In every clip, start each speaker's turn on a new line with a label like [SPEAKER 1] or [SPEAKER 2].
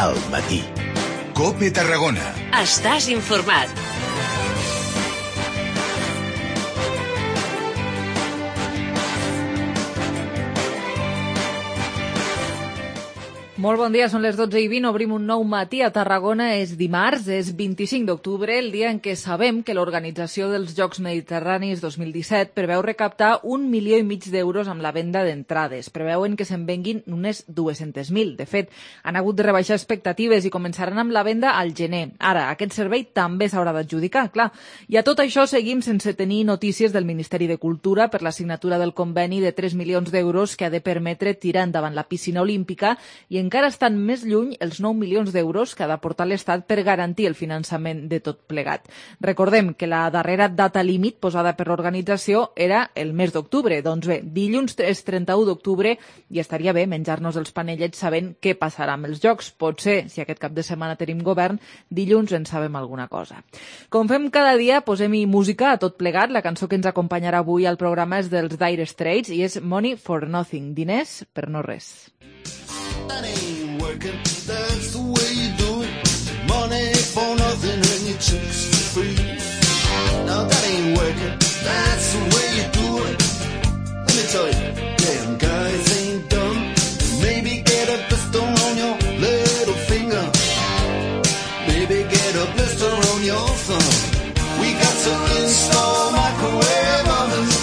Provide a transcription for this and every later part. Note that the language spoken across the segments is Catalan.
[SPEAKER 1] al matí. COPE Tarragona.
[SPEAKER 2] Estàs informat.
[SPEAKER 3] Molt bon dia, són les 12:20, obrim un nou matí a Tarragona, és dimarts, és 25 d'octubre, el dia en què sabem que l'organització dels Jocs Mediterranis 2017 preveu recaptar 1,5 milions d'euros amb la venda d'entrades. Preveuen que se'n venguin unes 200.000. De fet, han hagut de rebaixar expectatives i començaran amb la venda al gener. Ara, aquest servei també s'haurà d'adjudicar, clar. I a tot això seguim sense tenir notícies del Ministeri de Cultura per la signatura del conveni de 3 milions d'euros que ha de permetre tirar endavant la piscina olímpica i encara estan més lluny els 9 milions d'euros que ha d'aportar l'Estat per garantir el finançament de tot plegat. Recordem que la darrera data límit posada per l'organització era el mes d'octubre. Doncs bé, dilluns és 31 d'octubre i estaria bé menjar-nos els panellets sabent què passarà amb els Jocs. Potser, si aquest cap de setmana tenim govern, dilluns en sabem alguna cosa. Com fem cada dia, posem-hi música a tot plegat. La cançó que ens acompanyarà avui al programa és dels Dire Straits i és Money for Nothing, diners per no res.
[SPEAKER 4] That ain't working, that's the way you do it. Money for nothing and your chicks for free. Now that ain't working, that's the way you do it. Let me tell you, damn guys ain't dumb. Maybe get a blister on your little finger. Maybe get a blister on your thumb. We got to install microwave ovens.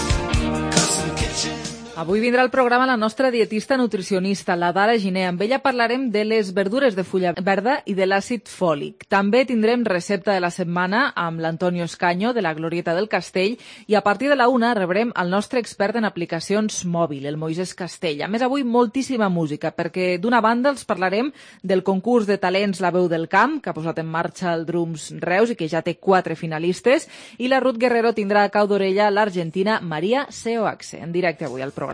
[SPEAKER 3] Avui vindrà al programa la nostra dietista nutricionista, la Dara Giner. Amb ella parlarem de les verdures de fulla verda i de l'àcid fòlic. També tindrem recepta de la setmana amb l'Antonio Escaño, de la Glorieta del Castell, i a partir de la 1 rebrem el nostre expert en aplicacions mòbil, el Moisés Castell. A més, avui moltíssima música, perquè d'una banda els parlarem del concurs de talents La Veu del Camp, que ha posat en marxa el Drums Reus i que ja té 4 finalistes, i la Ruth Guerrero tindrà a cau d'orella l'argentina Maria Seoaxe, en directe avui al programa.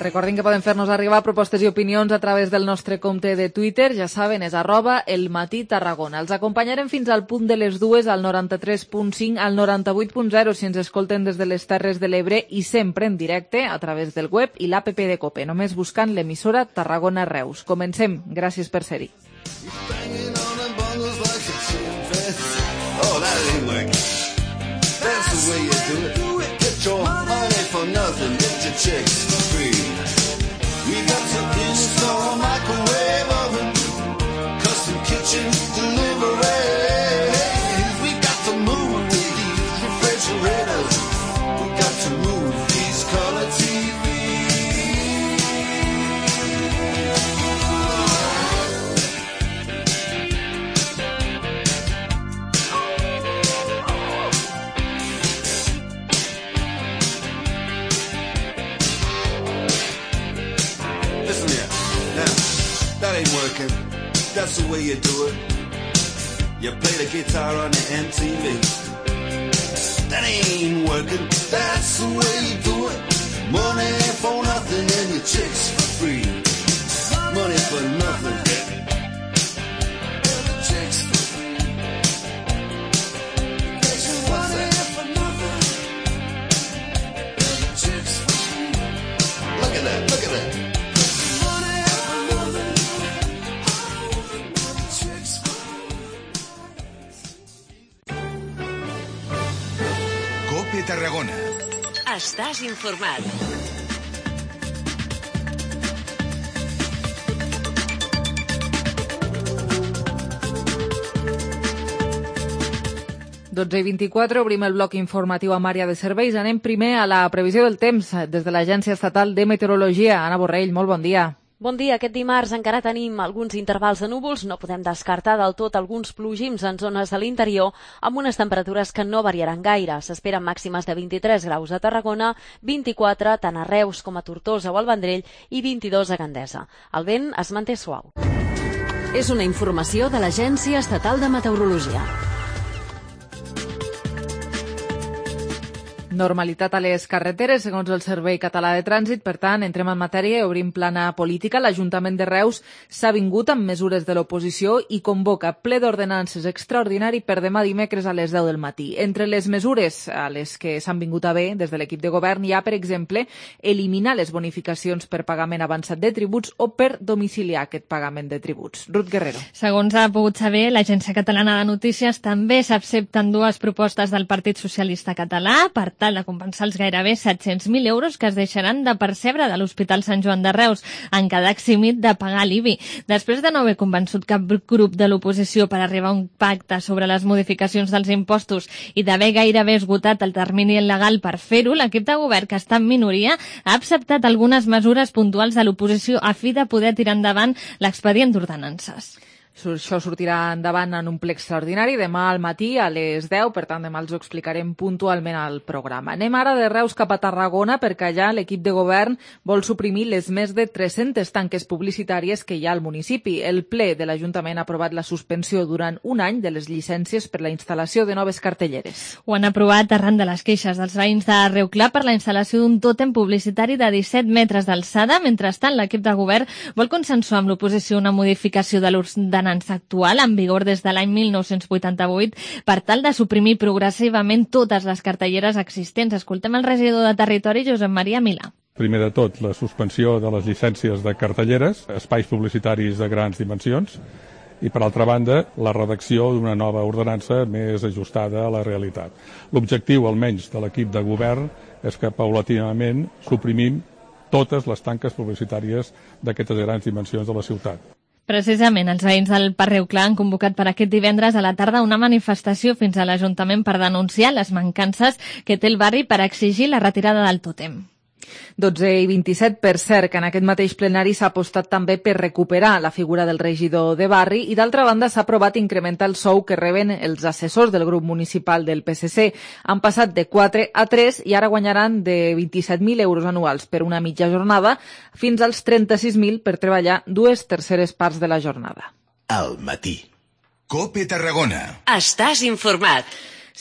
[SPEAKER 3] Recordin que poden fer-nos arribar propostes i opinions a través del nostre compte de Twitter, ja saben, és @elmatí_Tarragona. Els acompanyarem fins al punt de les 2 al 93.5, al 98.0 si ens escolten des de les Terres de l'Ebre i sempre en directe a través del web i l'APP de COPE, només buscant l'emissora Tarragona Reus. Comencem. Gràcies per ser-hi.
[SPEAKER 4] We got to install a microwave oven, custom kitchen deliveries. We got to move these refrigerators. We got to move these color working, that's the way you do it. You play the guitar on the MTV. That ain't working, that's the way you do it. Money for nothing and your chicks for free. Money for nothing. Chicks for free. Money for nothing. Chicks for free. Look at that, look at that.
[SPEAKER 1] COPE Tarragona.
[SPEAKER 2] Estàs informat.
[SPEAKER 3] Dotze i 24, obrim el bloc informatiu amb àrea de serveis. Anem primer a la previsió del temps des de l'Agència Estatal de Meteorologia. Anna Borrell, molt bon dia.
[SPEAKER 5] Bon dia. Aquest dimarts encara tenim alguns intervals de núvols. No podem descartar del tot alguns plogims en zones de l'interior amb unes temperatures que no variaran gaire. S'esperen màximes de 23 graus a Tarragona, 24 tant a Reus com a Tortosa o al Vendrell i 22 a Gandesa. El vent es manté suau.
[SPEAKER 2] És una informació de l'Agència Estatal de Meteorologia.
[SPEAKER 3] Normalitat a les carreteres, segons el Servei Català de Trànsit. Per tant, entrem en matèria i obrim plana política. L'Ajuntament de Reus s'ha vingut amb mesures de l'oposició i convoca ple d'ordenances extraordinari per demà dimecres a les 10 del matí. Entre les mesures a les que s'han vingut a bé des de l'equip de govern hi ha, per exemple, eliminar les bonificacions per pagament avançat de tributs o per domiciliar aquest pagament de tributs. Ruth Guerrero.
[SPEAKER 6] Segons ha pogut saber, l'Agència Catalana de Notícies també s'accepten dues propostes del Partit Socialista Català per tal de compensar els gairebé 700.000 euros que es deixaran de percebre de l'Hospital Sant Joan de Reus en quedar eximit de pagar l'IBI. Després de no haver convençut cap grup de l'oposició per arribar a un pacte sobre les modificacions dels impostos i d'haver gairebé esgotat el termini legal per fer-ho, l'equip de govern, que està en minoria, ha acceptat algunes mesures puntuals de l'oposició a fi de poder tirar endavant l'expedient d'ordenances.
[SPEAKER 3] Això sortirà endavant en un ple extraordinari demà al matí a les 10, per tant demà els ho explicarem puntualment al programa. Anem ara de Reus cap a Tarragona perquè allà l'equip de govern vol suprimir les més de 300 tanques publicitàries que hi ha al municipi. El ple de l'Ajuntament ha aprovat la suspensió durant un any de les llicències per la instal·lació de noves cartelleres.
[SPEAKER 6] Ho han aprovat arran de les queixes dels veïns de Reuclà per la instal·lació d'un tòtem publicitari de 17 metres d'alçada. Mentrestant, l'equip de govern vol consensuar amb l'oposició una modificació de l'ordenança actual en vigor des de l'any 1988 per tal de suprimir progressivament totes les cartelleres existents. Escoltem el regidor de Territori, Josep Maria Milà.
[SPEAKER 7] Primer de tot, la suspensió de les llicències de cartelleres, espais publicitaris de grans dimensions, i, per altra banda, la redacció d'una nova ordenança més ajustada a la realitat. L'objectiu, almenys, de l'equip de govern és que, paulatinament, suprimim totes les tanques publicitàries d'aquestes grans dimensions de la ciutat.
[SPEAKER 6] Precisament, els veïns del Parc Reuclà han convocat per aquest divendres a la tarda una manifestació fins a l'Ajuntament per denunciar les mancances que té el barri per exigir la retirada del tòtem.
[SPEAKER 3] 12:27, per cert, que en aquest mateix plenari s'ha apostat també per recuperar la figura del regidor de barri i, d'altra banda, s'ha aprovat incrementar el sou que reben els assessors del grup municipal del PSC. Han passat de 4 a 3 i ara guanyaran de 27.000 euros anuals per una mitja jornada fins als 36.000 per treballar 2/3 parts de la jornada.
[SPEAKER 1] Al matí. COPE Tarragona.
[SPEAKER 2] Estàs informat.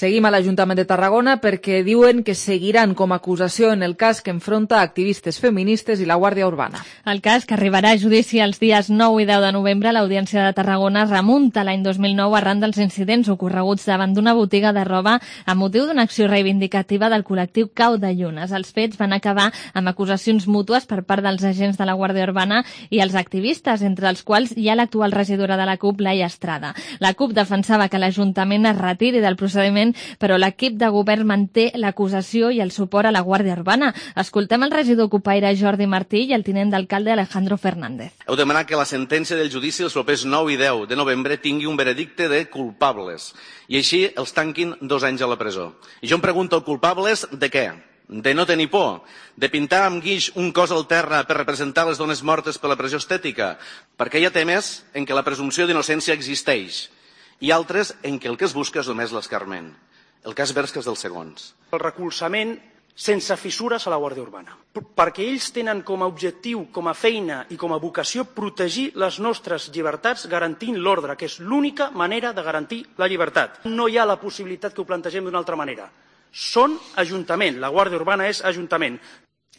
[SPEAKER 3] Seguim a l'Ajuntament de Tarragona perquè diuen que seguiran com a acusació en el cas que enfronta activistes feministes i la Guàrdia Urbana.
[SPEAKER 6] El cas, que arribarà a judici els dies 9 i 10 de novembre a l'Audiència de Tarragona, remunta l'any 2009 arran dels incidents ocorreguts davant d'una botiga de roba amb motiu d'una acció reivindicativa del col·lectiu Cau de Llunes. Els fets van acabar amb acusacions mútues per part dels agents de la Guàrdia Urbana i els activistes, entre els quals hi ha l'actual regidora de la CUP, Laia Estrada. La CUP defensava que l'Ajuntament es retiri del procediment, però l'equip de govern manté l'acusació i el suport a la Guàrdia Urbana. Escoltem el regidor copaire Jordi Martí i el tinent d'alcalde Alejandro Fernández.
[SPEAKER 8] Heu demanat que la sentència del judici els propers 9 i 10 de novembre tingui un veredicte de culpables i així els tanquin 2 anys a la presó. I jo em pregunto, culpables de què? De no tenir por? De pintar amb guix un cos al terra per representar les dones mortes per la pressió estètica? Perquè hi ha temes en què la presumpció d'innocència existeix i altres en què el que es busca és només l'escarment. El cas Berska és dels segons.
[SPEAKER 9] El recolzament sense fissures a la Guàrdia Urbana, perquè ells tenen com a objectiu, com a feina i com a vocació protegir les nostres llibertats garantint l'ordre, que és l'única manera de garantir la llibertat. No hi ha la possibilitat que ho plantegem d'una altra manera. Són Ajuntament, la Guàrdia Urbana és Ajuntament.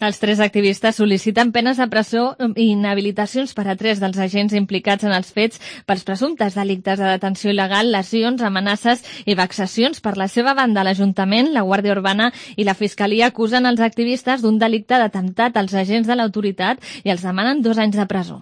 [SPEAKER 6] Els 3 activistes sol·liciten penes de presó i inhabilitacions per a 3 dels agents implicats en els fets pels presumptes delictes de detenció il·legal, lesions, amenaces i vexacions. Per la seva banda, l'Ajuntament, la Guàrdia Urbana i la Fiscalia acusen els activistes d'un delicte d'atemptat als agents de l'autoritat i els demanen 2 anys de presó.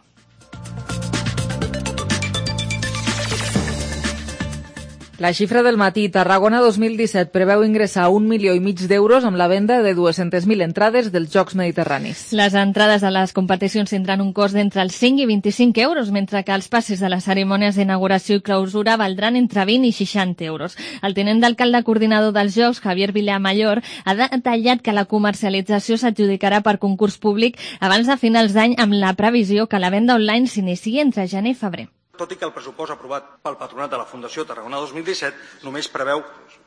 [SPEAKER 3] La xifra del matí. Tarragona 2017 preveu ingressar 1,5 milions d'euros amb la venda de 200.000 entrades dels Jocs Mediterranis.
[SPEAKER 6] Les entrades a les competicions tindran un cost d'entre els 5 i 25 euros, mentre que els passis de les cerimònies d'inauguració i clausura valdran entre 20 i 60 euros. El tinent d'alcalde coordinador dels Jocs, Javier Vilamayor, ha detallat que la comercialització s'adjudicarà per concurs públic abans de finals d'any, amb la previsió que la venda online s'iniciï entre gener i febrer.
[SPEAKER 9] Tot i que el pressupost aprovat pel Patronat de la Fundació Tarragona 2017 només preveu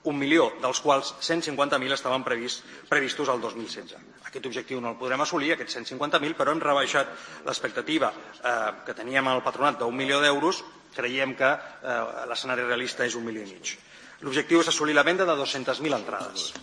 [SPEAKER 9] 1 milió, dels quals 150.000 estaven previstos al 2016. Aquest objectiu no el podrem assolir, aquests 150.000, però hem rebaixat l'expectativa que teníem al Patronat d'1 milió d'euros. Creiem que l'escenari realista és 1,5 milions. L'objectiu és assolir la venda de 200.000 entrades.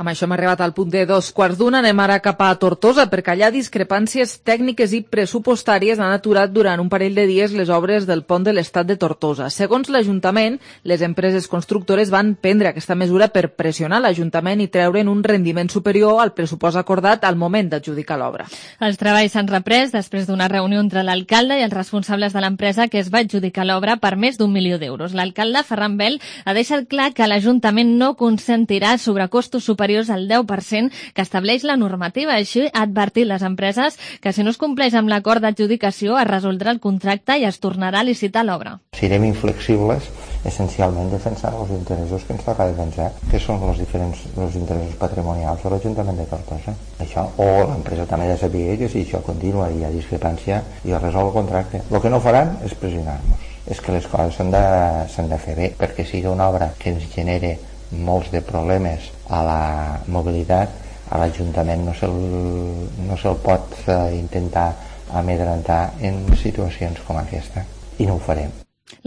[SPEAKER 3] Amb això hem arribat al punt de 2:15. Anem ara cap a Tortosa, perquè allà discrepàncies tècniques i pressupostàries han aturat durant un parell de dies les obres del pont de l'Estat de Tortosa. Segons l'Ajuntament, les empreses constructores van prendre aquesta mesura per pressionar l'Ajuntament i treure'n un rendiment superior al pressupost acordat al moment d'adjudicar l'obra.
[SPEAKER 6] Els treballs s'han reprès després d'una reunió entre l'alcalde i els responsables de l'empresa que es va adjudicar l'obra per més d'1 milió d'euros. L'alcalde, Ferran Bel, ha deixat clar que l'Ajuntament no consentirà sobrecostos superiors al 10% que estableix la normativa. Així ha advertit les empreses que si no es compleix amb l'acord d'adjudicació es resoldrà el contracte i es tornarà a licitar l'obra.
[SPEAKER 10] Serem inflexibles essencialment defensant els interessos que ens toca defensar, que són els interessos patrimonials de l'Ajuntament de Tortosa. Això, o l'empresa també ha de saber que si això continua i hi ha discrepància i es resol el contracte. El que no faran és pressionar-nos. És que les coses s'han de fer bé, perquè sigui una obra que ens genere molts de problemes a la mobilitat, a l'Ajuntament no se'l pot intentar amedrentar en situacions com aquesta, i no ho farem.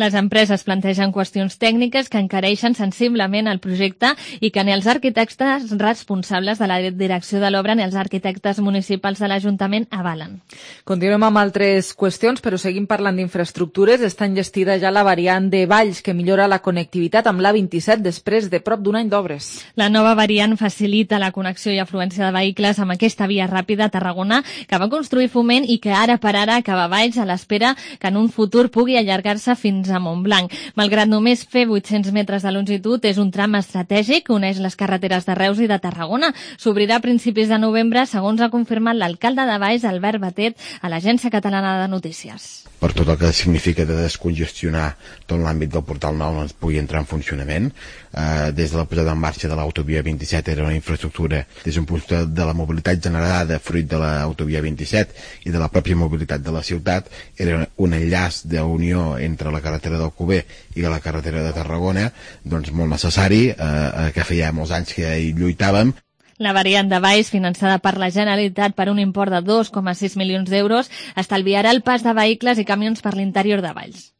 [SPEAKER 6] Les empreses plantegen qüestions tècniques que encareixen sensiblement el projecte i que ni els arquitectes responsables de la direcció de l'obra ni els arquitectes municipals de l'Ajuntament avalen.
[SPEAKER 3] Continuem amb altres qüestions, però seguim parlant d'infraestructures. Està enllestida ja la variant de Valls, que millora la connectivitat amb l'A27 després de prop d'un any d'obres.
[SPEAKER 6] La nova variant facilita la connexió i afluència de vehicles amb aquesta via ràpida a Tarragona que va construir Foment i que ara per ara acaba a Valls a l'espera que en un futur pugui allargar-se fins a Montblanc. Malgrat només fer 800 metres de longitud, és un tram estratègic que uneix les carreteres de Reus i de Tarragona. S'obrirà a principis de novembre, segons ha confirmat l'alcalde de Valls, Albert Batet, a l'Agència Catalana de Notícies.
[SPEAKER 11] Per tot el que significa de descongestionar tot l'àmbit del Portal Nou ens pugui entrar en funcionament. Des de la posada en marxa de l'autovia 27 era una infraestructura des d'un punt de la mobilitat generada fruit de l'autovia 27 i de la pròpia mobilitat de la ciutat. Era un enllaç d'unió entre la carretera d'Alcover i la carretera de Tarragona, doncs molt necessari, que feia molts anys que hi lluitàvem.
[SPEAKER 6] La variant de Valls, finançada per la Generalitat per un import de 2,6 milions d'euros, estalviarà el pas de vehicles i camions per l'interior de Valls.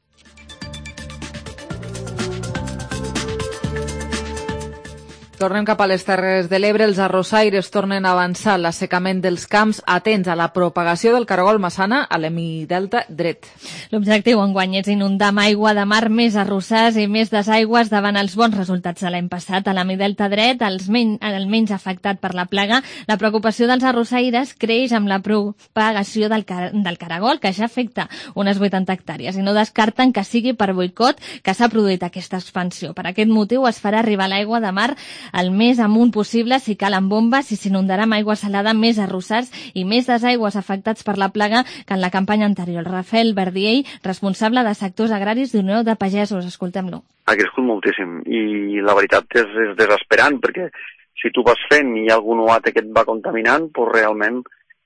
[SPEAKER 3] Tornem cap a les Terres de l'Ebre. Els arrossaires tornen a avançar l'assecament dels camps, atents a la propagació del caragol massana a l'hemidelta dret.
[SPEAKER 6] L'objectiu enguany és inundar amb aigua de mar més arrossars i més desaigües davant els bons resultats de l'any passat. A l'hemidelta dret, el menys afectat per la plaga, la preocupació dels arrossaires creix amb la propagació del caragol, que ja afecta unes 80 hectàrees, i no descarten que sigui per boicot que s'ha produït aquesta expansió. Per aquest motiu es farà arribar l'aigua de mar el més amunt possible si cal amb bombes i s'inundarà amb aigua salada més arrossars i més desaigües afectats per la plaga que en la campanya anterior. Rafael Verdiell, responsable de sectors agraris d'Unió de Pagesos. Escoltem-lo.
[SPEAKER 12] Ha crescut moltíssim i la veritat és desesperant, perquè si tu vas fent i hi ha algun oat que et va contaminant, doncs realment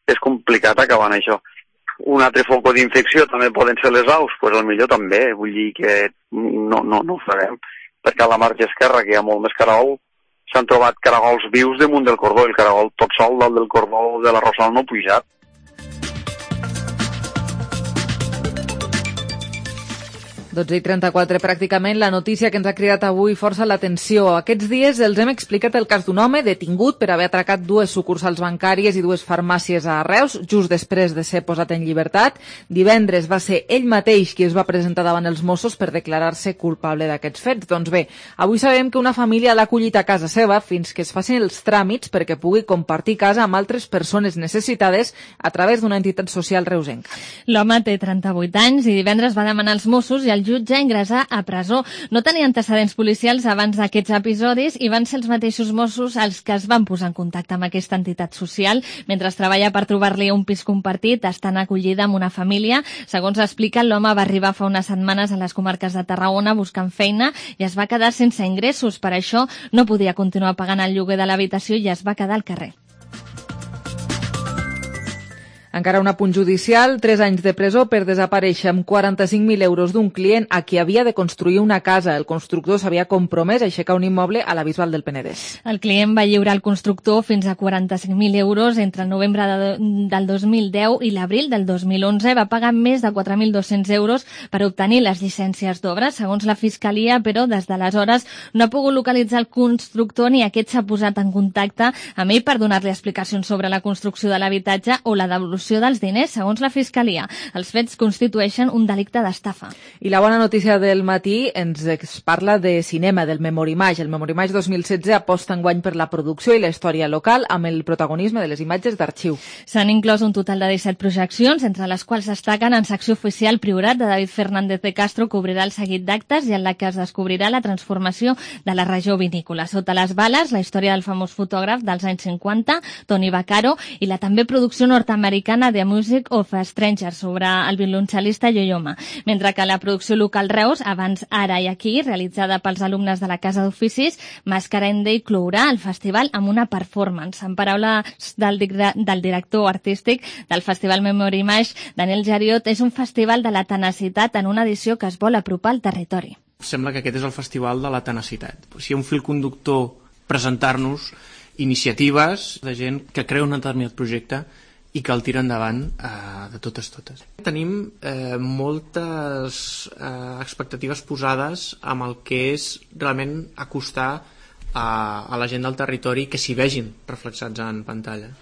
[SPEAKER 12] és complicat acabar amb això. Un altre foc d'infecció també poden ser les aus, doncs potser també, vull dir que no ho farem, perquè a la marge esquerra, que hi ha molt més caragol, s'han trobat caragols vius damunt del cordó, el caragol tot sol dalt del cordó de l'arrossal no ha pujat.
[SPEAKER 3] 12:34, pràcticament, la notícia que ens ha cridat avui força l'atenció. Aquests dies els hem explicat el cas d'un home detingut per haver atracat 2 sucursals bancàries i 2 farmàcies a Reus, just després de ser posat en llibertat. Divendres va ser ell mateix qui es va presentar davant els Mossos per declarar-se culpable d'aquests fets. Doncs bé, avui sabem que una família l'ha acollit a casa seva fins que es facin els tràmits perquè pugui compartir casa amb altres persones necessitades a través d'una entitat social reusenca.
[SPEAKER 6] L'home té 38 anys i divendres va demanar als Mossos i el jutge ingressar a presó. No tenia antecedents policials abans d'aquests episodis i van ser els mateixos Mossos els que es van posar en contacte amb aquesta entitat social. Mentre treballa per trobar-li un pis compartit, estan acollida amb una família. Segons explica, l'home va arribar fa unes setmanes a les comarques de Tarragona buscant feina i es va quedar sense ingressos. Per això no podia continuar pagant el lloguer de l'habitació i es va quedar al carrer.
[SPEAKER 3] Encara un apunt judicial, 3 anys de presó per desaparèixer amb 45.000 euros d'un client a qui havia de construir una casa. El constructor s'havia compromès a aixecar un immoble a la Bisbal del Penedès.
[SPEAKER 6] El client va lliurar al constructor fins a 45.000 euros entre el novembre del 2010 i l'abril del 2011. Va pagar més de 4.200 euros per obtenir les llicències d'obra. Segons la Fiscalia, però, des d'aleshores no ha pogut localitzar el constructor ni aquest s'ha posat en contacte amb ell per donar-li explicacions sobre la construcció de l'habitatge o la devolució dels diners, segons la Fiscalia. Els fets constitueixen un delicte d'estafa.
[SPEAKER 3] I la bona notícia del matí ens parla de cinema, del Memorimage. El Memorimage 2016 aposta enguany per la producció i la història local amb el protagonisme de les imatges d'arxiu.
[SPEAKER 6] S'han inclòs un total de 17 projeccions, entre les quals destaquen en secció oficial Priorat de David Fernández de Castro, que obrirà el seguit d'actes i en la que es descobrirà la transformació de la regió vinícola. Sota les bales, la història del famós fotògraf dels anys 50, Tony Vaccaro, i la també producció nord-americana The Music of a Stranger sobre el violoncel·lista Yo-Yo Ma. Mentre que la producció local Reus, Abans, Ara i Aquí, realitzada pels alumnes de la Casa d'Oficis, Mascarende inclourà el festival amb una performance. En paraules del director artístic del Festival Memorimage, Daniel Jariot, és un festival de la tenacitat en una edició que es vol apropar al territori.
[SPEAKER 13] Sembla que aquest és el festival de la tenacitat. Si hi ha un fil conductor, presentar-nos iniciatives de gent que creu en un determinat projecte i que el tira endavant de totes. Tenim moltes expectatives posades amb el que és realment acostar a la gent del territori que s'hi vegin reflexats en pantalla.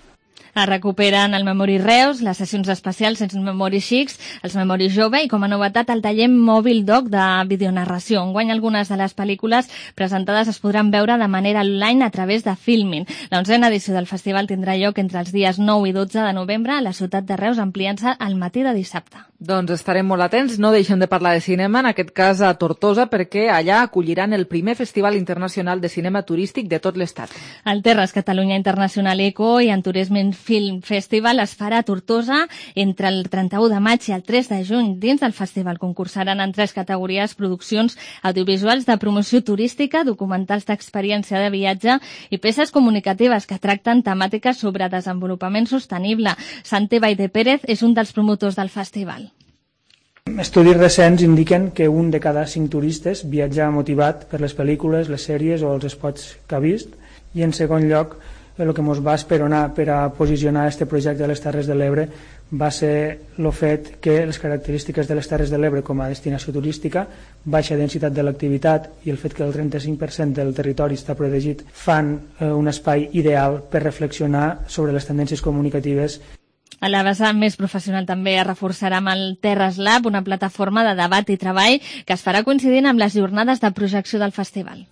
[SPEAKER 6] Es recuperen el Memori Reus, les sessions especials els Memori Xics, els Memori Jove i com a novetat el taller Mòbil Doc de videonarració. Enguany algunes de les pel·lícules presentades es podran veure de manera online a través de Filmin. La 11a edició del festival tindrà lloc entre els dies 9 i 12 de novembre a la ciutat de Reus, ampliant-se al matí de dissabte.
[SPEAKER 3] Doncs estarem molt atents, no deixem de parlar de cinema, en aquest cas a Tortosa, perquè allà acolliran el primer Festival Internacional de Cinema Turístic de tot l'Estat.
[SPEAKER 6] El Terres Catalunya Internacional Eco i en Turisme Film Festival es farà a Tortosa entre el 31 de maig i el 3 de juny. Dins del festival concursaran en 3 categories produccions audiovisuals de promoció turística, documentals d'experiència de viatge i peces comunicatives que tracten temàtiques sobre desenvolupament sostenible. Santi Baide Pérez és un dels promotors del festival.
[SPEAKER 14] Estudis recents indiquen que un de cada 5 turistes viatja motivat per les pel·lícules, les sèries o els spots que ha vist, i en segon lloc el que ens va esperonar per a posicionar aquest projecte de les Terres de l'Ebre va ser el fet que les característiques de les Terres de l'Ebre com a destinació turística, baixa densitat de l'activitat i el fet que el 35% del territori està protegit fan un espai ideal per reflexionar sobre les tendències comunicatives.
[SPEAKER 6] A la vessant més professional també es reforçarà amb el Terres Lab, una plataforma de debat i treball que es farà coincidint amb les jornades de projecció del festival.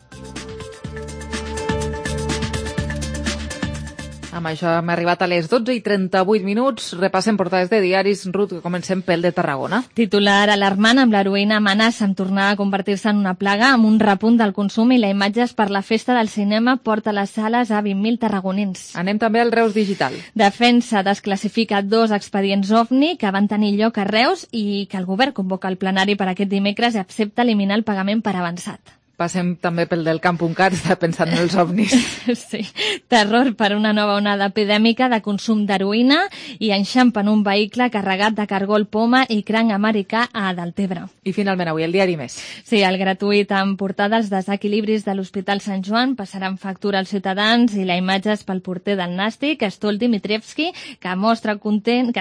[SPEAKER 3] Amb això hem arribat a les 12:38. Repassem portades de diaris. Ruth, comencem pel de Tarragona.
[SPEAKER 6] Titular alarmant amb l'heroïna amenaça amb tornar a convertir-se en una plaga amb un repunt del consum i la imatges per la festa del cinema porta a les sales a 20.000 tarragonins.
[SPEAKER 3] Anem també al Reus Digital.
[SPEAKER 6] Defensa desclassifica 2 expedients OVNI que van tenir lloc a Reus i que el govern convoca el plenari per aquest dimecres i accepta eliminar el pagament per avançat.
[SPEAKER 3] Passem també pel del Camp.cat, està pensant en els ovnis.
[SPEAKER 6] Sí, terror per una nova onada epidèmica de consum d'heroïna i enxampen un vehicle carregat de cargol poma i cranc americà a Deltebre.
[SPEAKER 3] I finalment avui el diari Més.
[SPEAKER 6] Sí, el gratuït en portada els desequilibris de l'Hospital Sant Joan passaran factura als ciutadans i la imatge és pel porter del Nàstic, Stol Dimitrievski, que es mostra content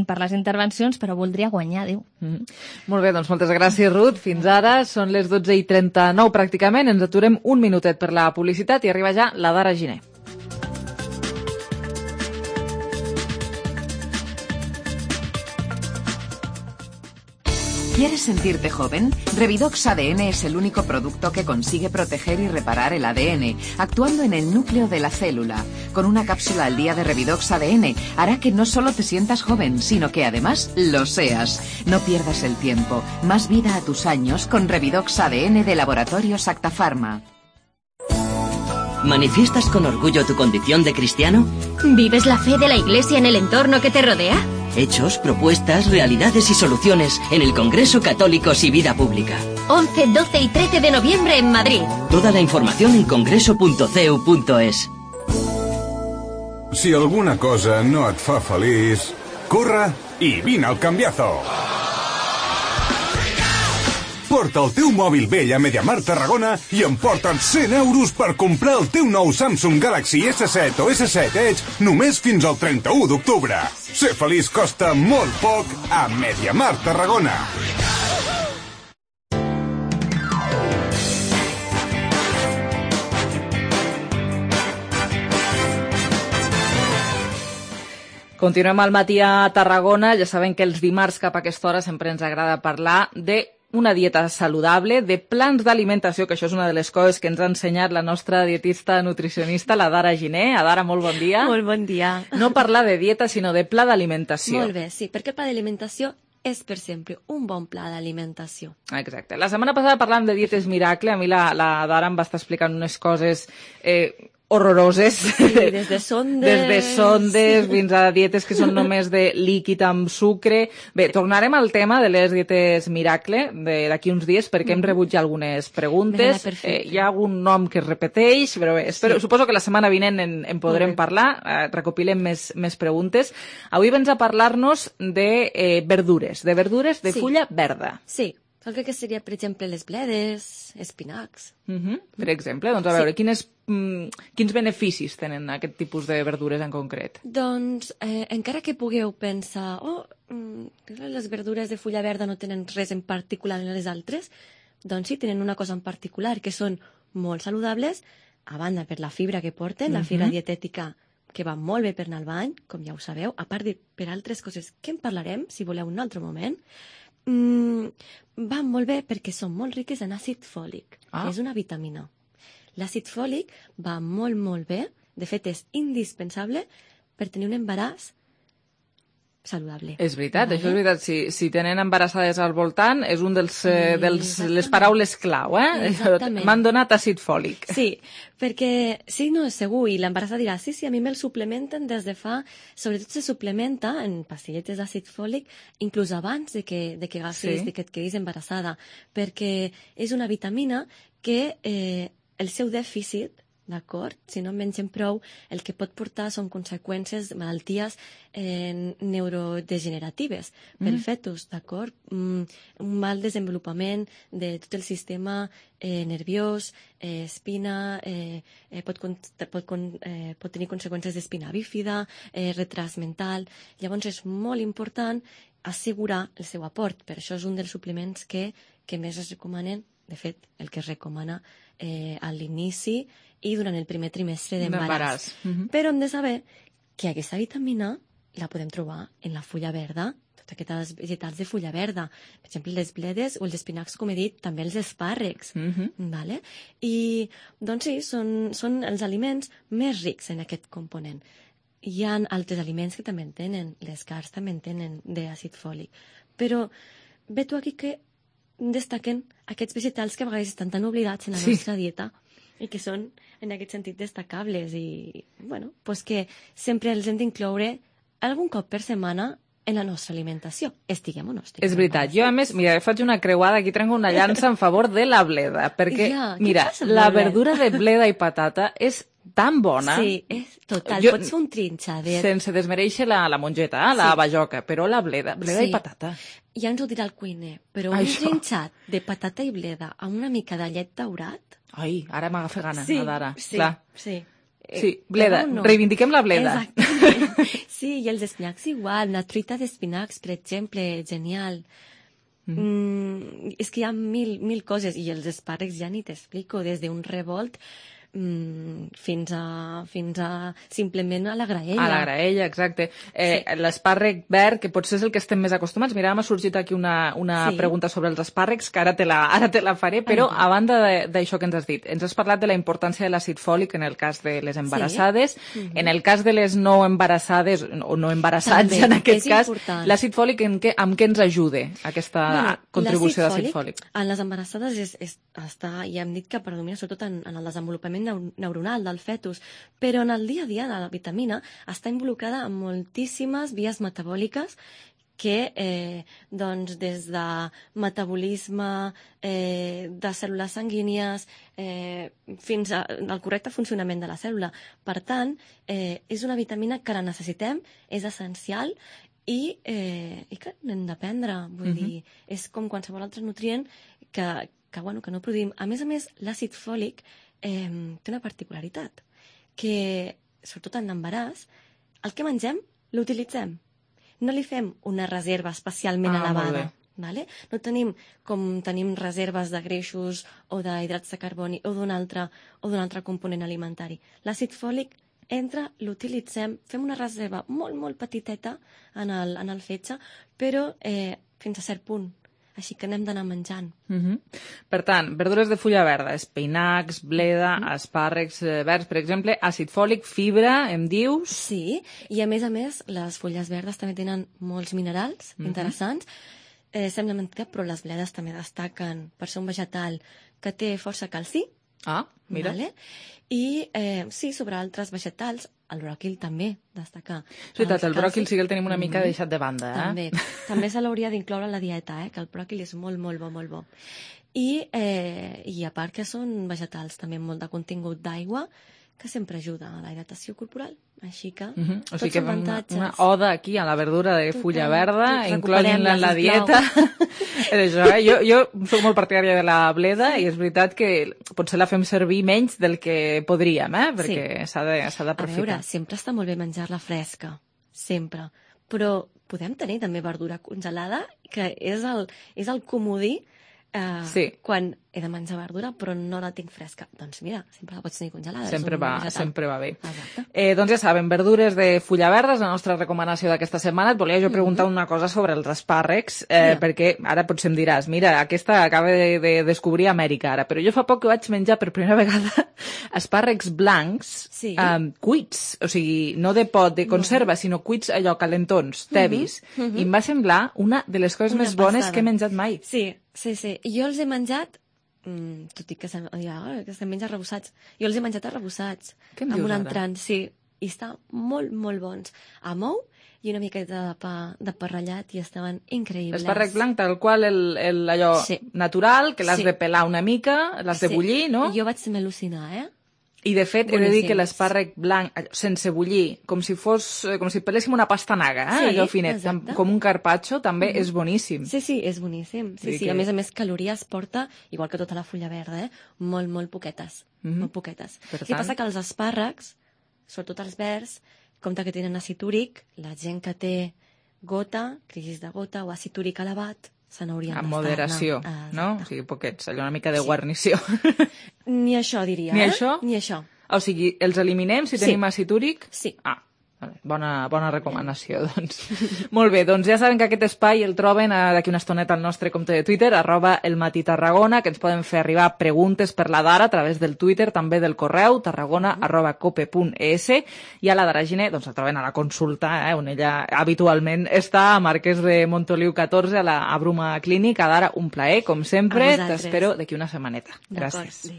[SPEAKER 6] per les intervencions, però voldria guanyar, diu.
[SPEAKER 3] Molt bé, doncs moltes gràcies, Ruth. Fins ara són les 12:39 pràcticament. Ens aturem un minutet per la publicitat i arriba ja la Dara Giner.
[SPEAKER 15] ¿Quieres sentirte joven? Revidox ADN es el único producto que consigue proteger y reparar el ADN, actuando en el núcleo de la célula. Con una cápsula al día de Revidox ADN hará que no solo te sientas joven, sino que además lo seas. No pierdas el tiempo. Más vida a tus años con Revidox ADN de Laboratorios Acta Pharma.
[SPEAKER 16] ¿Manifiestas con orgullo tu condición de cristiano?
[SPEAKER 17] ¿Vives la fe de la Iglesia en el entorno que te rodea?
[SPEAKER 16] Hechos, propuestas, realidades y soluciones en el Congreso Católicos y Vida Pública.
[SPEAKER 17] 11, 12 y 13 de noviembre en Madrid.
[SPEAKER 16] Toda la información en congreso.ceu.es.
[SPEAKER 1] Si alguna cosa no et fa feliç,
[SPEAKER 18] Corre i vine al canviazo. Porta el teu mòbil vell a MediaMarkt Tarragona i emporta't 100 euros per comprar el teu nou Samsung Galaxy S7 o S7 Edge només fins al 31 d'octubre. Ser feliç costa molt poc a MediaMarkt Tarragona.
[SPEAKER 3] Continuem al matí a Tarragona. Ja sabem que els dimarts cap a aquesta hora sempre ens agrada parlar de una dieta saludable, de plans d'alimentació, que això és una de les coses que ens ha ensenyat la nostra dietista nutricionista, la Dara Giner. Dara, molt bon dia.
[SPEAKER 19] Molt bon dia.
[SPEAKER 3] No parlar de dieta, sinó de pla d'alimentació.
[SPEAKER 19] Molt bé, sí, perquè el pla d'alimentació és, per sempre, un bon pla d'alimentació.
[SPEAKER 3] Exacte. La setmana passada parlàvem de dietes miracle. A mi la Dara em va estar explicant unes coses horroroses.
[SPEAKER 19] Sí, des de sondes...
[SPEAKER 3] Des de sondes fins a dietes que són només de líquid amb sucre. Bé, tornarem al tema de les dietes miracle d'aquí uns dies, perquè hem rebut ja algunes preguntes. Hi ha algun nom que es repeteix, però bé, suposo que la setmana vinent en podrem parlar, recopilem més preguntes. Avui vens a parlar-nos de verdures, de fulla verda.
[SPEAKER 19] Sí. El que seria, per exemple, les bledes, espinacs.
[SPEAKER 3] Per exemple, doncs a veure, quins beneficis tenen aquest tipus de verdures en concret?
[SPEAKER 19] Doncs, encara que pugueu pensar, les verdures de fulla verda no tenen res en particular en les altres, doncs sí, tenen una cosa en particular, que són molt saludables, a banda per la fibra que porten, la fibra dietètica que va molt bé per anar al bany, com ja ho sabeu, a part de per altres coses que en parlarem, si voleu, un altre moment. Van molt bé perquè són molt riques en àcid fòlic, que és una vitamina. L'àcid fòlic va molt, molt bé, de fet és indispensable per tenir un embaràs saludable.
[SPEAKER 3] És veritat, això és veritat. Si tenen embarassades al voltant, és un les paraules clau,
[SPEAKER 19] Exactament.
[SPEAKER 3] M'han donat àcid fòlic.
[SPEAKER 19] Sí, perquè sí, no és segur, i l'embarassada dirà, sí, a mi me'l suplementen des de fa... Sobretot se suplementa en pastilletes d'àcid fòlic, inclús abans de que agafis, de que et quedis embarassada, perquè és una vitamina que el seu dèficit, d'acord? Si no en mengem prou, el que pot portar són conseqüències de malalties neurodegeneratives pel fetus, d'acord? Un mal desenvolupament de tot el sistema nerviós, espina, pot tenir conseqüències d'espina bífida, retras mental. Llavors és molt important assegurar el seu aport. Per això és un dels suplements que més es recomanen, de fet, el que es recomana a l'inici i durant el primer trimestre d'embaràs. Però hem de saber que aquesta vitamina la podem trobar en la fulla verda, totes aquestes vegetals de fulla verda. Per exemple, les bledes o els espinacs, com he dit, també els espàrrecs. Vale? I, doncs sí, són els aliments més rics en aquest component. Hi ha altres aliments que també en tenen, les carns també en tenen d'àcid fòlic. Però ve tu aquí que destaquen aquests vegetals que a vegades estan tan oblidats en la nostra dieta i que són, en aquest sentit, destacables i, bueno, pues que sempre els hem d'incloure algun cop per setmana en la nostra alimentació, estiguem o no estiguem.
[SPEAKER 3] És veritat. Jo, a més, mira, faig una creuada, aquí trenco una llança en favor de la bleda, perquè, mira, la verdura de bleda i patata és tan bona.
[SPEAKER 19] Sí, és total. Pots fer un trinxadet.
[SPEAKER 3] Sense desmereixer la mongeta, la bajoca, però la bleda i patata.
[SPEAKER 19] Ja ens ho dirà el cuiner, però un trinxat de patata i bleda amb una mica de llet daurat...
[SPEAKER 3] Ai, ara m'agafa gana, Dara.
[SPEAKER 19] Sí.
[SPEAKER 3] Sí, bleda, reivindiquem la bleda.
[SPEAKER 19] Exacte. Sí, i els espinacs igual, una truita d'espinacs, per exemple, genial. És que hi ha mil coses, i els espàrrecs ja ni t'explico, des d'un revolt fins a simplement a la graella.
[SPEAKER 3] A la graella, exacte. L'espàrrec verd, que potser és el que estem més acostumats. Mira, m'ha sorgit aquí una pregunta sobre els espàrrecs, que ara te la faré, però a banda d'això que ens has dit, ens has parlat de la importància de l'àcid fòlic en el cas de les embarassades, en el cas de les no embarassades, o no embarassats en aquest cas, l'àcid fòlic amb què ens ajuda aquesta contribució d'àcid fòlic?
[SPEAKER 19] En les embarassades ja hem dit que predomina sobretot en el desenvolupament neuronal del fetus, però en el dia a dia la vitamina està involucrada en moltíssimes vies metabòliques que doncs des de metabolisme de cèl·lules sanguínies fins al correcte funcionament de la cèl·lula. Per tant, és una vitamina que la necessitem, és essencial i que n'hem de prendre. Vull dir, és com qualsevol altre nutrient que no produïm. A més, l'àcid fòlic té una particularitat, que, sobretot en l'embaràs, el que mengem l'utilitzem. No li fem una reserva especialment elevada. Vale? No tenim com tenim reserves de greixos o d'hidrats de carboni o d'un altre component alimentari. L'àcid fòlic entra, l'utilitzem, fem una reserva molt, molt petiteta en el fetge, però fins a cert punt. Així que n'hem d'anar menjant.
[SPEAKER 3] Per tant, verdures de fulla verda, espinacs, bleda, espàrrecs verds, per exemple, àcid fòlic, fibra, em dius?
[SPEAKER 19] Sí, i a més, les fulles verdes també tenen molts minerals interessants. Sembla mentida, però les bledes també destaquen per ser un vegetal que té força calci.
[SPEAKER 3] Mira.
[SPEAKER 19] Vale? I sí, sobre altres vegetals, el bròquil també destaca.
[SPEAKER 3] És veritat, el bròquil sí que el tenim una mica deixat de banda.
[SPEAKER 19] També se l'hauria d'incloure a la dieta, que el bròquil és molt, molt bo, molt bo. I a part que són vegetals també amb molt de contingut d'aigua, que sempre ajuda a la hidratació corporal. Així que
[SPEAKER 3] o sigui que una oda aquí a la verdura de fulla verda, incloent-la en la dieta. Jo soc molt partidària de la bleda i és veritat que potser la fem servir menys del que podríem, perquè s'ha d'aprofitar.
[SPEAKER 19] A veure, sempre està molt bé menjar-la fresca, sempre. Però podem tenir també verdura congelada, que és el comodí quan he de menjar verdura però no la tinc fresca. Doncs mira, sempre la pots tenir congelada.
[SPEAKER 3] Sempre va bé. Doncs ja saben, verdures de fulla verda és la nostra recomanació d'aquesta setmana. Et volia jo preguntar una cosa sobre els espàrrecs, perquè ara potser em diràs, mira, aquesta acaba de descobrir Amèrica ara, però jo fa poc que vaig menjar per primera vegada espàrrecs blancs cuits, o sigui, no de pot, de conserva, sinó cuits allò calentons, tevis, i em va semblar una de les coses més bones que he menjat mai.
[SPEAKER 19] Sí. Jo els he menjat, tot i que se'n menja arrebossats, jo els he menjat arrebossats.
[SPEAKER 3] Què em dius ara?
[SPEAKER 19] Entrant, sí, i estan molt, molt bons. Amb ou i una miqueta de pa ratllat i estaven increïbles.
[SPEAKER 3] L'espàrrec blanc, tal qual allò natural, que l'has de pelar una mica, l'has de bullir, no?
[SPEAKER 19] Jo vaig al·lucinar,
[SPEAKER 3] I, de fet, he de dir que l'espàrrec blanc, sense bullir, com si peléssim una pastanaga, allò finet, com un carpaccio, també és boníssim.
[SPEAKER 19] Sí, és boníssim. A més, calories porta, igual que tota la fulla verda, molt, molt poquetes. Molt poquetes. El que passa que els espàrrecs, sobretot els verds, compte que tenen àcid úric, la gent que té gota, crisi de gota o àcid úric elevat, se n'haurien d'estar.
[SPEAKER 3] Amb moderació, no? O sigui, poquets, allò una mica de guarnició.
[SPEAKER 19] Ni això, diria.
[SPEAKER 3] Ni això?
[SPEAKER 19] Ni això.
[SPEAKER 3] O sigui, els eliminem si tenim àcid úric?
[SPEAKER 19] Sí.
[SPEAKER 3] Bona recomanació, doncs. Molt bé, doncs ja saben que aquest espai el troben d'aquí una estoneta al nostre compte de Twitter, @elmatitarragona, que ens poden fer arribar preguntes per la Dara a través del Twitter, també del correu, tarragona@cope.es, i a la Daragine, doncs la troben a la consulta, on ella habitualment està a Marquès de Montoliu 14, a Bruma Clínica. Dara, un plaer, com sempre, t'espero d'aquí una setmaneta. Gràcies.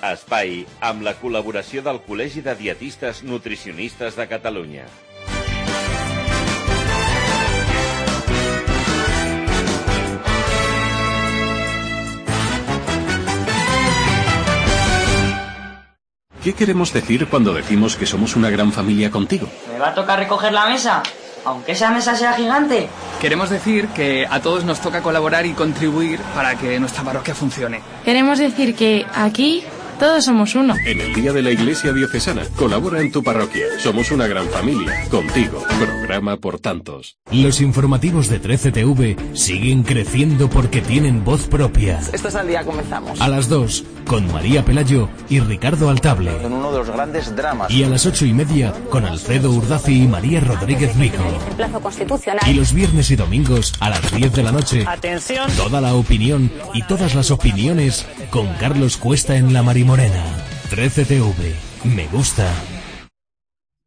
[SPEAKER 20] Espai amb la col·laboració del Col·legi de Dietistes Nutricionistes de Catalunya.
[SPEAKER 21] ¿Qué queremos decir cuando decimos que somos una gran familia contigo?
[SPEAKER 22] ¿Me va a tocar recoger la mesa? Aunque esa mesa sea gigante.
[SPEAKER 23] Queremos decir que a todos nos toca colaborar y contribuir para que nuestra parroquia funcione.
[SPEAKER 24] Queremos decir que aquí todos somos uno.
[SPEAKER 21] En el Día de la Iglesia Diocesana, colabora en tu parroquia. Somos una gran familia. Contigo. Programa por tantos.
[SPEAKER 25] Los informativos de 13TV siguen creciendo porque tienen voz propia.
[SPEAKER 26] Esto es Al Día, comenzamos.
[SPEAKER 25] A las 2, con María Pelayo y Ricardo Altable.
[SPEAKER 26] En uno de los grandes dramas.
[SPEAKER 25] Y a las 8:30, con Alfredo Urdaci y María Rodríguez Rico.
[SPEAKER 27] El plazo constitucional.
[SPEAKER 25] Y los viernes y domingos, a las 10 de la noche.
[SPEAKER 27] Atención.
[SPEAKER 25] Toda la opinión y todas las opiniones con Carlos Cuesta en La Marimorena. 13TV. Me gusta.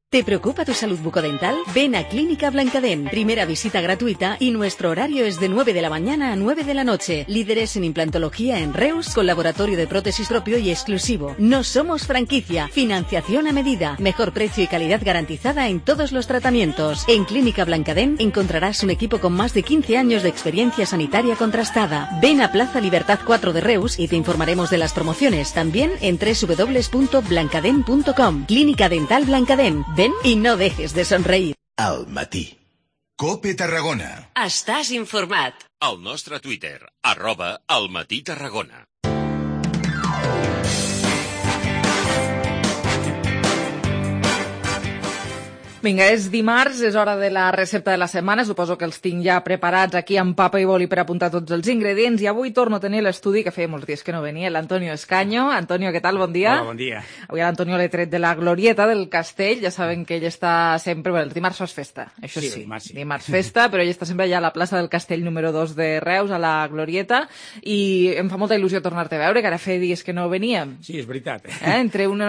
[SPEAKER 28] ¿Te preocupa tu salud bucodental? Ven a Clínica Blancadent. Primera visita gratuita y nuestro horario es de 9 de la mañana a 9 de la noche. Líderes en implantología en Reus, con laboratorio de prótesis propio y exclusivo. No somos franquicia. Financiación a medida. Mejor precio y calidad garantizada en todos los tratamientos. En Clínica Blancadent encontrarás un equipo con más de 15 años de experiencia sanitaria contrastada. Ven a Plaza Libertad 4 de Reus y te informaremos de las promociones. También en www.blancadent.com. Clínica Dental Blancadent. Ven y no dejes de sonreír.
[SPEAKER 1] Al matí. COPE Tarragona.
[SPEAKER 2] Estàs informat.
[SPEAKER 21] Al nostre Twitter, @almatí-tarragona.
[SPEAKER 3] Vinga, és dimarts, és hora de la recepta de la setmana. Suposo que els tinc ja preparats aquí amb papa i boli per apuntar tots els ingredients. I avui torno a tenir l'estudi, que feia molts dies que no venia, l'Antonio Escaño. Antonio, què tal? Bon dia.
[SPEAKER 4] Hola, bon dia.
[SPEAKER 3] Avui l'Antonio l'he tret de la glorieta del Castell. Ja saben que ell està sempre... Bueno, els dimarts fas festa, això sí. Dimarts festa, però ell està sempre allà a la plaça del Castell número 2 de Reus, a la glorieta. I em fa molta il·lusió tornar-te a veure, que ara feia dies que no veníem.
[SPEAKER 4] Sí, és veritat.
[SPEAKER 3] Entre un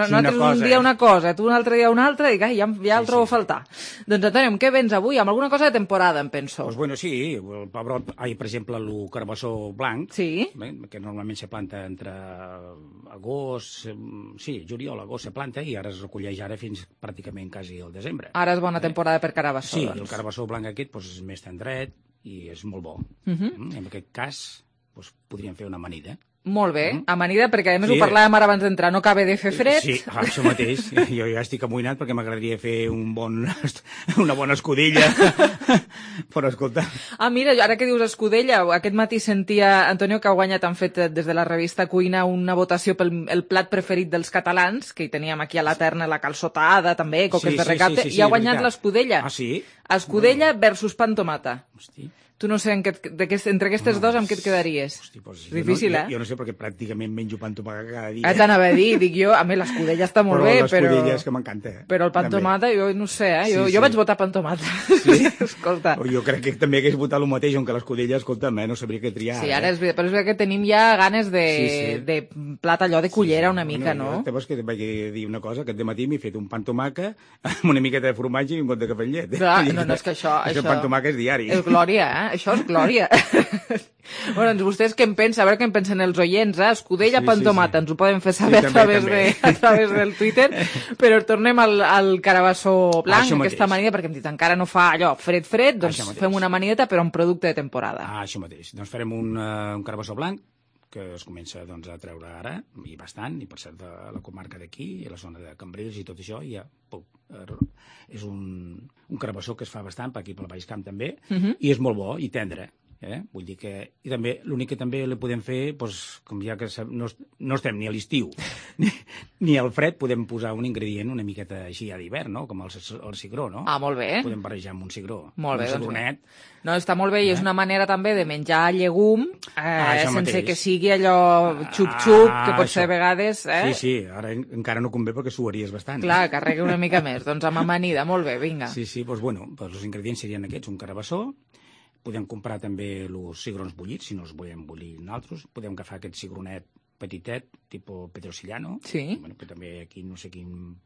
[SPEAKER 3] dia una cosa, tu un altre dia una altra, i ja el trobo a faltar. Doncs, Antonio, amb què vens avui? Amb alguna cosa de temporada, em penso.
[SPEAKER 4] Pues bueno, sí, el pebrot, per exemple, el carbassó blanc,
[SPEAKER 3] sí,
[SPEAKER 4] que normalment se planta entre agost, juliol, agost se planta, i ara es recolleix ara fins pràcticament quasi al desembre.
[SPEAKER 3] Ara és bona temporada per carabassó.
[SPEAKER 4] Sí,
[SPEAKER 3] doncs.
[SPEAKER 4] El carabassó blanc aquest és més tendret i és molt bo. En aquest cas, podríem fer una amanida.
[SPEAKER 3] Molt bé, amanida, perquè a més ho parlàvem ara abans d'entrar, no acaba de fer fred.
[SPEAKER 4] Sí, això mateix. Jo ja estic amoïnat perquè m'agradaria fer una bona escudella. Però escolta...
[SPEAKER 3] Mira, ara que dius escudella, aquest matí sentia, Antonio, que ha guanyat, han fet des de la revista Cuina una votació pel plat preferit dels catalans, que hi teníem aquí a la terna la calçotada, també, coques de recapte, i ha guanyat l'escudella.
[SPEAKER 4] Ah, sí?
[SPEAKER 3] Escudella versus pa amb tomata. Hosti. Tu no sé, entre aquestes dos, amb què et quedaries?
[SPEAKER 4] Hosti,
[SPEAKER 3] difícil,
[SPEAKER 4] jo no sé, perquè pràcticament menjo pa amb tomata cada dia.
[SPEAKER 3] T'anava a dir, dic jo, a mi l'escudella està molt bé, però...
[SPEAKER 4] l'escudella és que m'encanta.
[SPEAKER 3] Però el pa amb tomata, jo no sé, jo vaig votar pa amb tomata.
[SPEAKER 4] Sí?
[SPEAKER 3] Escolta.
[SPEAKER 4] Jo crec que també hagués votat el mateix, on que l'escudella, escolta'm, no sabria què triar.
[SPEAKER 3] Sí, ara és veritat, però és veritat que tenim ja ganes de plat allò de cullera una mica, no?
[SPEAKER 4] Llavors que vaig dir una cosa, que aquest matí m'he fet un pa amb tomaca amb una miqueta de formatge i un got de cafè amb llet.
[SPEAKER 3] No, és que això...
[SPEAKER 4] El pa amb tomaca és diari.
[SPEAKER 3] És glòria, Això és glòria. Bueno, doncs vostès què en pensen? A veure què en pensen els oients, Escudella, pa amb tomata, ens ho poden fer saber a través del Twitter, però tornem al carabassó blanc, aquesta amanida, perquè hem dit encara no fa allò fred, doncs fem una amanideta però un producte de temporada.
[SPEAKER 4] Això mateix, doncs farem un carabassó blanc que es comença a treure ara, i bastant, i per cert de la comarca d'aquí, i la zona de Cambrils i tot això, ja és un carabassó que es fa bastant, per aquí pel Baix Camp també, i és molt bo i tendre. Vull dir que... I també, l'únic que també li podem fer, com ja que no estem ni a l'estiu ni al fred, podem posar un ingredient una miqueta així a d'hivern, no? Com el cigró, no?
[SPEAKER 3] Molt bé.
[SPEAKER 4] Podem barrejar amb un cigró.
[SPEAKER 3] Molt bé,
[SPEAKER 4] un cigronet.
[SPEAKER 3] No, està molt bé, i és una manera també de menjar llegum sense que sigui allò xup-xup, que pot ser a vegades...
[SPEAKER 4] Sí, ara encara no convé perquè suaries bastant.
[SPEAKER 3] Clar, carrega una mica més. Doncs amb amanida, molt bé, vinga.
[SPEAKER 4] Sí, doncs els ingredients serien aquests, un carabassó. Podem comprar també els cigrons bullits, si no els volem bullir nosaltres. Podem agafar aquest cigronet petitet, tipus petrosillano.
[SPEAKER 3] Sí.
[SPEAKER 4] Que també aquí, no sé quin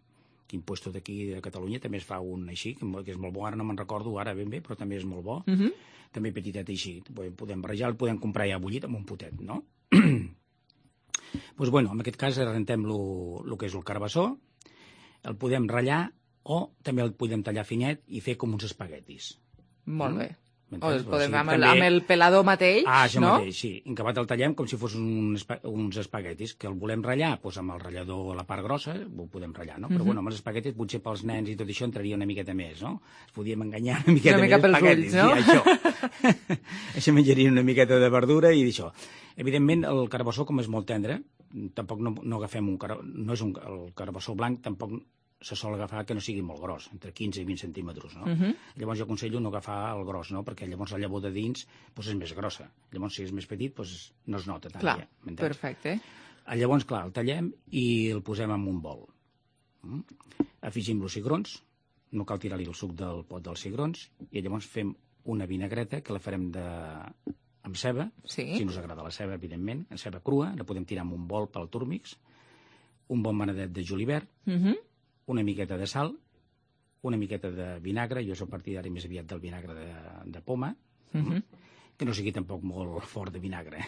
[SPEAKER 4] puesto d'aquí de Catalunya, també es fa un així, que és molt bo, ara no me'n recordo ara ben bé, però també és molt bo. També petitet així. Podem barrejar, el podem comprar ja bullit amb un potet, no? Doncs en aquest cas rentem el que és el carabassó, el podem ratllar o també el podem tallar finet i fer com uns espaguetis.
[SPEAKER 3] Molt bé. O el podem amb el pelador mateix,
[SPEAKER 4] això
[SPEAKER 3] no?
[SPEAKER 4] Mateix, sí. En acabat el tallem com si fos uns espaguetis, que el volem ratllar, amb el ratllador a la part grossa, ho podem ratllar, no? Però amb els espaguetis, potser pels nens i tot això entraria una miqueta més, no? Es podíem enganyar una miqueta més espaguetis.
[SPEAKER 3] Una mica pels
[SPEAKER 4] ulls, no? Sí, això menjaria una miqueta de verdura i d'això. Evidentment, el carabassó, com és molt tendre, tampoc no agafem el carabassó blanc, tampoc se sol agafar que no sigui molt gros, entre 15 i 20 centímetres, no? Llavors jo aconsello no agafar el gros, no? Perquè llavors la llavor de dins és més grossa. Llavors, si és més petit, no es nota tant.
[SPEAKER 3] Clar, perfecte.
[SPEAKER 4] Llavors, clar, el tallem i el posem en un bol. Afegim els cigrons, no cal tirar-li el suc del pot dels cigrons, i llavors fem una vinagreta que la farem amb ceba, si no us agrada la ceba, evidentment, en ceba crua, la podem tirar en un bol pel túrmix, un bon manadet de julivert, una miqueta de sal, una miqueta de vinagre, jo soc partidari més aviat del vinagre de poma, que no sigui tampoc molt fort de vinagre.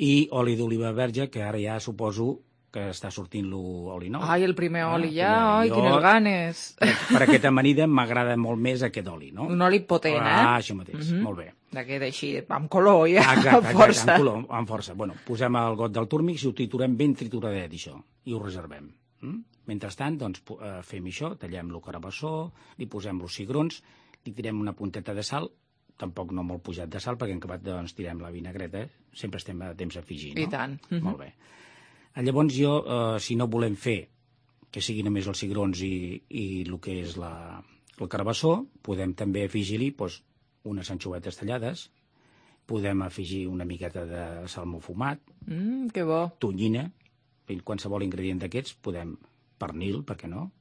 [SPEAKER 4] I oli d'oliva verge, que ara ja suposo que està sortint l'oli nou.
[SPEAKER 3] Ai, el primer oli ja, quines ganes!
[SPEAKER 4] Per aquesta amanida m'agrada molt més aquest oli, no?
[SPEAKER 3] Un oli potent,
[SPEAKER 4] això mateix, molt bé.
[SPEAKER 3] D'aquest així, amb color, ja,
[SPEAKER 4] amb força. Amb color, amb força. Posem el got del túrmix i ho triturem ben trituradet, això, i ho reservem. Mentrestant, doncs, fem això, tallem el carabassó, li posem els cigrons, li tirem una punteta de sal, tampoc no molt pujat de sal, perquè en acabat doncs, tirem la vinagreta, sempre estem a temps d'afegir, no?
[SPEAKER 3] I tant.
[SPEAKER 4] Molt bé. Llavors jo, si no volem fer que siguin només els cigrons i el que és el carabassó, podem també afegir-hi doncs, unes anxovetes tallades, podem afegir una miqueta de salmó fumat,
[SPEAKER 3] que bo.
[SPEAKER 4] tonyina, qualsevol ingredient d'aquests, podem pernil, per què no?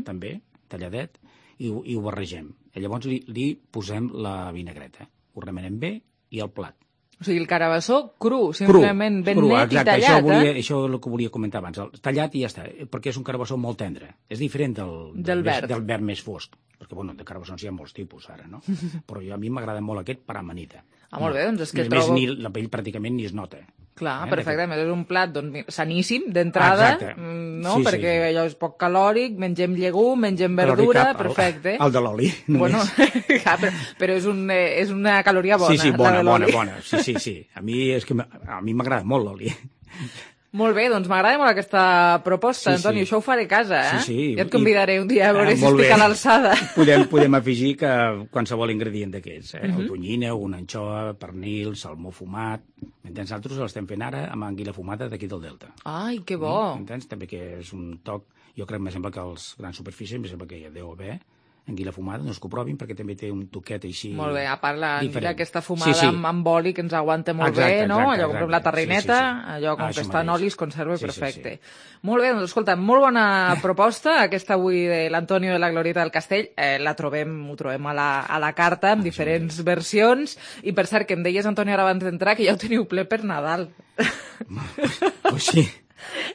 [SPEAKER 4] També, talladet, i ho barregem. I llavors li posem la vinagreta. Ho remenem bé i al plat.
[SPEAKER 3] O sigui, el carabassó cru, simplement ben net i tallat.
[SPEAKER 4] Això és el que volia comentar abans. Tallat i ja està, perquè és un carabassó molt tendre. És diferent del verd més fosc. Perquè, bueno, de carabassons hi ha molts tipus ara, no? Però a mi m'agrada molt aquest per amanita.
[SPEAKER 3] Molt bé, doncs és que
[SPEAKER 4] trobo... la pell pràcticament ni es nota.
[SPEAKER 3] Clar, perfectament. És un plat saníssim, d'entrada, no? Perquè allò és poc calòric, mengem llegum, mengem verdura, perfecte.
[SPEAKER 4] El de l'oli, només.
[SPEAKER 3] Però és una caloria bona.
[SPEAKER 4] Sí, bona. Sí. A mi m'agrada molt l'oli.
[SPEAKER 3] Molt bé, doncs m'agrada molt aquesta proposta, Antoni, això ho faré a casa, eh?
[SPEAKER 4] Sí.
[SPEAKER 3] Ja et convidaré un dia a veure si estic a l'alçada.
[SPEAKER 4] Podem afegir qualsevol ingredient d'aquests, o tonyina, una anxoa, pernil, salmó fumat. M'entens? Nosaltres l'estem fent ara amb anguila fumada d'aquí del Delta.
[SPEAKER 3] Ai, que bo!
[SPEAKER 4] M'entens? També que és un toc... Jo crec, me sembla que els grans superfícies, me sembla que ja deu haver anguila fumada, no es que ho provin perquè també té un toquet així...
[SPEAKER 3] Molt bé, a part l'anguila aquesta fumada amb oli que ens aguanta molt bé, no? Allò com la tarrineta, allò com que està en oli es conserva perfecte. Molt bé, doncs escolta, molt bona proposta, aquesta avui de l'Antonio de la Glorieta del Castell. Ho trobem a la carta amb diferents versions, i per cert, que em deies, Antonio, ara abans d'entrar, que ja ho teniu ple per Nadal.
[SPEAKER 4] Pues sí.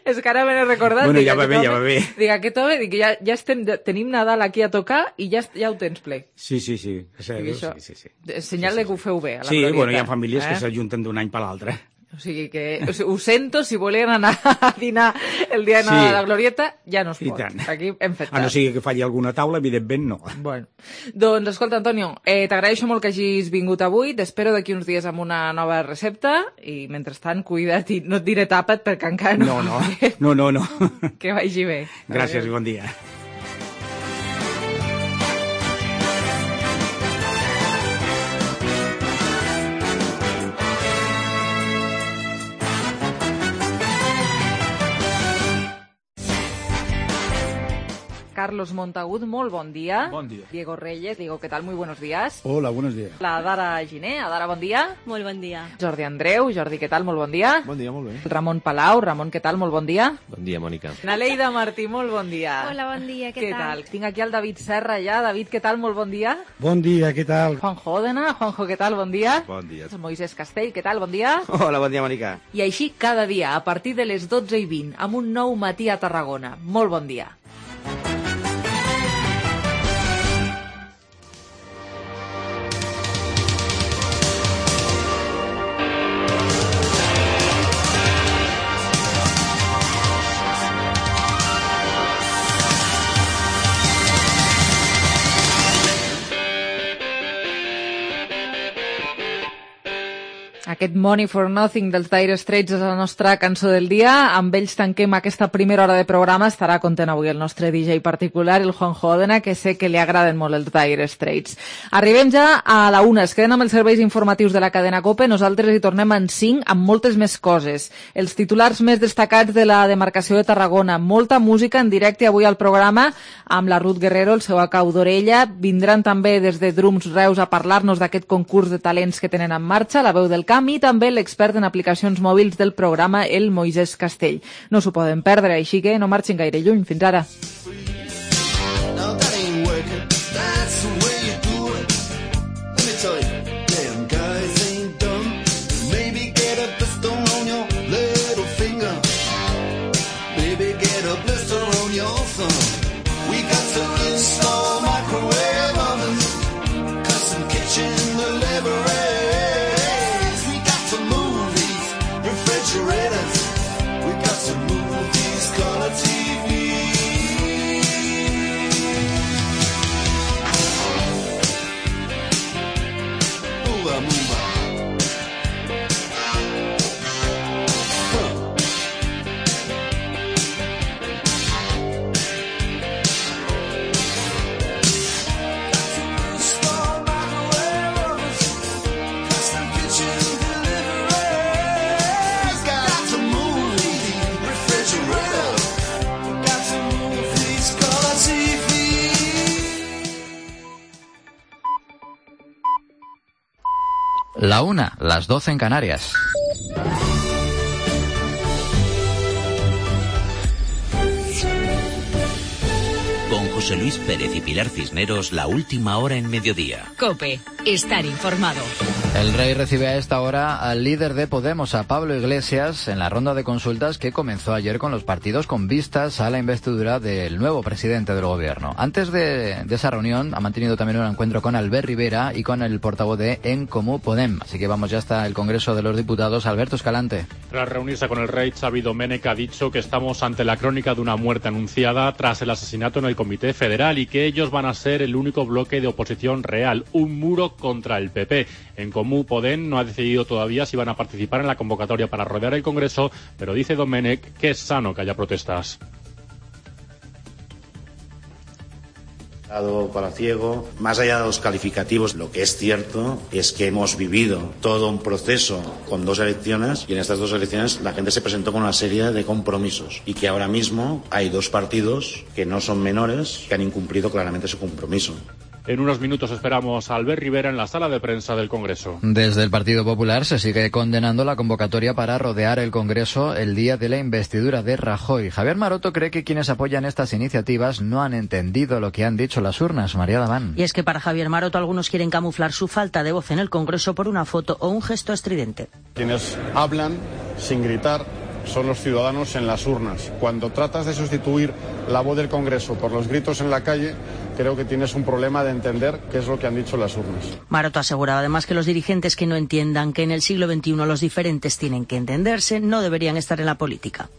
[SPEAKER 3] És que ara me n'he recordat.
[SPEAKER 4] Bueno, ja va bé.
[SPEAKER 3] Dic, aquest home, ja tenim Nadal aquí a tocar i ja ho tens ple.
[SPEAKER 4] Sí.
[SPEAKER 3] Sí. Senyal de que ho feu bé, a la
[SPEAKER 4] Glorieta. Sí, bueno, hi ha famílies que s'ajunten d'un any per l'altre.
[SPEAKER 3] O sigui que ho sento, si volien anar a dinar el dia de Nadal a la Glorieta, ja no es pot. Aquí hem fet tard.
[SPEAKER 4] A no sigui que falli alguna taula, evidentment no.
[SPEAKER 3] Bueno, doncs escolta, Antonio, t'agraeixo molt que hagis vingut avui, t'espero d'aquí uns dies amb una nova recepta, i mentrestant, cuida't, i no et diré tapa't perquè encara no.
[SPEAKER 4] No.
[SPEAKER 3] Que vagi bé.
[SPEAKER 4] Gràcies i bon dia.
[SPEAKER 3] Carlos Montagut, molt bon dia.
[SPEAKER 2] Bon dia.
[SPEAKER 3] Diego Reyes, Diego, ¿qué tal? Muy buenos días.
[SPEAKER 2] Hola, buenos días.
[SPEAKER 3] La Dara Giné, Dara, bon dia.
[SPEAKER 19] Molt bon dia.
[SPEAKER 3] Jordi Andreu, Jordi, ¿qué tal? Molt bon dia.
[SPEAKER 2] Bon dia, molt bé.
[SPEAKER 3] Ramon Palau, Ramon, ¿qué tal? Molt bon dia.
[SPEAKER 5] Bon dia, Mònica.
[SPEAKER 3] Naleida Martí, molt bon dia.
[SPEAKER 7] Hola, bon dia, què tal?
[SPEAKER 3] Tinc aquí el David Serra ja. David, ¿qué tal? Molt bon dia.
[SPEAKER 8] Bon dia, què tal?
[SPEAKER 3] Juanjo Òdena, Juanjo, ¿qué tal? Bon dia.
[SPEAKER 5] Bon dia.
[SPEAKER 3] Moisés Castell, ¿qué tal? Bon dia.
[SPEAKER 5] Hola, bon dia, Mònica.
[SPEAKER 3] I així cada dia, a partir de les 12:20, amb un nou matí a Tarragona. Molt bon dia. Aquest Money for Nothing dels Dire Straits és la nostra cançó del dia. Amb ells tanquem aquesta primera hora de programa. Estarà content avui el nostre DJ particular, el Juanjo Òdena, que sé que li agraden molt els Dire Straits. Arribem ja a la 1. Es queden amb els serveis informatius de la cadena COPE. Nosaltres hi tornem en 5 amb moltes més coses. Els titulars més destacats de la demarcació de Tarragona. Molta música en directe avui al programa amb la Ruth Guerrero, el seu acau d'orella. Vindran també des de Drums Reus a parlar-nos d'aquest concurs de talents que tenen en marxa, la veu del camp, i també l'expert en aplicacions mòbils del programa, el Moisés Castell. No s'ho poden perdre, així que no marxin gaire lluny. Fins ara.
[SPEAKER 2] La 1, las 12 en Canarias.
[SPEAKER 5] Con José Luis Pérez y Pilar Cisneros, la última hora en mediodía.
[SPEAKER 15] COPE, estar informado.
[SPEAKER 2] El Rey recibe a esta hora al líder de Podemos, a Pablo Iglesias, en la ronda de consultas que comenzó ayer con los partidos con vistas a la investidura del nuevo presidente del gobierno. Antes de esa reunión ha mantenido también un encuentro con Albert Rivera y con el portavoz de En Comú Podem. Así que vamos ya hasta el Congreso de los Diputados. Alberto Escalante.
[SPEAKER 7] Tras reunirse con el Rey, Xavi Domènech ha dicho que estamos ante la crónica de una muerte anunciada tras el asesinato en el Comité Federal y que ellos van a ser el único bloque de oposición real, un muro contra el PP. En Comú Podem no ha decidido todavía si van a participar en la convocatoria para rodear el Congreso, pero dice Domènech que es sano que haya protestas.
[SPEAKER 8] Palaciego, más allá de los calificativos, lo que es cierto es que hemos vivido todo un proceso con 2 elecciones y en estas 2 elecciones la gente se presentó con una serie de compromisos y que ahora mismo hay 2 partidos que no son menores que han incumplido claramente su compromiso.
[SPEAKER 7] En unos minutos esperamos a Albert Rivera en la sala de prensa del Congreso.
[SPEAKER 2] Desde el Partido Popular se sigue condenando la convocatoria para rodear el Congreso el día de la investidura de Rajoy. Javier Maroto cree que quienes apoyan estas iniciativas no han entendido lo que han dicho las urnas. María Daván.
[SPEAKER 9] Y es que para Javier Maroto algunos quieren camuflar su falta de voz en el Congreso por una foto o un gesto estridente.
[SPEAKER 10] Quienes hablan sin gritar son los ciudadanos en las urnas. Cuando tratas de sustituir la voz del Congreso por los gritos en la calle, creo que tienes un problema de entender qué es lo que han dicho las urnas.
[SPEAKER 9] Maroto aseguraba además que los dirigentes que no entiendan que en el siglo XXI los diferentes tienen que entenderse no deberían estar en la política.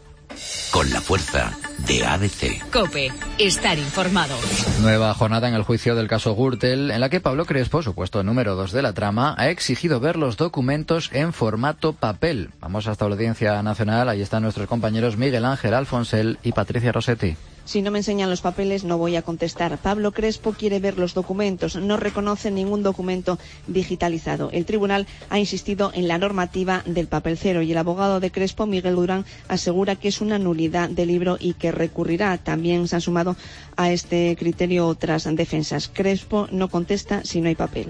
[SPEAKER 5] Con la fuerza de ABC.
[SPEAKER 15] COPE, estar informado.
[SPEAKER 2] Nueva jornada en el juicio del caso Gürtel, en la que Pablo Crespo, supuesto número 2 de la trama, ha exigido ver los documentos en formato papel. Vamos hasta la Audiencia Nacional, ahí están nuestros compañeros Miguel Ángel Alfonsel y Patricia Rossetti.
[SPEAKER 11] Si no me enseñan los papeles, no voy a contestar. Pablo Crespo quiere ver los documentos, no reconoce ningún documento digitalizado. El tribunal ha insistido en la normativa del papel cero y el abogado de Crespo, Miguel Durán, asegura que es una nulidad del libro y que recurrirá. También se han sumado a este criterio otras defensas. Crespo no contesta si no hay papel.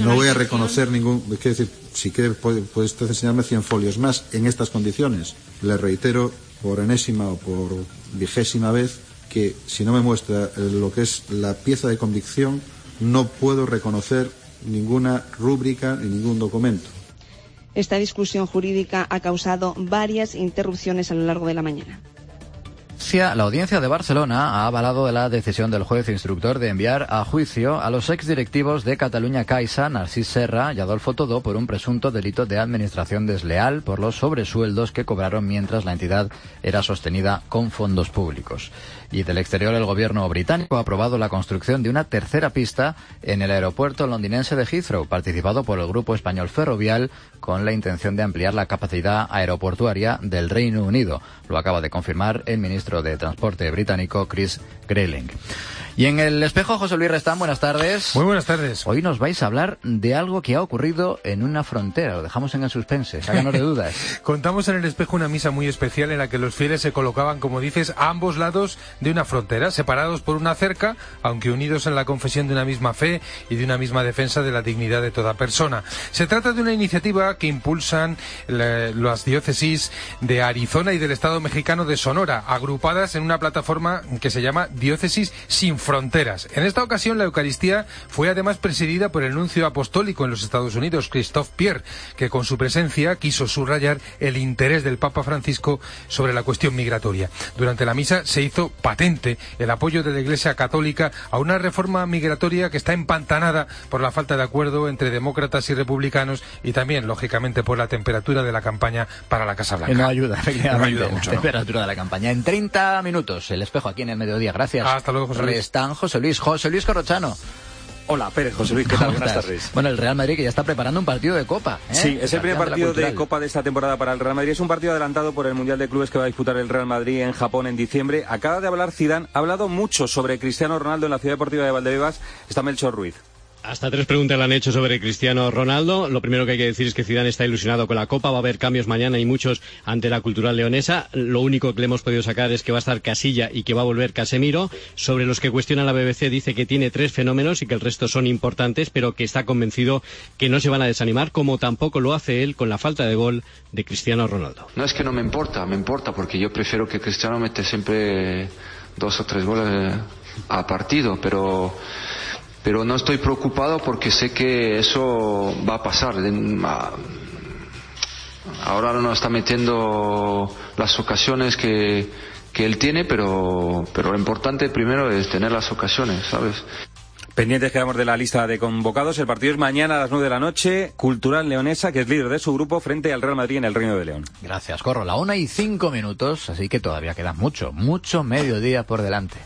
[SPEAKER 27] No voy a reconocer ningún... Quiero decir, si quiere puede usted enseñarme 100 folios más en estas condiciones. Le reitero por enésima o por 20ª vez que si no me muestra lo que es la pieza de convicción no puedo reconocer ninguna rúbrica ni ningún documento.
[SPEAKER 11] Esta discusión jurídica ha causado varias interrupciones a lo largo de la mañana.
[SPEAKER 2] La Audiencia de Barcelona ha avalado la decisión del juez instructor de enviar a juicio a los exdirectivos de Catalunya Caixa, Narcís Serra y Adolfo Todó, por un presunto delito de administración desleal por los sobresueldos que cobraron mientras la entidad era sostenida con fondos públicos. Y del exterior, el gobierno británico ha aprobado la construcción de una tercera pista en el aeropuerto londinense de Heathrow, participado por el grupo español Ferrovial, con la intención de ampliar la capacidad aeroportuaria del Reino Unido. Lo acaba de confirmar el ministro de Transporte británico, Chris Grayling. Y en el espejo, José Luis Restán, buenas tardes.
[SPEAKER 29] Muy buenas tardes.
[SPEAKER 2] Hoy nos vais a hablar de algo que ha ocurrido en una frontera. Lo dejamos en el suspense, sácanos de dudas.
[SPEAKER 29] Contamos en el espejo una misa muy especial en la que los fieles se colocaban, como dices, a ambos lados de una frontera, separados por una cerca, aunque unidos en la confesión de una misma fe y de una misma defensa de la dignidad de toda persona. Se trata de una iniciativa que impulsan las diócesis de Arizona y del estado mexicano de Sonora, agrupadas en una plataforma que se llama Diócesis Sin Fronteras. En esta ocasión la Eucaristía fue además presidida por el nuncio apostólico en los Estados Unidos, Christophe Pierre, que con su presencia quiso subrayar el interés del Papa Francisco sobre la cuestión migratoria. Durante la misa se hizo patente el apoyo de la Iglesia Católica a una reforma migratoria que está empantanada por la falta de acuerdo entre demócratas y republicanos y también, lógicamente, por la temperatura de la campaña para la Casa Blanca.
[SPEAKER 2] No ayuda, efectivamente.
[SPEAKER 29] No ayuda mucho,
[SPEAKER 2] la temperatura de la campaña. En 30 minutos, el espejo aquí en el mediodía. Gracias.
[SPEAKER 29] Hasta luego, José Luis.
[SPEAKER 2] Están José Luis Corrochano.
[SPEAKER 30] Hola, Pérez, José Luis, ¿qué tal? Buenas tardes.
[SPEAKER 2] Bueno, el Real Madrid que ya está preparando un partido de Copa, ¿eh?
[SPEAKER 30] Sí, es el primer partido de Copa de esta temporada para el Real Madrid. Es un partido adelantado por el Mundial de Clubes que va a disputar el Real Madrid en Japón en diciembre. Acaba de hablar Zidane, ha hablado mucho sobre Cristiano Ronaldo en la Ciudad Deportiva de Valdebebas. Está Melchor Ruiz.
[SPEAKER 6] Hasta 3 preguntas le han hecho sobre Cristiano Ronaldo. Lo primero que hay que decir es que Zidane está ilusionado con la Copa. Va a haber cambios mañana y muchos ante la Cultural Leonesa. Lo único que le hemos podido sacar es que va a estar Casilla y que va a volver Casemiro. Sobre los que cuestiona la BBC, dice que tiene 3 fenómenos y que el resto son importantes, pero que está convencido que no se van a desanimar, como tampoco lo hace él con la falta de gol de Cristiano Ronaldo.
[SPEAKER 12] No es que no me importa porque yo prefiero que Cristiano mete siempre 2 o 3 goles a partido, pero no estoy preocupado porque sé que eso va a pasar. Ahora no está metiendo las ocasiones que él tiene, pero lo importante primero es tener las ocasiones, ¿sabes?
[SPEAKER 30] Pendientes quedamos de la lista de convocados. El partido es mañana a las 9 de la noche. Cultural Leonesa, que es líder de su grupo, frente al Real Madrid en el Reino de León.
[SPEAKER 2] Gracias, Corro. 1:05, así que todavía queda mucho mediodía por delante.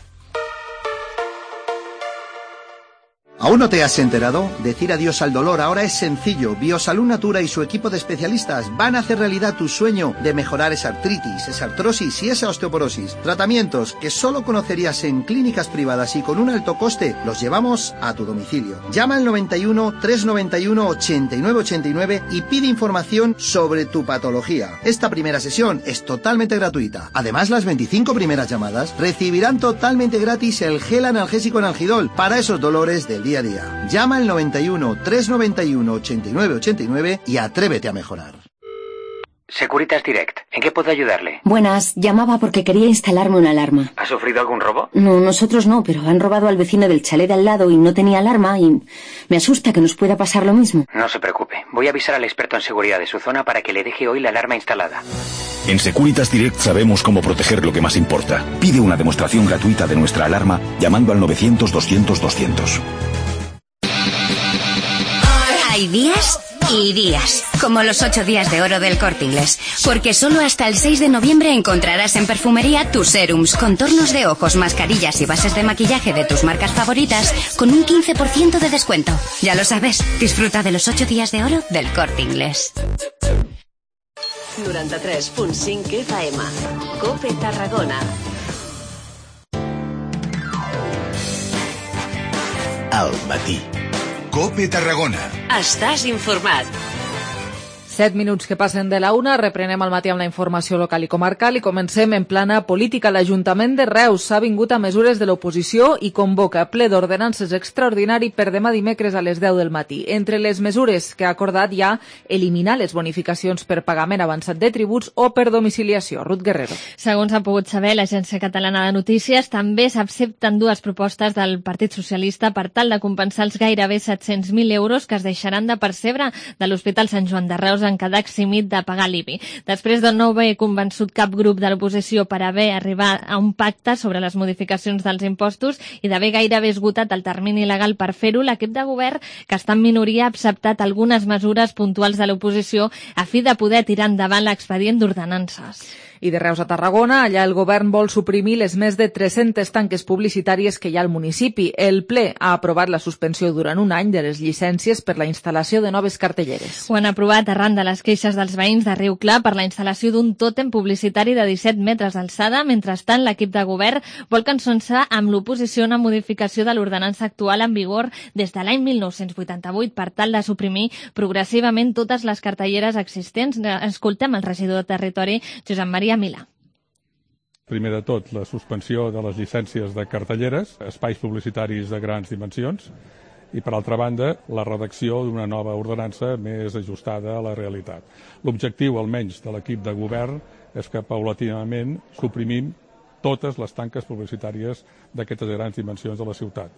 [SPEAKER 13] ¿Aún no te has enterado? Decir adiós al dolor ahora es sencillo. Biosalud Natura y su equipo de especialistas van a hacer realidad tu sueño de mejorar esa artritis, esa artrosis y esa osteoporosis. Tratamientos que solo conocerías en clínicas privadas y con un alto coste, los llevamos a tu domicilio. Llama al 91 391 8989 y pide información sobre tu patología. Esta primera sesión es totalmente gratuita. Además, las 25 primeras llamadas recibirán totalmente gratis el gel analgésico Analgidol para esos dolores del día a día. Llama al 91 391 8989 y atrévete a mejorar.
[SPEAKER 14] Securitas Direct, ¿en qué puedo ayudarle?
[SPEAKER 16] Buenas, llamaba porque quería instalarme una alarma.
[SPEAKER 14] ¿Ha sufrido algún robo?
[SPEAKER 16] No, nosotros no, pero han robado al vecino del chalet de al lado y no tenía alarma y me asusta que nos pueda pasar lo mismo.
[SPEAKER 14] No se preocupe, voy a avisar al experto en seguridad de su zona para que le deje hoy la alarma instalada.
[SPEAKER 1] En Securitas Direct sabemos cómo proteger lo que más importa. Pide una demostración gratuita de nuestra alarma llamando al 900-200-200.
[SPEAKER 17] Hay días y días, como los 8 días de oro del Corte Inglés, porque solo hasta el 6 de noviembre encontrarás en perfumería tus serums, contornos de ojos, mascarillas y bases de maquillaje de tus marcas favoritas con un 15% de descuento. Ya lo sabes, disfruta de los 8 días de oro del Corte Inglés.
[SPEAKER 28] 93.5 FM, COPE Tarragona.
[SPEAKER 1] Al matí. COPE Tarragona.
[SPEAKER 28] Estàs informat.
[SPEAKER 3] 7 minuts que passen de la 1, reprenem al matí amb la informació local i comarcal i comencem en plana política. L'Ajuntament de Reus s'ha vingut a mesures de l'oposició i convoca ple d'ordenances extraordinari per demà dimecres a les 10 del matí. Entre les mesures que ha acordat hi ha eliminar les bonificacions per pagament avançat de tributs o per domiciliació. Ruth Guerrero.
[SPEAKER 18] Segons ha pogut saber l'Agència Catalana de Notícies, també s'accepten 2 propostes del Partit Socialista per tal de compensar els gairebé 700.000 euros que es deixaran de percebre de l'Hospital Sant Joan de Reus en quedar eximit de pagar l'IBI. Després de no haver convençut cap grup de l'oposició per haver arribat a un pacte sobre les modificacions dels impostos i d'haver gairebé esgotat el termini legal per fer-ho, l'equip de govern, que està en minoria, ha acceptat algunes mesures puntuals de l'oposició a fi de poder tirar endavant l'expedient d'ordenances.
[SPEAKER 3] I de Reus a Tarragona, allà el govern vol suprimir les més de 300 tanques publicitàries que hi ha al municipi. El ple ha aprovat la suspensió durant un any de les llicències per la instal·lació de noves cartelleres.
[SPEAKER 18] Ho han aprovat arran de les queixes dels veïns de Riu Clar per la instal·lació d'un tòtem publicitari de 17 metres d'alçada. Mentrestant, l'equip de govern vol consensar amb l'oposició una modificació de l'ordenança actual en vigor des de l'any 1988 per tal de suprimir progressivament totes les cartelleres existents. Escoltem el regidor de Territori, Josep Maria Milà.
[SPEAKER 20] Primer de tot, la suspensió de les llicències de cartelleres, espais publicitaris de grans dimensions, i, per altra banda, la redacció d'una nova ordenança més ajustada a la realitat. L'objectiu, almenys, de l'equip de govern és que, paulatinament, suprimim totes les tanques publicitàries d'aquestes grans dimensions de la ciutat.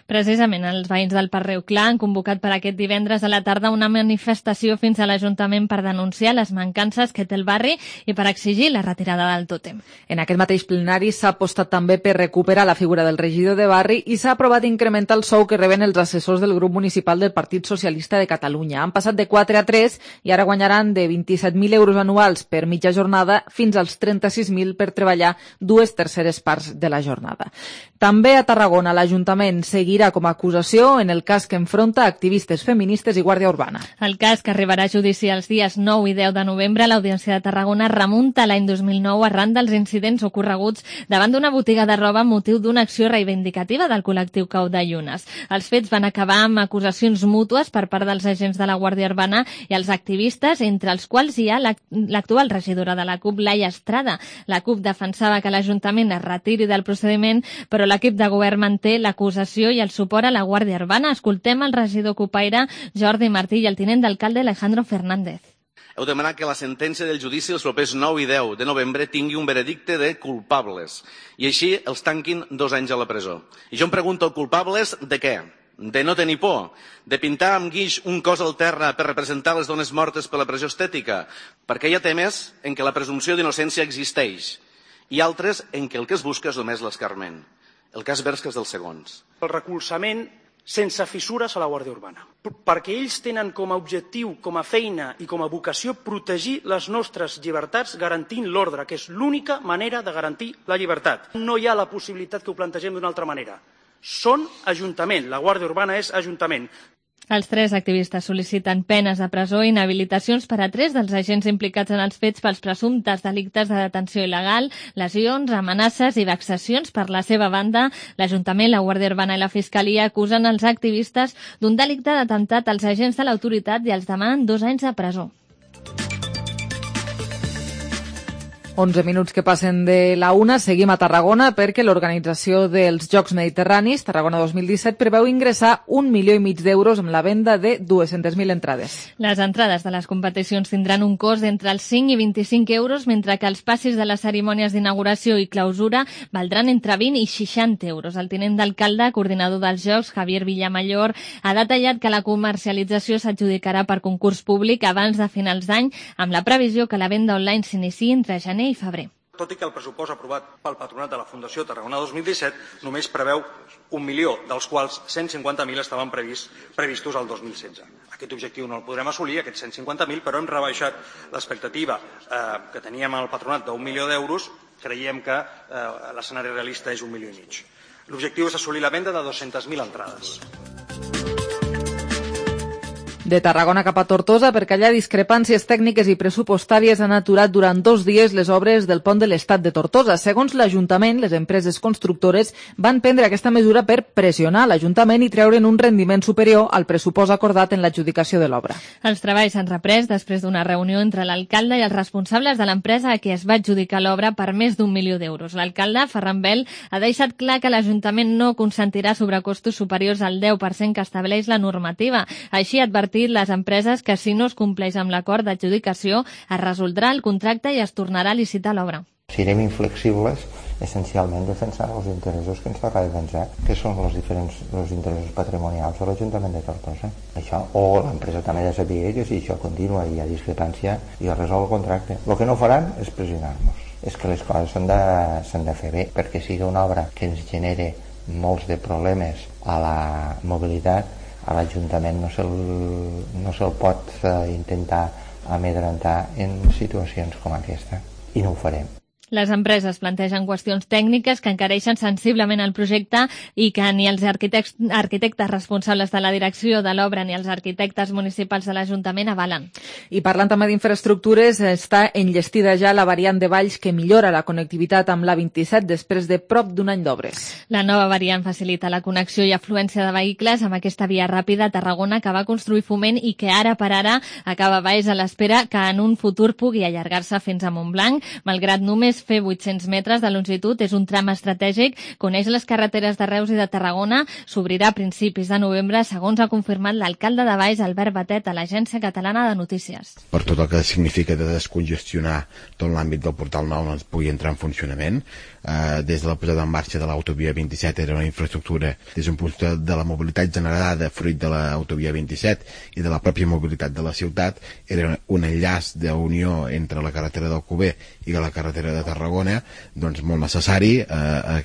[SPEAKER 18] Precisament, els veïns del Parc Riu Clar han convocat per aquest divendres a la tarda una manifestació fins a l'Ajuntament per denunciar les mancances que té el barri i per exigir la retirada del tòtem.
[SPEAKER 3] En aquest mateix plenari s'ha apostat també per recuperar la figura del regidor de barri i s'ha aprovat incrementar el sou que reben els assessors del grup municipal del Partit Socialista de Catalunya. Han passat de 4 a 3 i ara guanyaran de 27.000 euros anuals per mitja jornada fins als 36.000 per treballar 2/3 parts de la jornada. També a Tarragona l'Ajuntament seguirà com a acusació en el cas que enfronta activistes feministes i Guàrdia Urbana.
[SPEAKER 18] El cas, que arribarà a judici els dies 9 i 10 de novembre a l'Audiència de Tarragona, remunta l'any 2009 arran dels incidents ocorreguts davant d'una botiga de roba amb motiu d'una acció reivindicativa del col·lectiu Cau de Llunes. Els fets van acabar amb acusacions mútues per part dels agents de la Guàrdia Urbana i els activistes, entre els quals hi ha l'actual regidora de la CUP, Laia Estrada. La CUP defensava que l'Ajuntament es retiri del procediment, però l'equip de govern manté l'acusació i el suport a la Guàrdia Urbana. Escoltem el regidor cupaire Jordi Martí i el tinent d'alcalde Alejandro Fernández.
[SPEAKER 4] Heu demanat que la sentència del judici els propers 9 i 10 de novembre tingui un veredicte de culpables i així els tanquin 2 anys a la presó. I jo em pregunto, culpables de què? De no tenir por? De pintar amb guix un cos al terra per representar les dones mortes per la pressió estètica? Perquè hi ha temes en què la presumpció d'innocència existeix i altres en què el que es busca és només l'escarment. El cas Berska és dels segons.
[SPEAKER 7] El recolzament sense fissures a la Guàrdia Urbana, perquè ells tenen com a objectiu, com a feina i com a vocació protegir les nostres llibertats garantint l'ordre, que és l'única manera de garantir la llibertat. No hi ha la possibilitat que ho plantegem d'una altra manera. Són Ajuntament, la Guàrdia Urbana és Ajuntament.
[SPEAKER 18] Els 3 activistes sol·liciten penes de presó i inhabilitacions per a 3 dels agents implicats en els fets pels presumptes delictes de detenció il·legal, lesions, amenaces i vexacions. Per la seva banda, l'Ajuntament, la Guàrdia Urbana i la Fiscalia acusen els activistes d'un delicte d'atemptat als agents de l'autoritat i els demanen 2 anys de presó.
[SPEAKER 3] 11 minuts que passen de la 1, seguim a Tarragona perquè l'organització dels Jocs Mediterranis, Tarragona 2017, preveu ingressar 1,5 milió d'euros amb la venda de 200.000 entrades.
[SPEAKER 18] Les entrades de les competicions tindran un cost d'entre els 5 i 25 euros, mentre que els passis de les cerimònies d'inauguració i clausura valdran entre 20 i 60 euros. El tinent d'alcalde, coordinador dels Jocs, Javier Villamayor, ha detallat que la comercialització s'adjudicarà per concurs públic abans de finals d'any, amb la previsió que la venda online s'iniciï entre gener i febrer.
[SPEAKER 7] Tot i que el pressupost aprovat pel Patronat de la Fundació Tarragona 2017 només preveu 1 milió, dels quals 150.000 estaven previstos al 2016. Aquest objectiu no el podrem assolir, aquests 150.000, però hem rebaixat l'expectativa que teníem al Patronat d'1 milió d'euros. Creiem que l'escenari realista és 1,5 milions. L'objectiu és assolir la venda de 200.000 entrades.
[SPEAKER 3] De Tarragona cap a Tortosa, perquè allà discrepàncies tècniques i pressupostàries han aturat durant 2 dies les obres del pont de l'Estat de Tortosa. Segons l'Ajuntament, les empreses constructores van prendre aquesta mesura per pressionar l'Ajuntament i treure'n un rendiment superior al pressupost acordat en l'adjudicació de l'obra.
[SPEAKER 18] Els treballs s'han reprès després d'una reunió entre l'alcalde i els responsables de l'empresa a qui es va adjudicar l'obra per més d'1 milió d'euros. L'alcalde, Ferran Bel, ha deixat clar que l'Ajuntament no consentirà sobrecostos superiors al 10% que estableix la normativa. Així ha advertit les empreses que si no es compleix amb l'acord d'adjudicació es resoldrà el contracte i es tornarà a licitar l'obra.
[SPEAKER 8] Serem inflexibles essencialment defensant els interessos que ens toca defensar, que són els interessos patrimonials de l'Ajuntament de Tortosa. Això, o l'empresa també ha de saber que si això continua i hi ha discrepància i es resol el contracte. El que no faran és pressionar-nos. És que les coses s'han de fer bé, perquè sigui una obra que ens genere molts de problemes a la mobilitat, a l'Ajuntament no se'l pot intentar amedrentar en situacions com aquesta, i no ho farem.
[SPEAKER 18] Les empreses plantegen qüestions tècniques que encareixen sensiblement el projecte i que ni els arquitectes responsables de la direcció de l'obra ni els arquitectes municipals de l'Ajuntament avalen.
[SPEAKER 3] I parlant també d'infraestructures, està enllestida ja la variant de Valls que millora la connectivitat amb l'A27 després de prop d'un any d'obres.
[SPEAKER 18] La nova variant facilita la connexió i afluència de vehicles amb aquesta via ràpida a Tarragona que va construir Foment i que ara per ara acaba baix a l'espera que en un futur pugui allargar-se fins a Montblanc. Malgrat només fer 800 metres de longitud, és un tram estratègic, coneix les carreteres de Reus i de Tarragona, s'obrirà a principis de novembre, segons ha confirmat l'alcalde de Valls, Albert Batet, a l'Agència Catalana de Notícies.
[SPEAKER 19] Per tot el que significa de descongestionar tot l'àmbit del Portal Nou no es pugui entrar en funcionament. Des de la posada en marxa de l'autovia 27 era una infraestructura des d'un punt de la mobilitat generada fruit de l'autovia 27 i de la pròpia mobilitat de la ciutat, era un enllaç d'unió entre la carretera d'Alcover i la carretera de Tarragona, doncs molt necessari,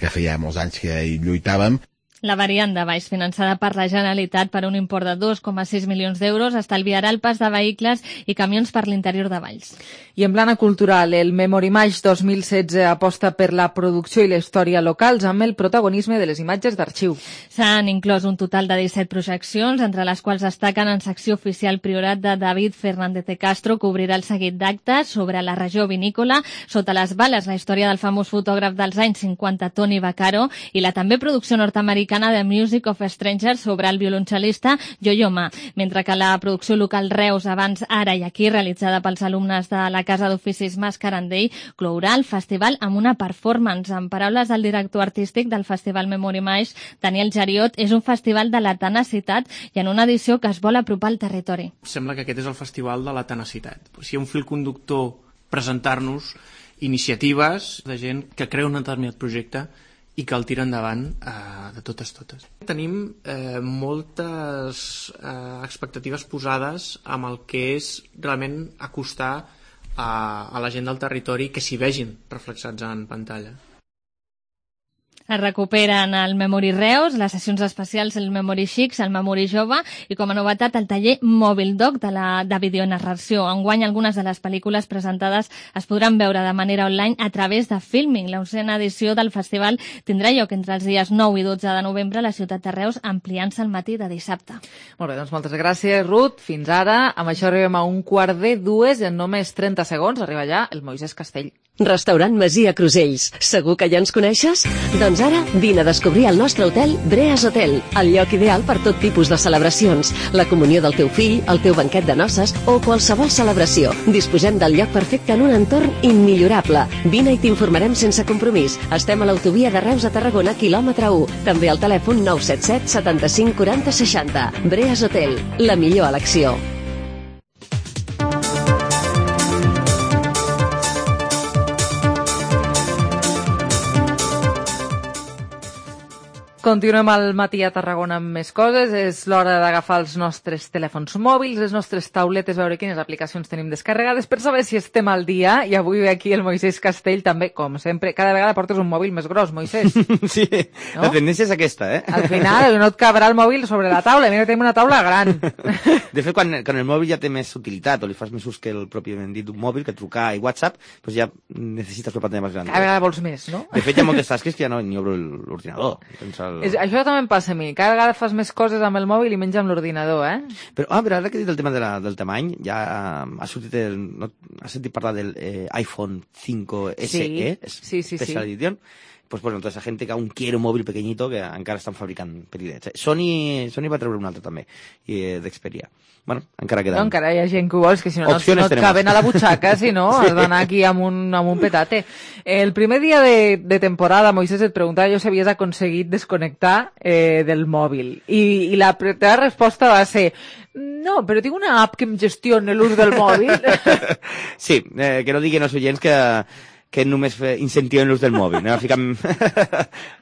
[SPEAKER 19] que feia molts anys que hi lluitàvem.
[SPEAKER 18] La variant de baix, finançada per la Generalitat per un import de 2,6 milions d'euros, estalviarà el pas de vehicles i camions per l'interior de Valls.
[SPEAKER 3] I en plana cultural, el Memorimage 2016 aposta per la producció i la història locals amb el protagonisme de les imatges d'arxiu.
[SPEAKER 18] S'han inclòs un total de 17 projeccions, entre les quals destaquen en secció oficial Priorat de David Fernández de Castro, que obrirà el seguit d'actes sobre la regió vinícola, Sota les bales, la història del famós fotògraf dels anys 50 Tony Vaccaro, i la també producció nord-americana de Music of Strangers sobre el violoncel·lista Yo-Yo Ma, mentre que la producció local Reus, Abans, Ara i Aquí, realitzada pels alumnes de la Casa d'Oficis Mascarandell, clourà el festival amb una performance. En paraules del director artístic del Festival Memorimage, Daniel Jariot, és un festival de la tenacitat i en una edició que es vol apropar al territori.
[SPEAKER 5] Sembla que aquest és el festival de la tenacitat. Si hi ha un fil conductor, presentar-nos iniciatives de gent que creu en un determinat projecte i que el tira endavant de totes. Tenim moltes expectatives posades amb el que és realment acostar a la gent del territori que s'hi vegin reflexats en pantalla.
[SPEAKER 18] Es recuperen el Memory Reus, les sessions especials, el Memory Xics, el Memory Jove i, com a novetat, el taller Mòbil Doc de videonarració. Enguany, algunes de les pel·lícules presentades es podran veure de manera online a través de Filming. La 11ª edició del festival tindrà lloc entre els dies 9 i 12 de novembre a la ciutat de Reus, ampliant-se al matí de dissabte.
[SPEAKER 3] Molt bé, doncs moltes gràcies, Ruth. Fins ara. Amb això arribem a 1:45 i en només 30 segons arriba ja el Moisès Castell.
[SPEAKER 9] Restaurant Masia Crusells. Segur que ja ens coneixes? Doncs ara vine a descobrir el nostre hotel Breas Hotel, el lloc ideal per tot tipus de celebracions, la comunió del teu fill, el teu banquet de noces o qualsevol celebració. Disposem del lloc perfecte en un entorn immillorable. Vine i t'informarem sense compromís. Estem a l'autovia de Reus a Tarragona, quilòmetre 1. També al telèfon 977 75 40 60. Breas Hotel, la millor elecció.
[SPEAKER 3] Continuem al matí a Tarragona amb més coses. És l'hora d'agafar els nostres telèfons mòbils, les nostres tauletes, veure quines aplicacions tenim descarregades per saber si estem al dia. I avui ve aquí el Moisès Castell, també, com sempre. Cada vegada portes un mòbil més gros, Moisès.
[SPEAKER 10] Sí, no? La tendència és aquesta, eh?
[SPEAKER 3] Al final no et cabrà el mòbil sobre la taula. Mira, tenim una taula gran.
[SPEAKER 10] De fet, quan el mòbil ja té més utilitat, o li fas més ús que el pròpiament dit d'un mòbil, que trucar i WhatsApp, doncs ja necessites una pantalla més gran.
[SPEAKER 3] Cada vegada vols més, no?
[SPEAKER 10] De fet, hi ha moltes tasques que ja no ni obro l'ordinador.
[SPEAKER 3] Això també em passa a mi. Cada vegada fas més coses amb el mòbil i menys amb l'ordinador, eh?
[SPEAKER 10] Però ara que he dit el tema del tamany, ja ha sortit has sentit parlar del iPhone 5 SE, Special Edition. Pues bueno, toda esa gente que aún quiere un móvil pequeñito que encara estan fabricant petitets. Sony va treure un altre també, d'Xperia. Bueno, encara queden.
[SPEAKER 3] No, encara hi ha gent que ho vols, que si no et caben a la butxaca, si no, has d'anar aquí amb un petate. El primer dia de temporada, Moisés, et preguntava jo si havies aconseguit desconnectar del mòbil. I la teva resposta va ser: no, però tinc una app que em gestiona l'ús del mòbil.
[SPEAKER 10] Sí, que no diguin els oients que només incentiven l'ús del mòbil. Anem a ficar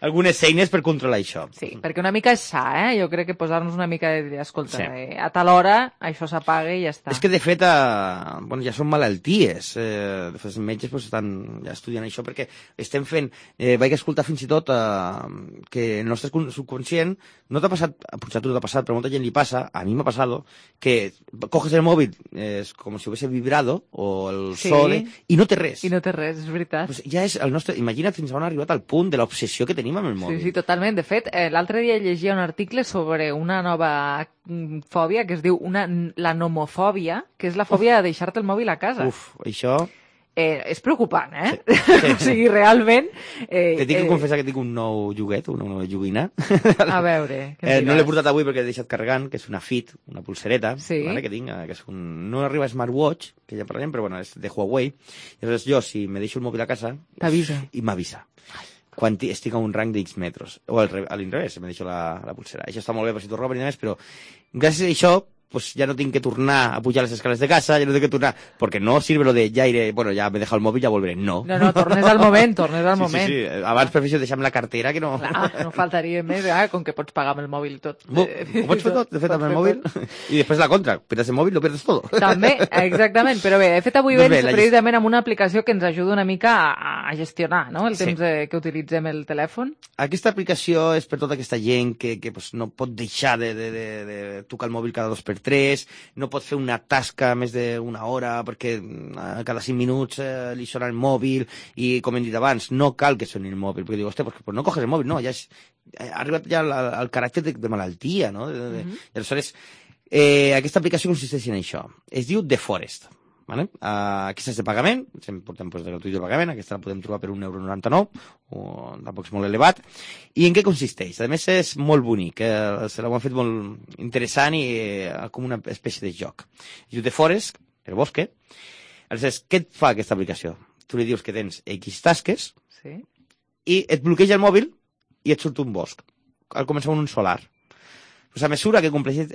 [SPEAKER 10] algunes eines per controlar això.
[SPEAKER 3] Sí, perquè una mica és sa, Jo crec que posar-nos una mica de dir, escolta, a tal hora això s'apaga i ja està.
[SPEAKER 10] És que, de fet, ja són malalties. De fet, els metges estan ja estudiant això perquè estem fent... Vaig escoltar fins i tot que el nostre subconscient, no t'ha passat, potser a tu no t'ha passat, però a molta gent li passa, a mi m'ha passat, que coges el mòbil, és com si hubiese vibrado, o el sole, i no té res.
[SPEAKER 3] I no té res, és veritat.
[SPEAKER 10] Pues ja és el nostre... Imagina't fins on ha arribat al punt de l'obsessió que tenim amb el mòbil.
[SPEAKER 3] Sí, totalment. De fet, l'altre dia llegia un article sobre una nova fòbia que es diu la nomofòbia, que és la fòbia de deixar-te el mòbil a casa.
[SPEAKER 10] Uf, això...
[SPEAKER 3] És preocupant,
[SPEAKER 10] Sí.
[SPEAKER 3] O sigui, realment...
[SPEAKER 10] T'he de confessar que tinc un nou joguet, una nova joguina.
[SPEAKER 3] A veure...
[SPEAKER 10] no l'he portat avui perquè l'he deixat carregant, que és una Fit, una pulsereta,
[SPEAKER 3] sí.
[SPEAKER 10] Que tinc, que és no arriba a smartwatch, que ja parlarem, però bueno, és de Huawei. I llavors jo, si me deixo el mòbil a casa...
[SPEAKER 3] T'avisa.
[SPEAKER 10] I m'avisa. Quan estic a un rang d'X metros. O a l'inrevés, me deixo la pulsera. Això està molt bé per si t'ho roben i demés, però gràcies a això pues ya no tengo que tornar a pujar las escales de casa, ya no tengo que tornar, porque no sirve lo de ya iré, bueno, ya me he dejado el móvil, ya volveré. No,
[SPEAKER 3] tornes al moment,
[SPEAKER 10] Sí. Abans prefereixo deixar-me la cartera que no...
[SPEAKER 3] Clar, no faltaria més, com que pots pagar amb el mòbil tot.
[SPEAKER 10] Ho pots fer tot, de fet, amb el mòbil, i després la contra, perdes el mòbil, lo perdes tot.
[SPEAKER 3] També, exactament, però bé, de fet avui vens precisament amb una aplicació que ens ajuda una mica a gestionar, no?, el temps que utilitzem el telèfon.
[SPEAKER 10] Aquesta aplicació és per tota aquesta gent que pues, no pot deixar de tocar el mòbil cada 2x3, no pot fer una tasca més d'una hora perquè cada 5 minuts li sona el mòbil, i com hem dit abans, no cal que soni el mòbil, perquè diu, hòstia, pues no coges el mòbil, no, ja ha arribat ja al caràcter de malaltia, no? I aleshores, aquesta aplicació consisteix en això, es diu The Forest. Vale? Aquesta és de pagament, portem de gratuït de pagament, aquesta la podem trobar per €1,99, tampoc és molt elevat. I en què consisteix? A més és molt bonic, se l'ho han fet molt interessant i com una espècie de joc. Es diu The Forest, el bosque. Aleshores, què et fa aquesta aplicació? Tu li dius que tens X tasques i et bloqueja el mòbil i et surt un bosc. Al començar un solar. Pues a mesura que compleixes,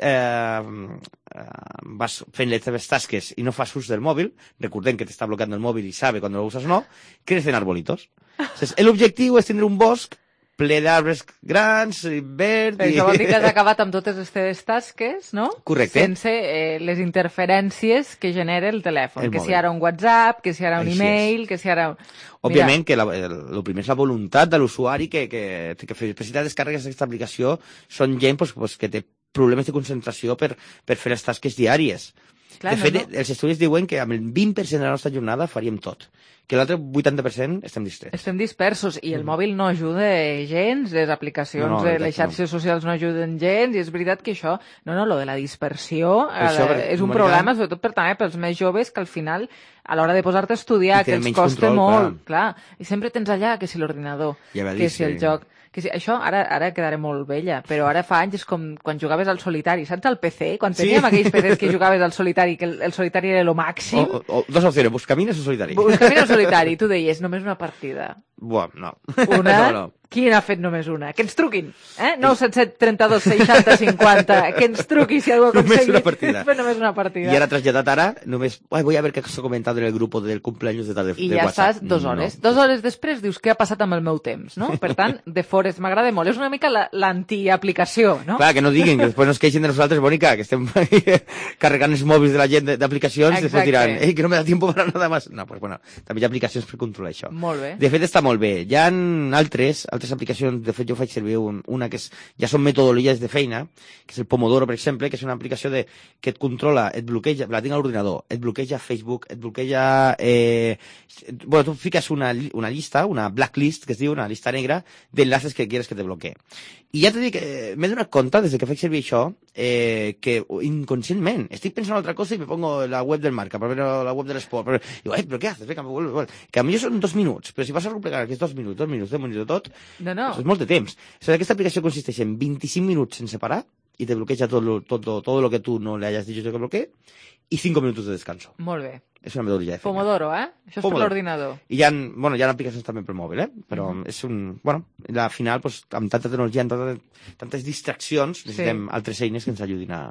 [SPEAKER 10] vas fent les teves tasques i no fas ús del mòbil, recordem que t'està bloqueant el mòbil i sabe quan lo usas o no, crecen arbolitos. L'objectiu és tindre un bosc ple d'arbres grans, verd...
[SPEAKER 3] Això vol dir que has acabat amb totes les teves tasques, no?
[SPEAKER 10] Correcte.
[SPEAKER 3] Sense les interferències que genera el telèfon. Que si ara un WhatsApp, que si ara un email, que si ara...
[SPEAKER 10] Òbviament que el primer és la voluntat de l'usuari que necessita descàrregues d'aquesta aplicació. Són gent que té problemes de concentració per fer les tasques diàries. De fet, els estudis diuen que amb el 20% de la nostra jornada faríem tot, que l'altre 80% estem distrets.
[SPEAKER 3] Estem dispersos, i el mòbil no ajuda gens, les aplicacions, les xarxes socials no ajuden gens, i és veritat que això, lo de la dispersió és un problema, sobretot també pels més joves, que al final, a l'hora de posar-te a estudiar, que els costa molt, clar, i sempre tens allà, que si l'ordinador, que si el joc... Això ara quedaré molt vella, però ara fa anys és com quan jugaves al solitari, saps, al PC? Quan teníem aquells PCs que jugaves al solitari, que el solitari era lo màxim.
[SPEAKER 10] Dos opcions, buscamines o solitari.
[SPEAKER 3] Buscamines o solitari, tu deies, només una partida.
[SPEAKER 10] Buah, no.
[SPEAKER 3] Una? No. Qui n'ha fet només una? Que ens truquin, 977 32 60 50, que ens truqui si algú ha aconseguit. Només una partida.
[SPEAKER 10] I ara traslladat ara, només, voy a ver qué se ha comentado en el grupo del cumpleaños de tal de WhatsApp.
[SPEAKER 3] I ja estàs 2 hores. 2 hores després dius, què ha passat amb el meu temps, no? Per tant, The Forest m'agrada molt. És una mica l'antiaplicació, no?
[SPEAKER 10] Clar, que no diguin, que després no es queixin de nosaltres, Mónica, que estem carregant els mòbils de la gent d'aplicacions, després diran, que no me da tiempo para nada más. No, pues bueno, també hi ha aplicacions per controlar això.
[SPEAKER 3] Molt bé.
[SPEAKER 10] De fet, està molt bé. Hi ha altres aplicacions, de fet jo faig servir una que ja són metodologies de feina, que és el Pomodoro, per exemple, que és una aplicació que et controla, et bloqueja, la tinc a l'ordinador, et bloqueja Facebook, et bloqueja... tu fiques una llista, una blacklist, que es diu, una llista negra, d'enlaces que quieres que te bloquee. I ja t'he dit que m'he donat compte, des que faig servir això, que inconscientment estic pensant en altra cosa i me pongo la web del Marca, la web de l'esport, i digo, però què haces? Que a millor són 2 minuts, però si vas a replegar aquests 2 minuts, 2 minuts de tot, és molt de temps. Aquesta aplicació consisteix en 25 minuts sense parar i te bloqueja todo lo que tú no le hayas dicho que bloquee y 5 minutos de descanso.
[SPEAKER 3] Molt bé.
[SPEAKER 10] És una metodologia de feina.
[SPEAKER 3] Pomodoro, Això és per l'ordinador.
[SPEAKER 10] I hi ha aplicacions també pel mòbil, però és al final, amb tanta tecnologia, amb tantes distraccions, necessitem altres eines que ens ajudin a...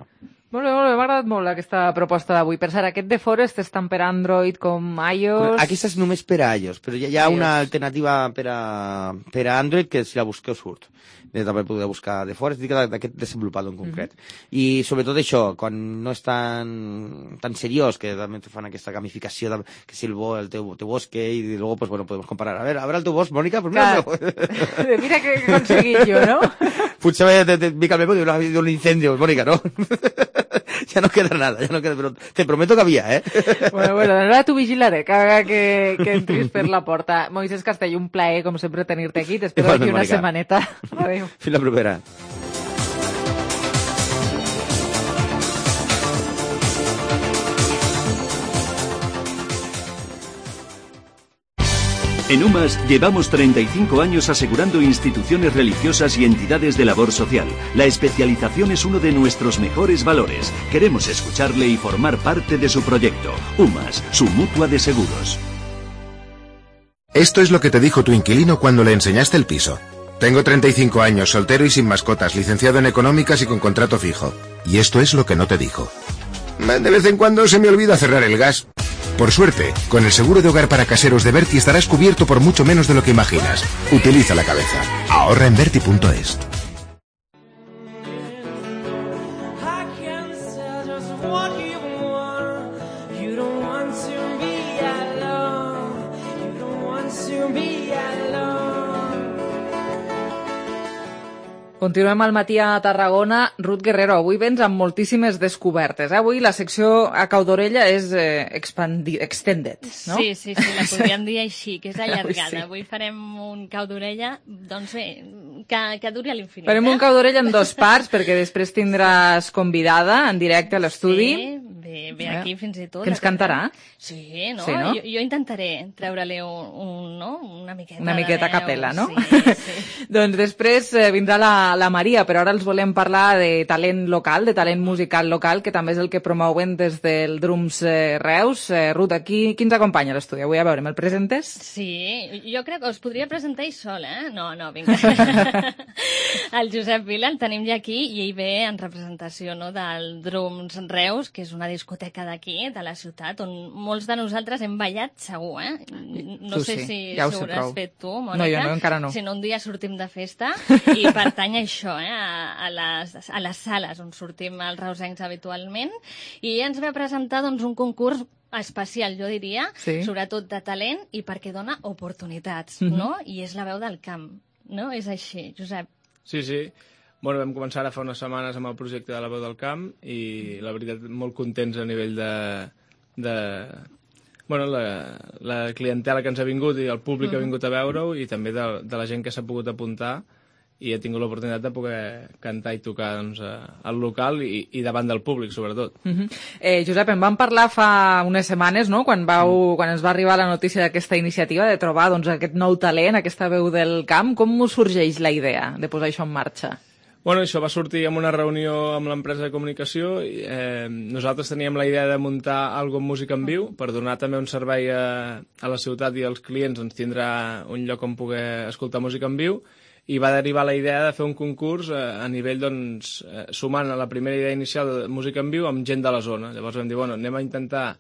[SPEAKER 3] Molt bé, m'ha agradat molt aquesta proposta d'avui. Per cert, aquest The Forest és tant per Android com iOS...
[SPEAKER 10] Aquesta és només per a iOS, però hi ha una alternativa per a Android que si la busqueu surt. També podeu buscar The Forest, dic d'aquest desenvolupador en concret. I sobretot això, quan no és tan seriós, que també fan aquesta gamificació, que si el teu bosque, i luego podemos comparar. A ver el teu bosc, Mónica, pues
[SPEAKER 3] mira què he aconseguit jo, no?
[SPEAKER 10] Potser te pica el memo de un incendio, Mónica, ¿no? Ya no queda nada, pero te prometo que había,
[SPEAKER 3] Bueno, ara t'ho vigilaré, que entris per la porta. Moisés Castell, un plaer, com sempre, tenir-te aquí. T'espero aquí una setmaneta. Adéu.
[SPEAKER 10] Fins la propera.
[SPEAKER 11] En UMAS llevamos 35 años asegurando instituciones religiosas y entidades de labor social. La especialización es uno de nuestros mejores valores. Queremos escucharle y formar parte de su proyecto. UMAS, su mutua de seguros.
[SPEAKER 15] Esto es lo que te dijo tu inquilino cuando le enseñaste el piso.
[SPEAKER 6] Tengo 35 años, soltero y sin mascotas, licenciado en económicas y con contrato fijo. Y esto es lo que no te dijo. De vez en cuando se me olvida cerrar el gas. Por suerte, con el seguro de hogar para caseros de Berti estarás cubierto por mucho menos de lo que imaginas. Utiliza la cabeza. Ahorra en Berti.es.
[SPEAKER 3] Continuem al matí a Tarragona. Ruth Guerrero, avui vens amb moltíssimes descobertes. Avui la secció a cau d'orella és extended, no?
[SPEAKER 18] Sí, la podríem dir així, que és allargada.
[SPEAKER 3] Sí.
[SPEAKER 18] Avui farem un cau d'orella, doncs bé, que duri a l'infinit.
[SPEAKER 3] Farem un cau d'orella en dos parts, perquè després tindràs convidada en directe a l'estudi.
[SPEAKER 18] Sí, ve aquí fins i tot.
[SPEAKER 3] Que ens cantarà?
[SPEAKER 18] Sí, no?
[SPEAKER 3] Sí, no?
[SPEAKER 18] Jo intentaré treure-li una miqueta.
[SPEAKER 3] Una miqueta a capella, no?
[SPEAKER 18] Sí.
[SPEAKER 3] Doncs després vindrà la Maria, però ara els volem parlar de talent local, de talent musical local, que també és el que promouen des del Drums Reus. Ruth, qui ens acompanya a l'estudi? Avui, a veure, me'l presentes?
[SPEAKER 18] Sí, jo crec que us podria presentar ell sol, eh? No, vinga. El Josep Vila el tenim ja aquí i ell ve en representació, no, del Drums Reus, que és una discoteca d'aquí, de la ciutat, on molts de nosaltres hem ballat segur, eh? No sé si
[SPEAKER 3] ja
[SPEAKER 18] ho hauràs fet tu, Mònica.
[SPEAKER 3] No, jo no, encara no.
[SPEAKER 18] Si no, un dia sortim de festa i pertany a això, a les sales on sortim els reusencs habitualment, i ens ve a presentar doncs, un concurs especial, jo diria, sobretot de talent i perquè dona oportunitats, no? I és la veu del camp, no? És així, Josep.
[SPEAKER 5] Sí. Bueno, vam començar ara fa unes setmanes amb el projecte de la veu del camp i la veritat molt contents a nivell de bueno, la clientela que ens ha vingut i el públic que ha vingut a veure-ho i també de la gent que s'ha pogut apuntar i he tingut l'oportunitat de poder cantar i tocar doncs, al local i davant del públic, sobretot.
[SPEAKER 3] Josep, en vam parlar fa unes setmanes, no?, quan ens va arribar la notícia d'aquesta iniciativa de trobar doncs, aquest nou talent, aquesta veu del camp. Com us sorgeix la idea de posar això en marxa?
[SPEAKER 5] Bueno, això va sortir en una reunió amb l'empresa de comunicació. Nosaltres teníem la idea de muntar alguna amb música en viu per donar també un servei a la ciutat i als clients, ens tindrà un lloc on poder escoltar música en viu, i va derivar la idea de fer un concurs a nivell, doncs, sumant a la primera idea inicial de música en viu amb gent de la zona. Llavors vam dir, bueno, anem a intentar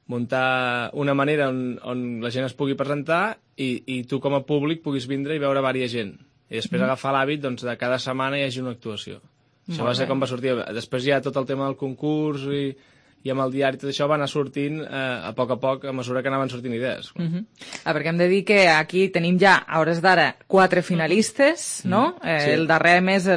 [SPEAKER 5] muntar una manera on la gent es pugui presentar i tu com a públic puguis vindre i veure diversa gent. I després agafar l'hàbit doncs, de cada setmana hi hagi una actuació. Això va ser com va sortir. Després hi ha tot el tema del concurs i amb el diari tot això va anar sortint a poc, a mesura que anaven sortint idees.
[SPEAKER 3] Perquè hem de dir que aquí tenim ja, a hores d'ara, 4 finalistes, no?
[SPEAKER 5] Sí.
[SPEAKER 3] El darrer mes ha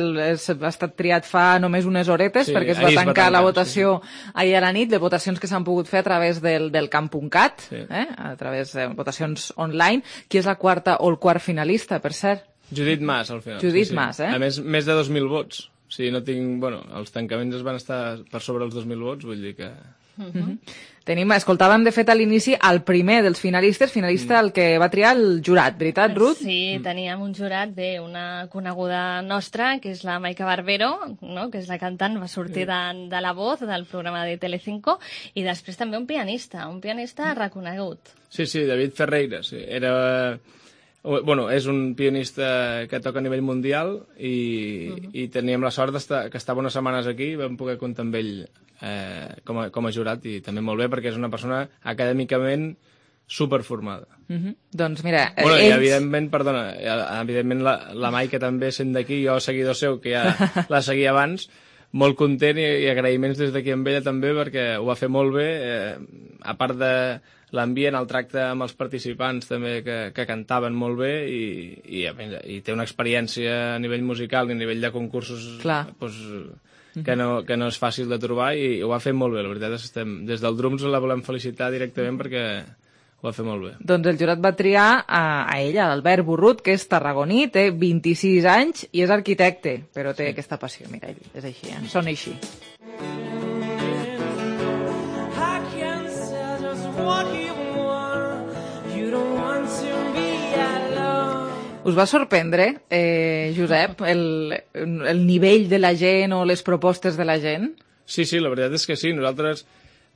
[SPEAKER 3] estat triat fa només unes horetes, perquè es va tancar la votació ahir a la nit, de votacions que s'han pogut fer a través del camp.cat, a través de votacions online. Qui és la quarta o el quart finalista, per cert?
[SPEAKER 5] Judit Mas, al final.
[SPEAKER 3] Judit Mas,
[SPEAKER 5] A més de 2.000 vots. Sí, no tinc... Bueno, els tancaments es van estar per sobre els 2.000 vots, vull dir que...
[SPEAKER 3] Escoltàvem, de fet, a l'inici el primer dels finalistes, el que va triar el jurat, veritat, Ruth?
[SPEAKER 18] Sí, teníem un jurat una coneguda nostra, que és la Maica Barbero, no? Que és la cantant, va sortir de La Voz, del programa de Telecinco, i després també un pianista reconegut.
[SPEAKER 5] Sí, David Ferreira, sí. Bueno, és un pianista que toca a nivell mundial i teníem la sort que estava unes setmanes aquí i vam poder comptar amb ell com a jurat i també molt bé perquè és una persona acadèmicament superformada.
[SPEAKER 3] Doncs mira,
[SPEAKER 5] bueno, i evidentment la Maica també sent d'aquí, jo seguidor seu que ja la seguia abans, molt content i agraïments des d'aquí amb ella també perquè ho va fer molt bé, a part de l'ambient, el tracte amb els participants també que cantaven molt bé i té una experiència a nivell musical i a nivell de concursos doncs, que no és fàcil de trobar i ho va fer molt bé, la veritat és que des del Drums la volem felicitar directament perquè ho va fer molt bé.
[SPEAKER 3] Doncs el jurat va triar a ella, l'Albert Burrut, que és tarragoní, té 26 anys i és arquitecte, però té aquesta passió, mira, és així, sona així. Us va sorprendre, Josep, el nivell de la gent o les propostes de la gent?
[SPEAKER 5] Sí, la veritat és que sí. Nosaltres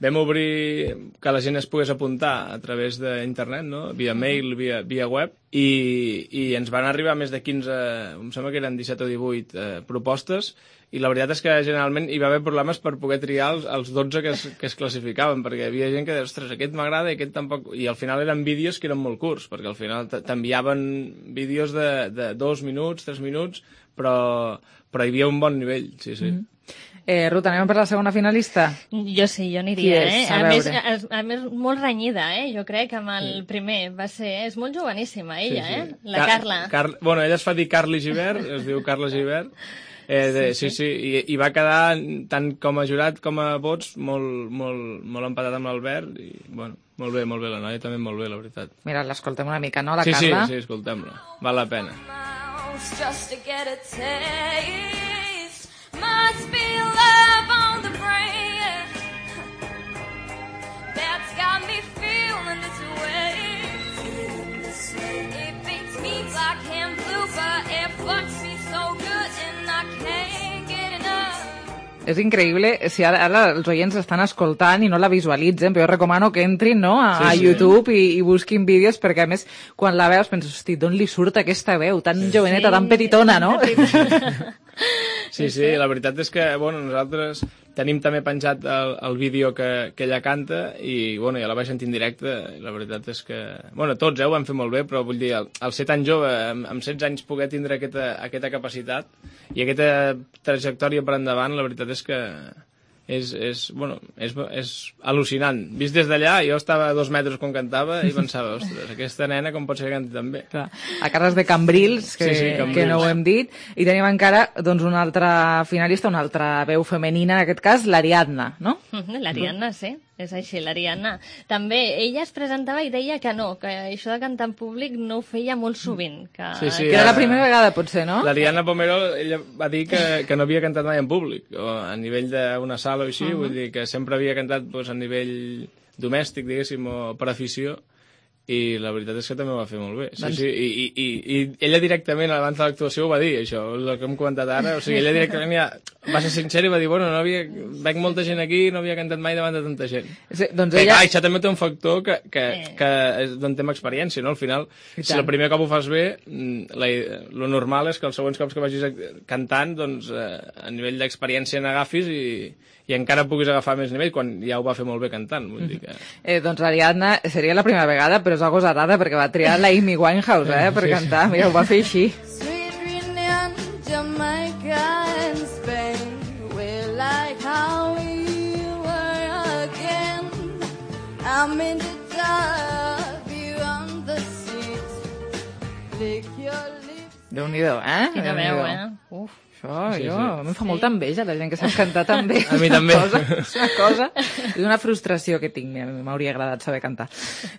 [SPEAKER 12] vam obrir que la gent es pogués apuntar a través d'internet, no? Via mail, via web, i ens van arribar més de 15, em sembla que eren 17 o 18 propostes, i la veritat és que generalment hi va haver problemes per poder triar els 12 que es classificaven, perquè hi havia gent que deia, ostres, aquest m'agrada i aquest tampoc... I al final eren vídeos que eren molt curts, perquè al final t'enviaven vídeos de 2 minuts, 3 minuts, però hi havia un bon nivell, sí.
[SPEAKER 3] Ruth, anem per la segona finalista?
[SPEAKER 18] Jo sí, jo aniria, A més, molt renyida, jo crec, amb el primer. És molt joveníssima, ella, la Carla.
[SPEAKER 12] Bueno, ella es fa dir Carly Gibert, es diu Carla Gibert. Sí, i va quedar, tant com a jurat com a vots, molt empatat amb l'Albert, i, bueno, molt bé, la noia també molt bé, la veritat.
[SPEAKER 3] Mira, l'escoltem una mica, no, la Carla?
[SPEAKER 12] Sí, escoltem-la, val la pena.
[SPEAKER 15] Just to get a taste, must be love on the brain. That's got me feeling this way. It beats me black and blue, but it fucks me so good and I can't get enough.
[SPEAKER 3] És increïble, si ara els oients estan escoltant i no la visualitzen, però jo recomano que entrin, no, a YouTube i busquin vídeos, perquè a més, quan la veus penses, hosti, d'on li surt aquesta veu tan joveneta, tan petitona, no?
[SPEAKER 12] Sí, la veritat és que, bueno, nosaltres tenim també penjat el vídeo que ella canta i, bueno, ja la vaig sentir en directe i la veritat és que, bueno, tots ho van fer molt bé, però vull dir, el ser tan jove, amb 16 anys poder tindre aquesta capacitat i aquesta trajectòria per endavant, la veritat és que és al·lucinant. Vist des d'allà, jo estava a 2 metres quan cantava i pensava, ostres, aquesta nena com pot ser que canti tan bé?
[SPEAKER 3] A Carles de Cambrils, que no ho hem dit, i tenim encara una altra finalista, una altra veu femenina, en aquest cas, l'Ariadna, no?
[SPEAKER 18] L'Ariadna, sí. És així, l'Ariadna. També ella es presentava i deia que no, que això de cantar en públic no ho feia molt sovint. Que
[SPEAKER 3] era la primera vegada, potser, no?
[SPEAKER 12] L'Ariadna Pomero, ella va dir que no havia cantat mai en públic, o a nivell d'una sala o així, vull dir que sempre havia cantat a nivell domèstic, diguéssim, o per afició, i la veritat és que també ho va fer molt bé. I ella directament, abans de l'actuació, ho va dir, això, el que hem comentat ara. O sigui, ella directament va ser sincera i va dir, bueno, veig molta gent aquí i no havia cantat mai davant de tanta gent. Això també té un factor d'on tem experiència, no? Al final, si el primer cop ho fas bé, lo normal és que els següents cops que vagis cantant, doncs, a nivell d'experiència n'agafis i encara puguis agafar més nivell quan ja ho va fer molt bé cantant. Vull dir que...
[SPEAKER 3] Doncs l'Ariadna seria la primera vegada, però és algo agosarada perquè va triar la Amy Winehouse per cantar. Mira, ho va fer així.
[SPEAKER 15] Sweet Reunion, Jamaica and Spain, we're like how we were again. I'm in the dark, you on the seat, lick your lips.
[SPEAKER 3] Déu-n'hi-do,
[SPEAKER 18] Quina veu,
[SPEAKER 3] Uf. A mi em fa molta enveja la gent que sap cantar tan bé.
[SPEAKER 12] A mi també.
[SPEAKER 3] És una cosa, és una frustració que tinc. M'hauria agradat saber cantar.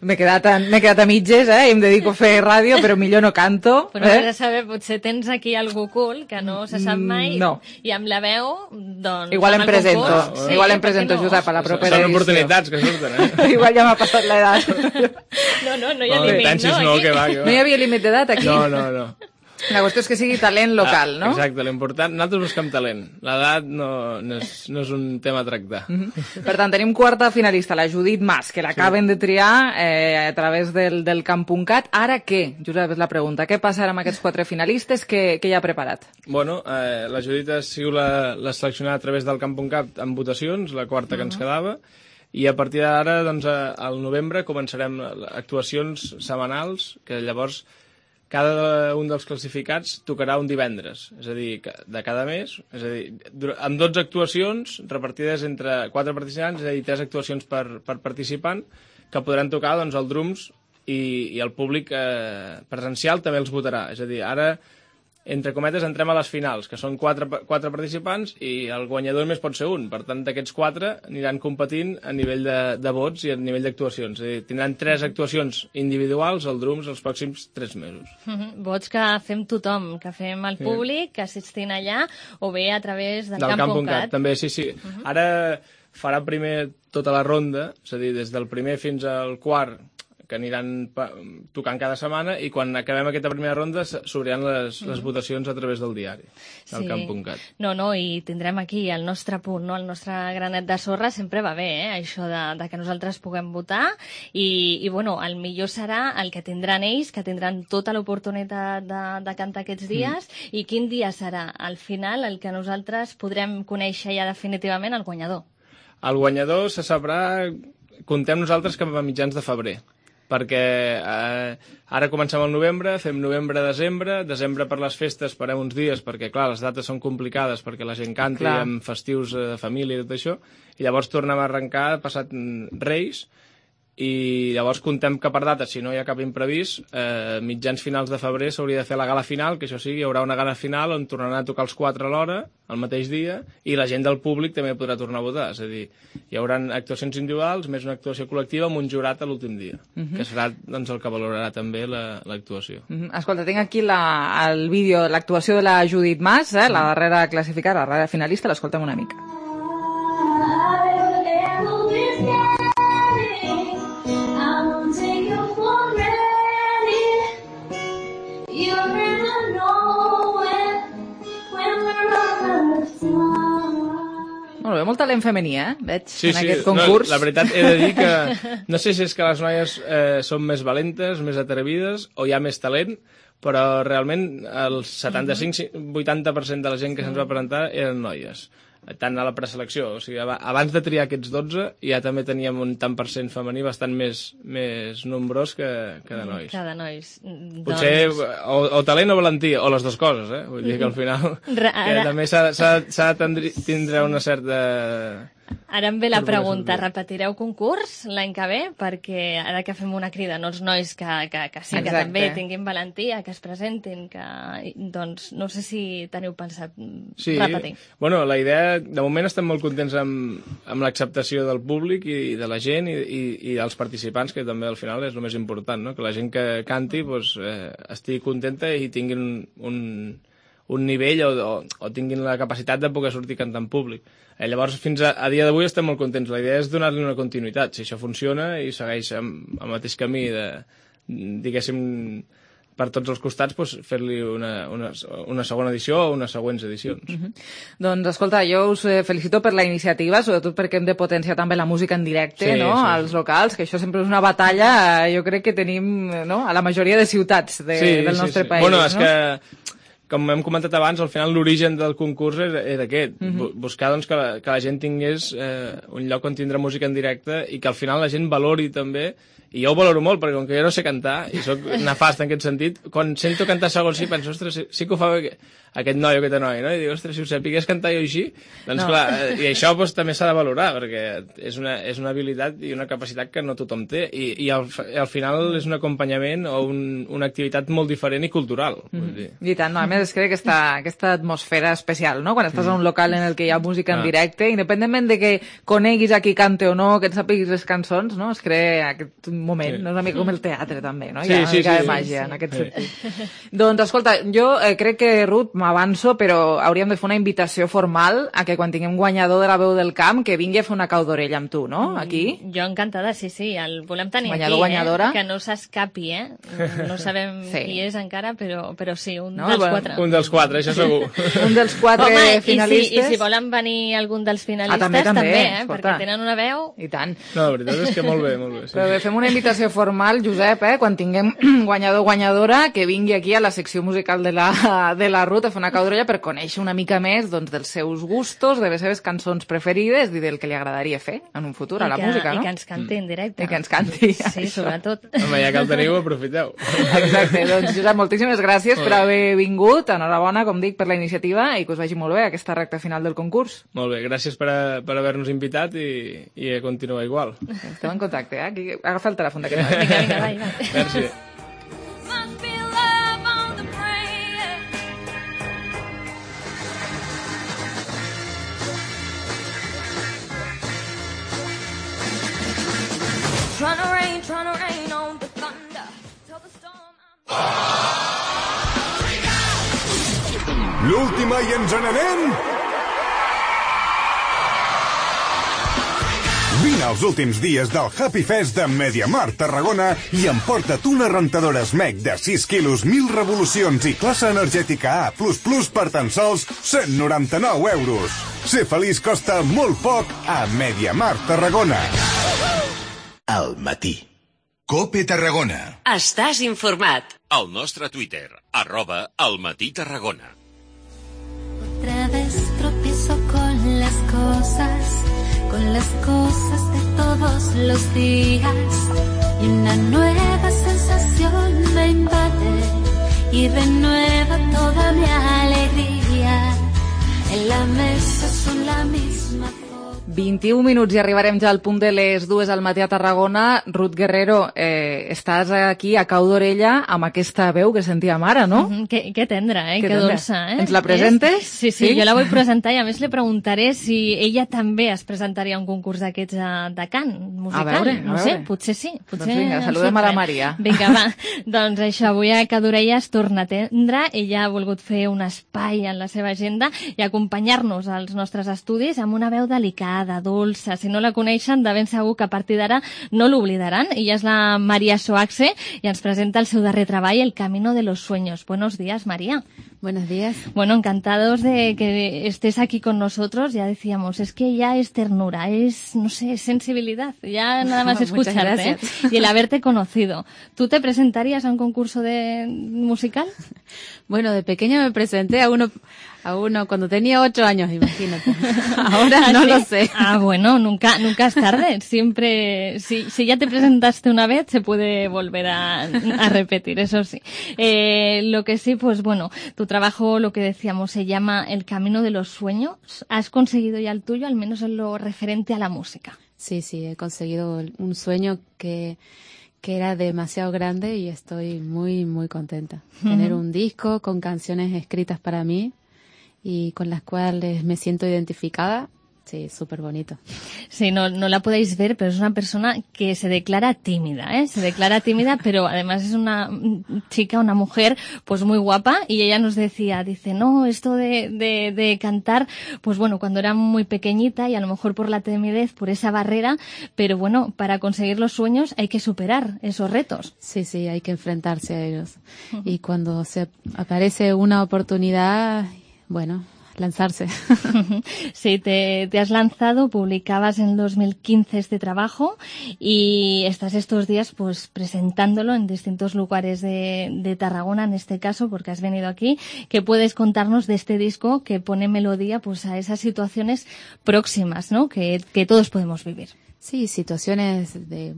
[SPEAKER 3] M'he quedat a mitges, i em dedico a fer ràdio, però millor no canto.
[SPEAKER 18] Però has de saber, potser tens aquí algú cool que no se sap mai.
[SPEAKER 3] No.
[SPEAKER 18] I amb la veu, doncs...
[SPEAKER 3] Igual em presento, Josep, a la propera edició.
[SPEAKER 12] Són oportunitats que surten,
[SPEAKER 3] Igual ja m'ha passat l'edat.
[SPEAKER 18] No hi ha límit, no?
[SPEAKER 3] No hi havia límit d'edat, aquí?
[SPEAKER 12] No.
[SPEAKER 3] La qüestió és que sigui talent local, no?
[SPEAKER 12] Exacte, l'important... Nosaltres busquem talent. L'edat no és un tema a tractar.
[SPEAKER 3] Per tant, tenim quarta finalista, la Judit Mas, que l'acaben de triar a través del camp.cat. Ara què? Josep, és la pregunta. Què passarà amb aquests 4 finalistes? Què hi ha preparat?
[SPEAKER 12] Bueno, la Judit ha sigut la seleccionada a través del camp.cat amb votacions, la quarta que ens quedava, i a partir d'ara, doncs, al novembre, començarem actuacions setmanals, que llavors cada un dels classificats tocarà un divendres, és a dir, de cada mes, és a dir, amb 12 actuacions repartides entre 4 participants, és a dir, 3 actuacions per participant, que podran tocar doncs, el drums i el públic presencial també els votarà. És a dir, ara, entre cometes, entrem a les finals, que són 4 participants i el guanyador més pot ser un. Per tant, d'aquests 4 aniran competint a nivell de vots i a nivell d'actuacions. És a dir, tindran 3 actuacions individuals al drums els pròxims 3 mesos.
[SPEAKER 18] Vots que fem tothom, que fem el públic, assistint allà, o bé a través del camp.cat.
[SPEAKER 12] També, sí. Ara farà primer tota la ronda, és a dir, des del primer fins al quart, aniran tocant cada setmana, i quan acabem aquesta primera ronda s'obriran les votacions a través del diari, del camp.cat.
[SPEAKER 18] No, i tindrem aquí el nostre punt, no? El nostre granet de sorra sempre va bé, això de que nosaltres puguem votar, i bueno, el millor serà el que tindran ells, que tindran tota l'oportunitat de cantar aquests dies, i quin dia serà, al final, el que nosaltres podrem conèixer ja definitivament el guanyador.
[SPEAKER 12] El guanyador se sabrà, contem nosaltres, cap a mitjans de febrer, perquè ara comencem el novembre, fem novembre-desembre, desembre per les festes farem uns dies, perquè clar, les dates són complicades perquè la gent canti amb festius de família i tot això, i llavors tornem a arrencar passat Reis, i llavors contem que per data, si no hi ha cap imprevist, mitjans finals de febrer s'hauria de fer la gala final, que això sí, hi haurà una gala final on tornaran a tocar els 4 a l'hora, el mateix dia, i la gent del públic també podrà tornar a votar. És a dir, hi haurà actuacions individuals més una actuació col·lectiva amb un jurat a l'últim dia, que serà doncs, el que valorarà també l'actuació.
[SPEAKER 3] Escolta, tinc aquí el vídeo, l'actuació de la Judit Mas, la darrera classificada, la darrera finalista, l'escoltem una mica. Molt bé, molt talent femení, veig, en aquest concurs.
[SPEAKER 12] No, la veritat, he de dir que no sé si és que les noies són més valentes, més atrevides, o hi ha més talent, però realment el 75-80% de la gent que se'ns va presentar eren noies, tant a la preselecció. O sigui, abans de triar aquests 12 ja també teníem un tant per cent femení bastant més nombrós que de nois.
[SPEAKER 18] Que de nois.
[SPEAKER 12] Potser o talent o valentia, o les dues coses, Vull dir que al final que també s'ha de tindre una certa...
[SPEAKER 18] Ara em ve la pregunta, repetireu concurs l'any que ve? Perquè ara que fem una crida, no els nois que sí, que també tinguin valentia, que es presentin, doncs no sé si teniu pensat repetir.
[SPEAKER 12] Bueno, la idea, de moment estem molt contents amb l'acceptació del públic i de la gent i dels participants, que també al final és el més important, no? Que la gent que canti estigui contenta i tinguin un nivell o tinguin la capacitat de poder sortir cantant en públic. Llavors, fins a dia d'avui estem molt contents. La idea és donar-li una continuïtat. Si això funciona i segueix amb el mateix camí diguéssim, per tots els costats, fer-li una segona edició o unes següents edicions.
[SPEAKER 3] Doncs, escolta, jo us felicito per la iniciativa, sobretot perquè hem de potenciar també la música en directe, als locals, que això sempre és una batalla, jo crec que tenim a la majoria de ciutats del nostre país.
[SPEAKER 12] Bueno, és que com hem comentat abans, al final l'origen del concurs era aquest, buscar doncs, que la gent tingués un lloc on tindre música en directe i que al final la gent valori també, i jo ho valoro molt, perquè com que jo no sé cantar, i soc nefast en aquest sentit, quan sento cantar segons sí, penso, ostres, sí que ho fa aquest noi o aquesta noia, no? I dic, ostres, si ho sapigués cantar jo així, doncs clar, i això també s'ha de valorar, perquè és una habilitat i una capacitat que no tothom té, i al final és un acompanyament o una activitat molt diferent i cultural.
[SPEAKER 3] I tant, a més es crea aquesta atmosfera especial, no? Quan estàs a un local en el que hi ha música en directe, independentment de que coneguis a qui cante o no, que et sàpiguis les cançons, no? Es crea aquest moment, no? És una mica com el teatre també, no? Hi ha una mica de màgia en aquest sentit. Doncs escolta, jo crec que, Ruth, m'avanço, però hauríem de fer una invitació formal a que quan tinguem guanyador de la veu del camp, que vingui a fer una cau d'orella amb tu, no? Aquí.
[SPEAKER 18] Jo encantada, sí, el volem tenir
[SPEAKER 3] guanyador,
[SPEAKER 18] aquí,
[SPEAKER 3] guanyadora.
[SPEAKER 18] Que no s'escapi, No sabem qui és encara, però sí, un
[SPEAKER 12] dels
[SPEAKER 18] 4.
[SPEAKER 12] Un dels 4, això segur.
[SPEAKER 3] Un dels 4 finalistes.
[SPEAKER 18] I si volen venir algun dels finalistes, també, perquè tenen una veu...
[SPEAKER 3] I tant.
[SPEAKER 12] No, la veritat és que molt bé. Sí.
[SPEAKER 3] Però bé, fem una invitació formal, Josep, quan tinguem guanyador o guanyadora, que vingui aquí a la secció musical de la Ruth a fer una cau d'orella per conèixer una mica més dels seus gustos, de les seves cançons preferides i del que li agradaria fer en un futur a la música, no?
[SPEAKER 18] I que ens canti en directe.
[SPEAKER 3] I que ens canti.
[SPEAKER 18] Sí, sobretot.
[SPEAKER 12] Home, ja que el teniu, aprofiteu.
[SPEAKER 3] Exacte, doncs Josep, moltíssimes gràcies per haver vingut, enhorabona, com dic, per la iniciativa i que us vagi molt bé aquesta recta final del concurs.
[SPEAKER 12] Molt bé, gràcies per haver-nos invitat i a continuar igual.
[SPEAKER 3] Estem en contacte, Aquí, agafa el telèfon d'aquest noi.
[SPEAKER 18] Vinga, va.
[SPEAKER 12] Merci.
[SPEAKER 15] Trying to rain on the thunder. Till the storm.
[SPEAKER 6] L'última i ens n'anem?
[SPEAKER 2] Vine als últims dies del Happy Fest de MediaMarkt Tarragona i emporta't una rentadora SMEC de 6 quilos, 1000 revolucions i classe energètica A++ per tan sols 199 euros. Ser feliç costa molt poc a MediaMarkt Tarragona.
[SPEAKER 21] Al matí. COPE Tarragona.
[SPEAKER 22] Estàs informat.
[SPEAKER 23] Al nostre Twitter, @almatí-tarragona.
[SPEAKER 15] Otra vez tropiezo con las cosas de todos los días. Y una nueva sensación me invade y renueva toda mi alegría. En la mesa son la misma.
[SPEAKER 3] 21 minuts i arribarem ja al punt de les 2 al matí a Tarragona. Ruth Guerrero, estàs aquí a cau d'orella amb aquesta veu que sentíem ara, no?
[SPEAKER 18] Que tendra, que dolça.
[SPEAKER 3] Ens la presentes?
[SPEAKER 18] Sí, jo la vull presentar i a més li preguntaré si ella també es presentaria a un concurs d'aquests de cant musical.
[SPEAKER 3] A veure.
[SPEAKER 18] No sé, potser sí. Potser
[SPEAKER 3] doncs vinga, saludem a la Maria.
[SPEAKER 18] Vinga, va. Doncs això, avui a Cau d'orella es torna a atendre. Ella ha volgut fer un espai en la seva agenda i acompanyar-nos als nostres estudis amb una veu delicada, dolça. Si no la coneixen, de ben segur que a partir d'ara no l'oblidaran. Ella és la María Soaxe i ens presenta el seu darrer treball, El camino de los sueños. Buenos días, María.
[SPEAKER 24] Buenos días.
[SPEAKER 18] Bueno, encantados de que estés aquí con nosotros. Ya decíamos, es que ya es ternura, es, no sé, es sensibilidad. Ya nada más escucharte y el haberte conocido. ¿Tú te presentarías a un concurso de musical?
[SPEAKER 24] Bueno, de pequeña me presenté a uno cuando tenía 8 años, imagínate. Ahora no lo sé.
[SPEAKER 18] Bueno, nunca es tarde. Siempre, si ya te presentaste una vez, se puede volver a repetir, eso sí. Lo que sí, pues bueno, tu trabajo, lo que decíamos, se llama El camino de los sueños. ¿Has conseguido ya el tuyo, al menos en lo referente a la música?
[SPEAKER 24] Sí, he conseguido un sueño que era demasiado grande y estoy muy, muy contenta. Tener un disco con canciones escritas para mí y con las cuales me siento identificada. Sí, súper bonito.
[SPEAKER 18] Sí, no la podéis ver, pero es una persona que se declara tímida, ¿eh? Se declara tímida, pero además es una chica, una mujer, pues muy guapa, y ella nos decía, no, esto de cantar, pues bueno, cuando era muy pequeñita y a lo mejor por la timidez, por esa barrera, pero bueno, para conseguir los sueños hay que superar esos retos.
[SPEAKER 24] Sí, hay que enfrentarse a ellos. Y cuando se aparece una oportunidad, bueno, lanzarse.
[SPEAKER 18] Sí, te has lanzado, publicabas en 2015 este trabajo y estás estos días pues presentándolo en distintos lugares de Tarragona, en este caso, porque has venido aquí. ¿Qué puedes contarnos de este disco que pone melodía pues a esas situaciones próximas, ¿no? que todos podemos vivir?
[SPEAKER 24] Sí, situaciones de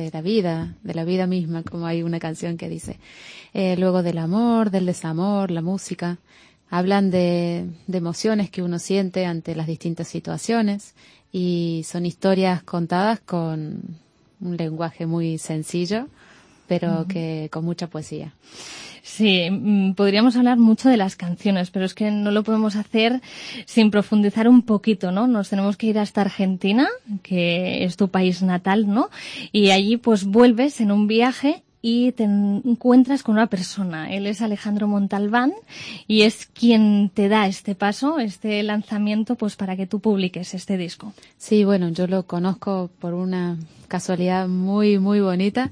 [SPEAKER 24] la vida misma, como hay una canción que dice. Luego del amor, del desamor, la música. Hablan de emociones que uno siente ante las distintas situaciones y son historias contadas con un lenguaje muy sencillo, pero que con mucha poesía.
[SPEAKER 18] Sí, podríamos hablar mucho de las canciones, pero es que no lo podemos hacer sin profundizar un poquito, ¿no? Nos tenemos que ir hasta Argentina, que es tu país natal, ¿no? Y allí pues vuelves en un viaje y te encuentras con una persona. Él es Alejandro Montalbán y es quien te da este paso, este lanzamiento, pues para que tú publiques este disco.
[SPEAKER 24] Sí, bueno, yo lo conozco por una casualidad muy, muy bonita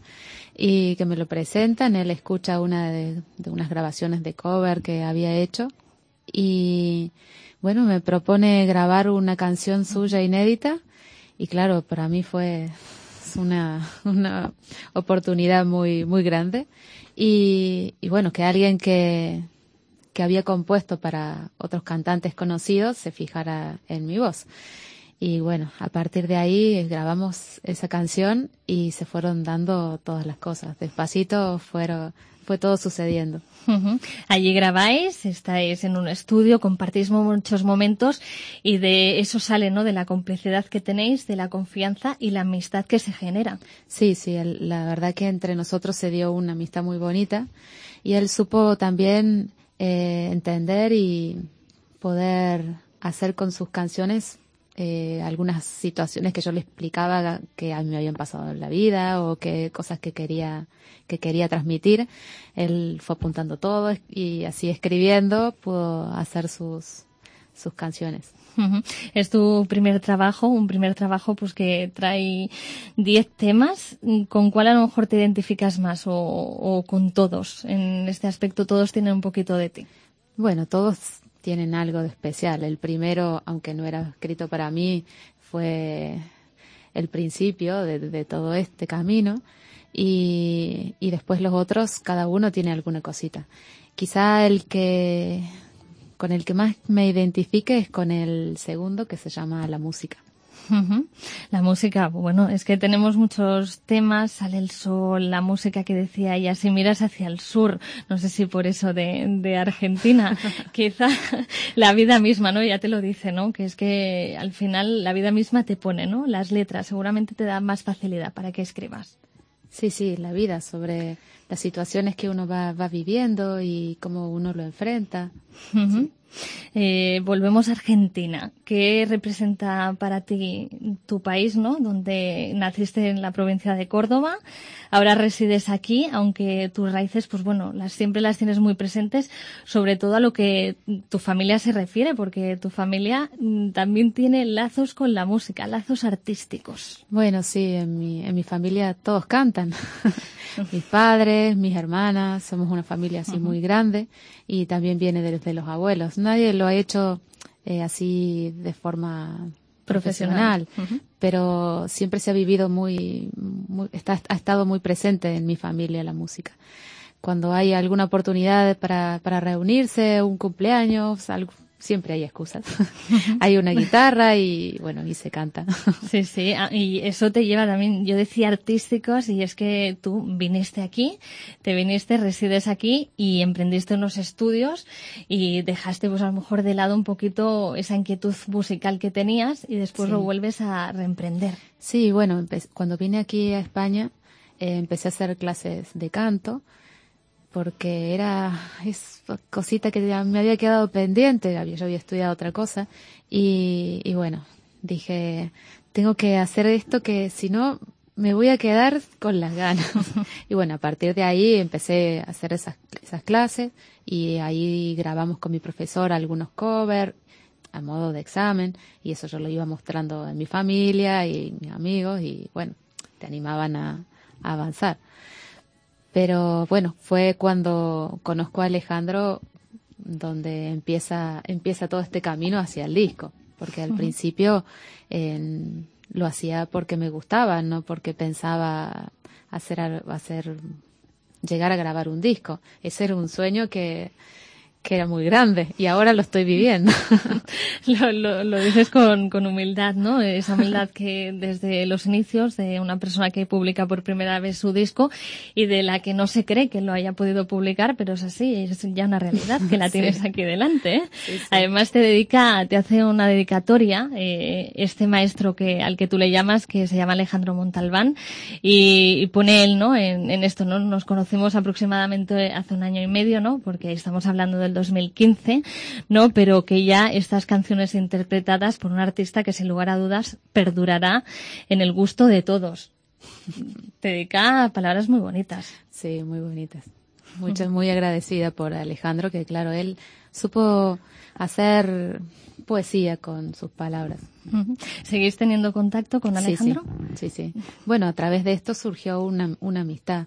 [SPEAKER 24] y que me lo presentan. Él escucha una de unas grabaciones de cover que había hecho y, bueno, me propone grabar una canción suya inédita y, claro, para mí fue una oportunidad muy muy grande y bueno, que alguien que había compuesto para otros cantantes conocidos se fijara en mi voz. Y bueno, a partir de ahí grabamos esa canción y se fueron dando todas las cosas. Despacito fue todo sucediendo.
[SPEAKER 18] Allí grabáis, estáis en un estudio, compartís muchos momentos y de eso sale, ¿no? De la complicidad que tenéis, de la confianza y la amistad que se genera.
[SPEAKER 24] Sí, la verdad que entre nosotros se dio una amistad muy bonita y él supo también entender y poder hacer con sus canciones algunas situaciones que yo le explicaba que a mí me habían pasado en la vida o que cosas que quería transmitir. Él fue apuntando todo y así escribiendo pudo hacer sus sus canciones.
[SPEAKER 18] Es tu primer trabajo, un primer trabajo pues que trae 10 temas. ¿Con cuál a lo mejor te identificas más o con todos? En este aspecto todos tienen un poquito de ti.
[SPEAKER 24] Bueno, todos tienen algo de especial. El primero, aunque no era escrito para mí, fue el principio de todo este camino. Y después los otros, cada uno tiene alguna cosita. Quizá con el que más me identifique es con el segundo, que se llama La Música.
[SPEAKER 18] La música, bueno, es que tenemos muchos temas, Sale el sol, la música que decía ella, si miras hacia el sur, no sé si por eso de Argentina, quizá la vida misma, ¿no? Ya te lo dice, ¿no? Que es que al final la vida misma te pone, ¿no? Las letras, seguramente te da más facilidad para que escribas.
[SPEAKER 24] Sí, la vida, sobre las situaciones que uno va viviendo y cómo uno lo enfrenta. Sí.
[SPEAKER 18] Volvemos a Argentina. ¿Qué representa para ti tu país, ¿no? Donde naciste en la provincia de Córdoba, ahora resides aquí, aunque tus raíces, pues bueno, siempre las tienes muy presentes, sobre todo a lo que tu familia se refiere, porque tu familia también tiene lazos con la música, lazos artísticos.
[SPEAKER 24] Bueno, sí, en mi familia todos cantan. Mis padres, mis hermanas, somos una familia así muy grande y también viene desde los abuelos. Nadie lo ha hecho así de forma profesional, pero siempre se ha vivido ha estado muy presente en mi familia la música. Cuando hay alguna oportunidad para reunirse, un cumpleaños, siempre hay excusas. Hay una guitarra y bueno, y se canta.
[SPEAKER 18] Sí, y eso te lleva también, yo decía artísticos, y es que tú viniste aquí, resides aquí y emprendiste unos estudios y dejaste pues a lo mejor de lado un poquito esa inquietud musical que tenías y después lo vuelves a reemprender.
[SPEAKER 24] Sí, bueno, cuando vine aquí a España empecé a hacer clases de canto, porque es cosita que me había quedado pendiente, yo había estudiado otra cosa, y bueno, dije, tengo que hacer esto, que si no me voy a quedar con las ganas. Y bueno, a partir de ahí empecé a hacer esas clases, y ahí grabamos con mi profesor algunos covers a modo de examen, y eso yo lo iba mostrando en mi familia y mis amigos, y bueno, te animaban a avanzar. Pero bueno, fue cuando conozco a Alejandro donde empieza todo este camino hacia el disco, porque al principio lo hacía porque me gustaba, no porque pensaba llegar a grabar un disco. Ese era un sueño que era muy grande y ahora lo estoy viviendo.
[SPEAKER 18] Lo dices con humildad, ¿no? Esa humildad que desde los inicios de una persona que publica por primera vez su disco y de la que no se cree que lo haya podido publicar, pero es así, es ya una realidad que la tienes aquí delante, ¿eh? Sí. Además te hace una dedicatoria este maestro al que tú le llamas, que se llama Alejandro Montalbán, y pone él, ¿no? En esto, ¿no? Nos conocimos aproximadamente hace 1 año y medio, ¿no? Porque estamos hablando del 2015, ¿no? Pero que ya estas canciones interpretadas por un artista que sin lugar a dudas perdurará en el gusto de todos. Te dedica palabras muy bonitas.
[SPEAKER 24] Sí, muy bonitas. Muy agradecida por Alejandro, que claro, él supo hacer poesía con sus palabras.
[SPEAKER 18] ¿Seguís teniendo contacto con Alejandro?
[SPEAKER 24] Sí. Bueno, a través de esto surgió una amistad,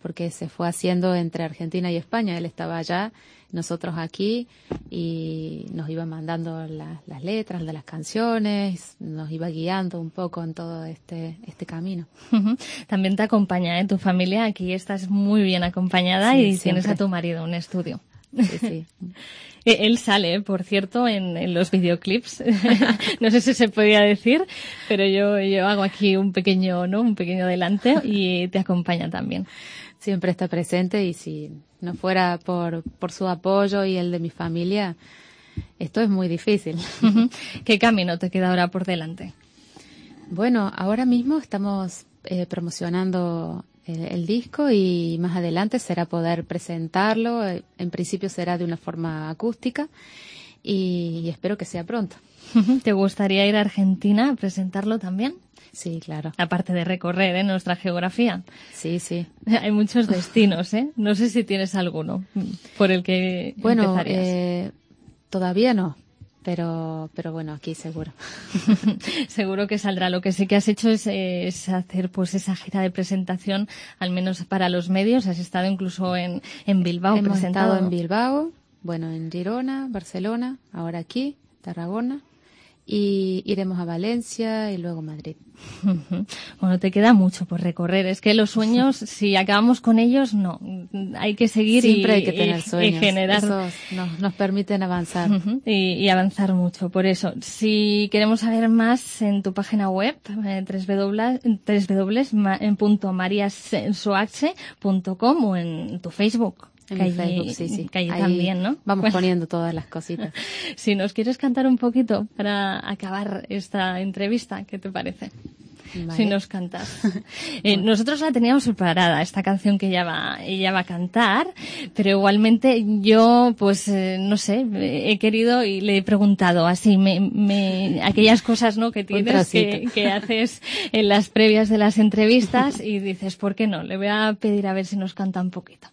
[SPEAKER 24] porque se fue haciendo entre Argentina y España. Él estaba allá, nosotros aquí, y nos iba mandando las letras de las canciones, nos iba guiando un poco en todo este camino.
[SPEAKER 18] También te acompaña, tu familia, aquí estás muy bien acompañada, y siempre tienes a tu marido en estudio.
[SPEAKER 24] Sí.
[SPEAKER 18] Él sale, por cierto, en los videoclips. No sé si se podía decir, pero yo hago aquí un pequeño adelante, y te acompaña también.
[SPEAKER 24] Siempre está presente, y si no fuera por su apoyo y el de mi familia, esto es muy difícil.
[SPEAKER 18] ¿Qué camino te queda ahora por delante?
[SPEAKER 24] Bueno, ahora mismo estamos promocionando el disco, y más adelante será poder presentarlo. En principio será de una forma acústica, y espero que sea pronto.
[SPEAKER 18] ¿Te gustaría ir a Argentina a presentarlo también?
[SPEAKER 24] Sí, claro.
[SPEAKER 18] Aparte de recorrer nuestra geografía.
[SPEAKER 24] Sí.
[SPEAKER 18] Hay muchos destinos, ¿eh? No sé si tienes alguno por el que empezarías.
[SPEAKER 24] Todavía no. pero bueno, aquí seguro.
[SPEAKER 18] Seguro que saldrá. Lo que sí que has hecho es hacer pues esa gira de presentación, al menos para los medios. Has estado incluso en Bilbao.
[SPEAKER 24] Hemos estado en Bilbao, bueno, en Girona, Barcelona, ahora aquí, Tarragona, y iremos a Valencia y luego Madrid.
[SPEAKER 18] Bueno, te queda mucho por recorrer. Es que los sueños, si acabamos con ellos, no. Hay que seguir.
[SPEAKER 24] Siempre hay que tener sueños.
[SPEAKER 18] Y generar.
[SPEAKER 24] Esos nos permiten avanzar.
[SPEAKER 18] Y avanzar mucho. Por eso, si queremos saber más en tu página web, www.mariasoaxe.com o en tu Facebook.
[SPEAKER 24] En mi Facebook, sí.
[SPEAKER 18] Que allí también, ¿no?
[SPEAKER 24] Vamos poniendo todas las cositas.
[SPEAKER 18] Si nos quieres cantar un poquito para acabar esta entrevista, ¿qué te parece? Vale. Si nos cantas. Nosotros la teníamos preparada, esta canción que ella va a cantar, pero igualmente yo, pues, no sé, he querido y le he preguntado así, aquellas cosas, ¿no?, que tienes, que haces en las previas de las entrevistas y dices, ¿por qué no? Le voy a pedir a ver si nos canta un poquito.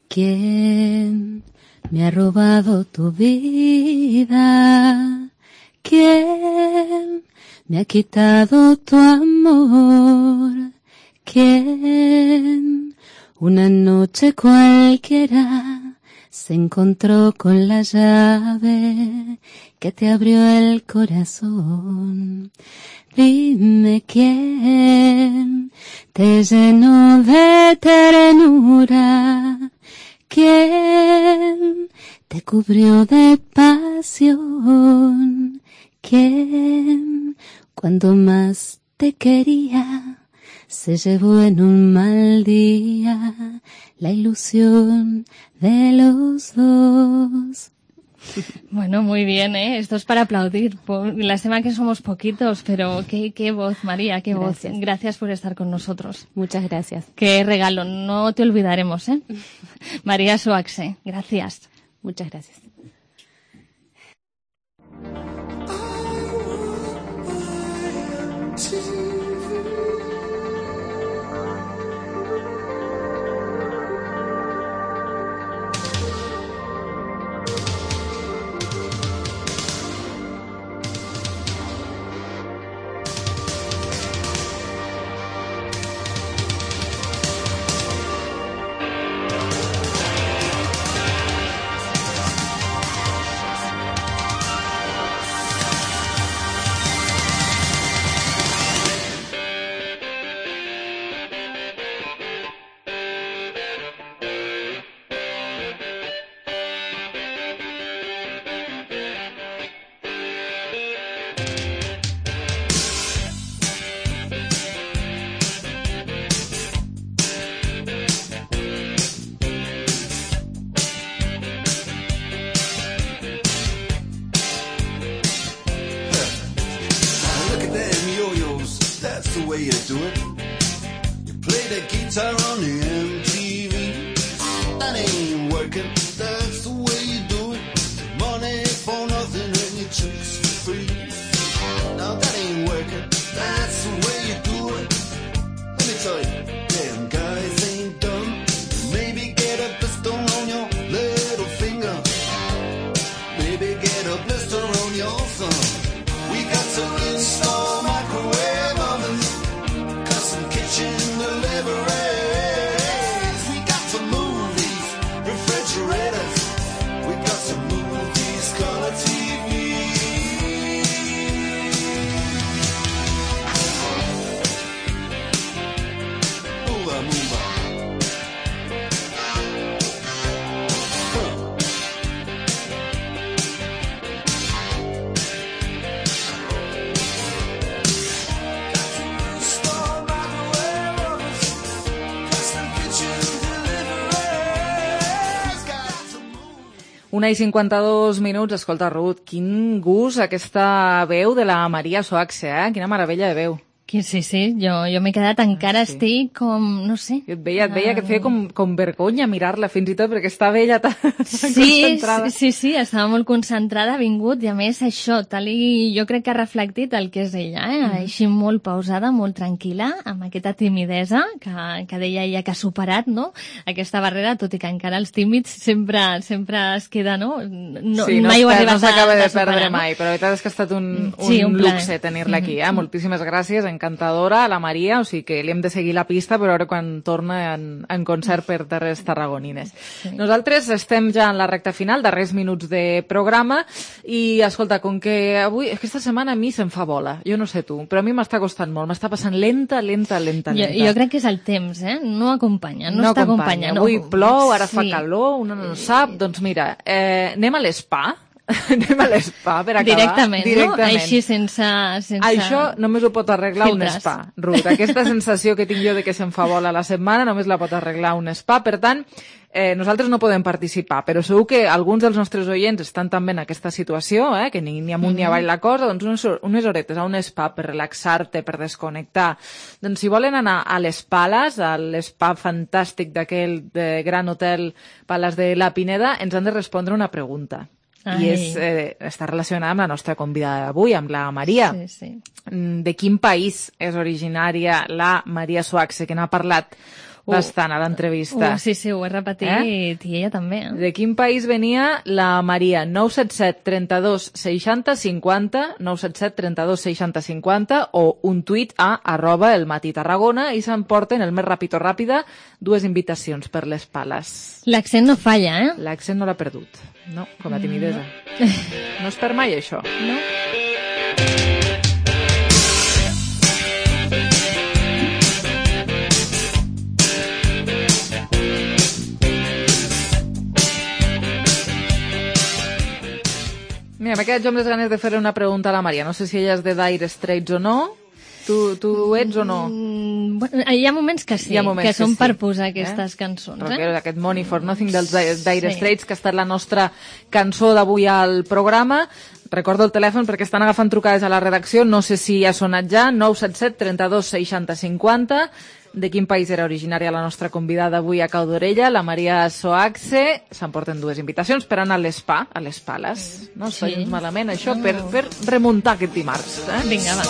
[SPEAKER 15] ¿Quién me ha robado tu vida? ¿Quién me ha quitado tu amor? ¿Quién una noche cualquiera se encontró con la llave que te abrió el corazón? Dime quién te llenó de ternura. ¿Quién te cubrió de pasión? ¿Quién, cuando más te quería, se llevó en un mal día la ilusión de los dos?
[SPEAKER 18] Bueno, muy bien, ¿eh? Esto es para aplaudir. Lástima que somos poquitos, pero qué voz, María, qué voz. Gracias por estar con nosotros.
[SPEAKER 24] Muchas gracias.
[SPEAKER 18] Qué regalo, no te olvidaremos, ¿eh? María Soaxe, gracias.
[SPEAKER 24] Muchas gracias.
[SPEAKER 3] Una i 52 minuts. Escolta, Ruth, quin gust aquesta veu de la Maria Soaxe, eh? Quina meravella de veu.
[SPEAKER 18] Sí, jo m'he quedat, encara estic com, no sé.
[SPEAKER 3] Jo et veia que et feia com vergonya mirar-la fins i tot, perquè estava ella tan concentrada.
[SPEAKER 18] Sí, estava molt concentrada, ha vingut, i a més això, jo crec que ha reflectit el que és ella, així molt pausada, molt tranquil·la, amb aquesta timidesa que deia ella que ha superat, no?, aquesta barrera, tot i que encara els tímids sempre es queda, no? No
[SPEAKER 3] s'acaba de perdre mai, però la veritat és que ha estat un luxe tenir-la aquí, moltíssimes gràcies, encantadora, a la Maria, o sigui que li hem de seguir la pista per veure quan torna en concert per terres tarragonines. Nosaltres estem ja en la recta final, darrers minuts de programa, i escolta, com que avui, aquesta setmana a mi se'm fa bola, jo no sé tu, però a mi m'està costant molt, m'està passant lenta.
[SPEAKER 18] Jo crec que és el temps, no acompanya, no està acompanyant.
[SPEAKER 3] Avui plou, ara fa calor, una no sap, doncs mira, anem a l'Spa, anem a l'Spa per acabar.
[SPEAKER 18] Directament, no? Així sense...
[SPEAKER 3] Això només ho pot arreglar un spa, Ruth. Aquesta sensació que tinc jo de que se'm fa bola la setmana només la pot arreglar un spa. Per tant, nosaltres no podem participar, però segur que alguns dels nostres oients estan també en aquesta situació, que ni amunt ni avall la cosa, doncs unes horetes a un spa per relaxar-te, per desconnectar. Doncs si volen anar a les Pales, a l'spa fantàstic d'aquell gran hotel Pales de la Pineda, ens han de respondre una pregunta. I està relacionada amb la nostra convidada d'avui, amb la Maria.
[SPEAKER 18] Sí.
[SPEAKER 3] De quin país és originària la Maria Soaxe, que n'ha parlat bastant a l'entrevista?
[SPEAKER 18] Sí, ho he repetit, i ella també.
[SPEAKER 3] De quin país venia la Maria? 977 32 60 50, 977 32 60 50, o un tuit a @elmatitarragona, i s'emporten el més ràpid o ràpida 2 invitacions per les Pales.
[SPEAKER 18] L'accent no falla,
[SPEAKER 3] L'accent no l'ha perdut. No, com la timidesa. No es perd mai, això.
[SPEAKER 18] No.
[SPEAKER 3] Mira, m'he quedat jo amb les ganes de fer una pregunta a la Maria. No sé si ella és de Dire Straits o no. Tu ets o no?
[SPEAKER 18] Bueno, hi ha moments que sí, que són per posar aquestes cançons.
[SPEAKER 3] Rockero, aquest Money for Nothing dels Dire Straits, que ha estat la nostra cançó d'avui al programa. Recordo el telèfon perquè estan agafant trucades a la redacció, no sé si ha sonat ja, 977 32 60 50. De quin país era originària la nostra convidada avui a Cau d'Orella, la Maria Soaxe. S'emporten 2 invitacions per anar a l'Spa, a les Pales. No està gens malament, això, per remuntar aquest dimarts.
[SPEAKER 18] Vinga, va.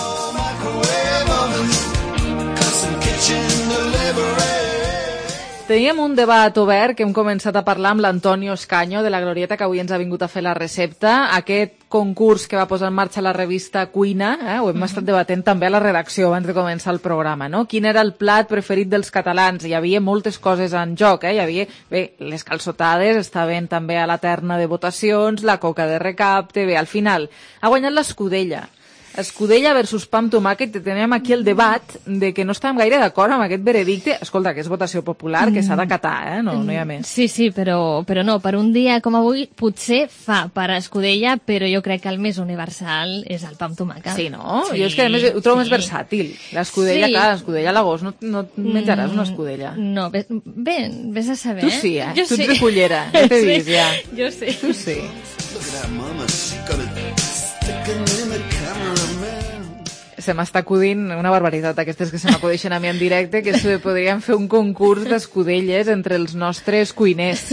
[SPEAKER 3] Teníem un debat obert que hem començat a parlar amb l'Antonio Escaño de la Glorieta, que avui ens ha vingut a fer la recepta. Aquest concurs que va posar en marxa la revista Cuina, ho hem estat debatent també a la redacció abans de començar el programa, no? Quin era el plat preferit dels catalans? Hi havia moltes coses en joc, Hi havia, les calçotades estaven també a la terna de votacions, la coca de recapte, al final ha guanyat l'escudella. Escudella versus pa amb tomàquet, teníem aquí el debat de que no estàvem gaire d'acord amb aquest veredicte. Escolta, que és votació popular, que s'ha d'acatar, no hi ha més.
[SPEAKER 18] Sí, però no, per un dia com avui potser fa per escudella, però jo crec que el més universal és el pa amb tomàquet.
[SPEAKER 3] Sí, no? Jo és que a més ho trobo més versàtil. L'escudella, clar, l'escudella a l'agost no menjaràs una escudella.
[SPEAKER 18] No, vés a saber.
[SPEAKER 3] Tu sí, tu ets de cullera, ja t'he vist, ja.
[SPEAKER 18] Jo sí.
[SPEAKER 3] Tu sí. Se m'està acudint una barbaritat, aquestes que se m'acudeixen a mi en directe, que podríem fer un concurs d'escudelles entre els nostres cuiners,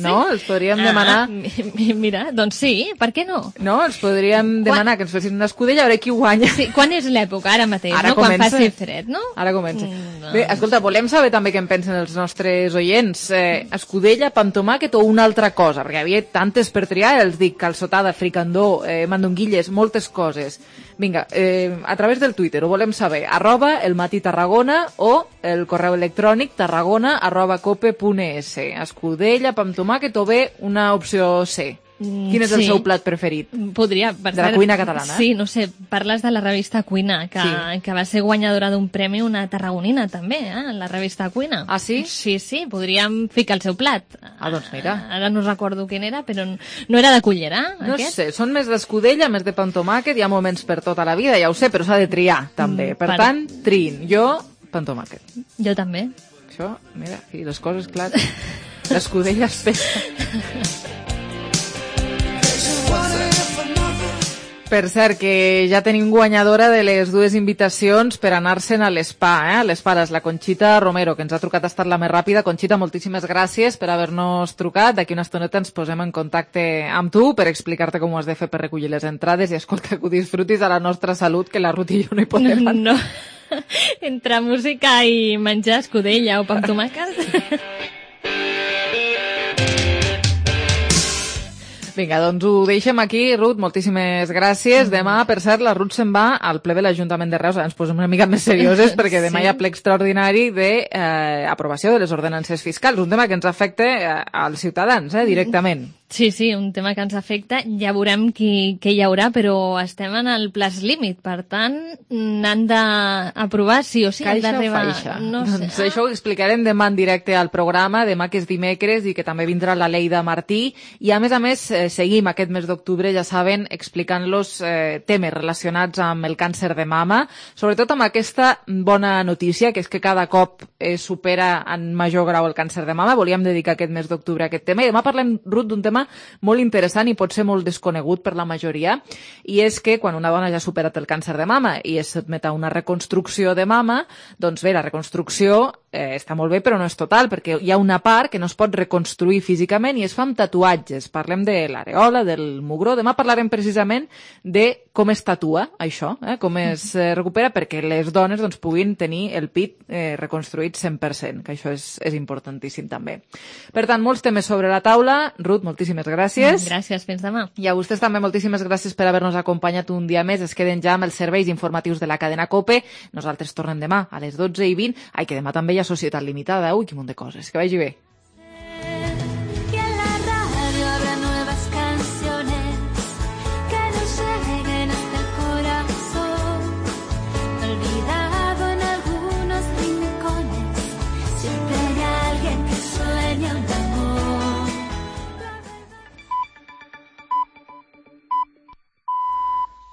[SPEAKER 3] no? Els podríem demanar...
[SPEAKER 18] Mira, doncs sí, per què no?
[SPEAKER 3] No, els podríem demanar que ens fessin una escudella, a veure qui guanya.
[SPEAKER 18] Sí, quan és l'època? Ara mateix,
[SPEAKER 3] no?
[SPEAKER 18] Quan faci fred, no?
[SPEAKER 3] Ara comença. Bé, escolta, volem saber també què en pensen els nostres oients. Escudella, pa amb tomàquet o una altra cosa? Perquè hi havia tantes per triar, els dic, calçotada, fricandó, mandonguilles, moltes coses. Vinga, a través del Twitter ho volem saber, @elmatitarragona o el correu electrònic tarragona@cope.es. Escudella, pa amb tomàquet o bé una opció C. Quin és el seu plat preferit?
[SPEAKER 18] Podria,
[SPEAKER 3] de la cuina catalana?
[SPEAKER 18] Sí, no sé, parles de la revista Cuina, que va ser guanyadora d'un premi, una tarragonina també, la revista Cuina.
[SPEAKER 3] Ah, sí?
[SPEAKER 18] Sí, podríem ficar el seu plat.
[SPEAKER 3] Ah, doncs mira.
[SPEAKER 18] Ara no recordo quin era, però no era de cullera,
[SPEAKER 3] no aquest? Sé, són més d'escudella, més de pa amb tomàquet, hi ha moments per tota la vida, ja ho sé, però s'ha de triar, també. Per tant, triïn. Jo, pa amb tomàquet.
[SPEAKER 18] Jo també.
[SPEAKER 3] Això, mira, aquí les coses, clar, l'escudella es pesa. Per cert, que ja tenim guanyadora de les dues invitacions per anar-se'n a l'Spa, a les pares, la Conxita Romero, que ens ha trucat, ha estat la més ràpida. Conxita, moltíssimes gràcies per haver-nos trucat. D'aquí una estoneta ens posem en contacte amb tu per explicar-te com ho has de fer per recollir les entrades i escolta, que ho disfrutis a la nostra salut, que la Ruth i jo no hi podem anar.
[SPEAKER 18] No. Entre música i menjar escudella o pa amb tomàquet.
[SPEAKER 3] Vinga, doncs ho deixem aquí, Ruth, moltíssimes gràcies. Demà, per cert, la Ruth se'n va al ple de l'Ajuntament de Reus. Ara ens posem una mica més serioses perquè demà hi ha ple extraordinari d'aprovació de les ordenances fiscals, un tema que ens afecta als ciutadans, directament.
[SPEAKER 18] Sí, un tema que ens afecta. Ja veurem què hi haurà, però estem en el plaç límit. Per tant, n'han d'aprovar sí o sí.
[SPEAKER 3] Caixa o faixa? No sé. Doncs això ho explicarem demà en directe al programa, demà que és dimecres i que també vindrà la Lleida Martí. I a més, seguim aquest mes d'octubre, ja saben, explicant-los temes relacionats amb el càncer de mama, sobretot amb aquesta bona notícia, que és que cada cop supera en major grau el càncer de mama. Volíem dedicar aquest mes d'octubre a aquest tema i demà parlem, Ruth, d'un tema molt interessant i pot ser molt desconegut per la majoria, i és que quan una dona ja ha superat el càncer de mama i es sotmet a una reconstrucció de mama, doncs bé, la reconstrucció està molt bé, però no és total, perquè hi ha una part que no es pot reconstruir físicament i es fa amb tatuatges. Parlem de l'areola, del mugró. Demà parlarem precisament de com es tatua això, com es recupera perquè les dones doncs, puguin tenir el pit reconstruït 100%, que això és importantíssim també. Per tant, molts temes sobre la taula. Ruth, moltíssimes gràcies.
[SPEAKER 18] Gràcies, fins demà.
[SPEAKER 3] I a vostès també moltíssimes gràcies per haver-nos acompanyat un dia més. Es queden ja amb els serveis informatius de la cadena COPE. Nosaltres tornem demà a les 12:20. Ai, que demà també hi ha Societat Limitada. Ui, quin munt de coses. Que vagi bé.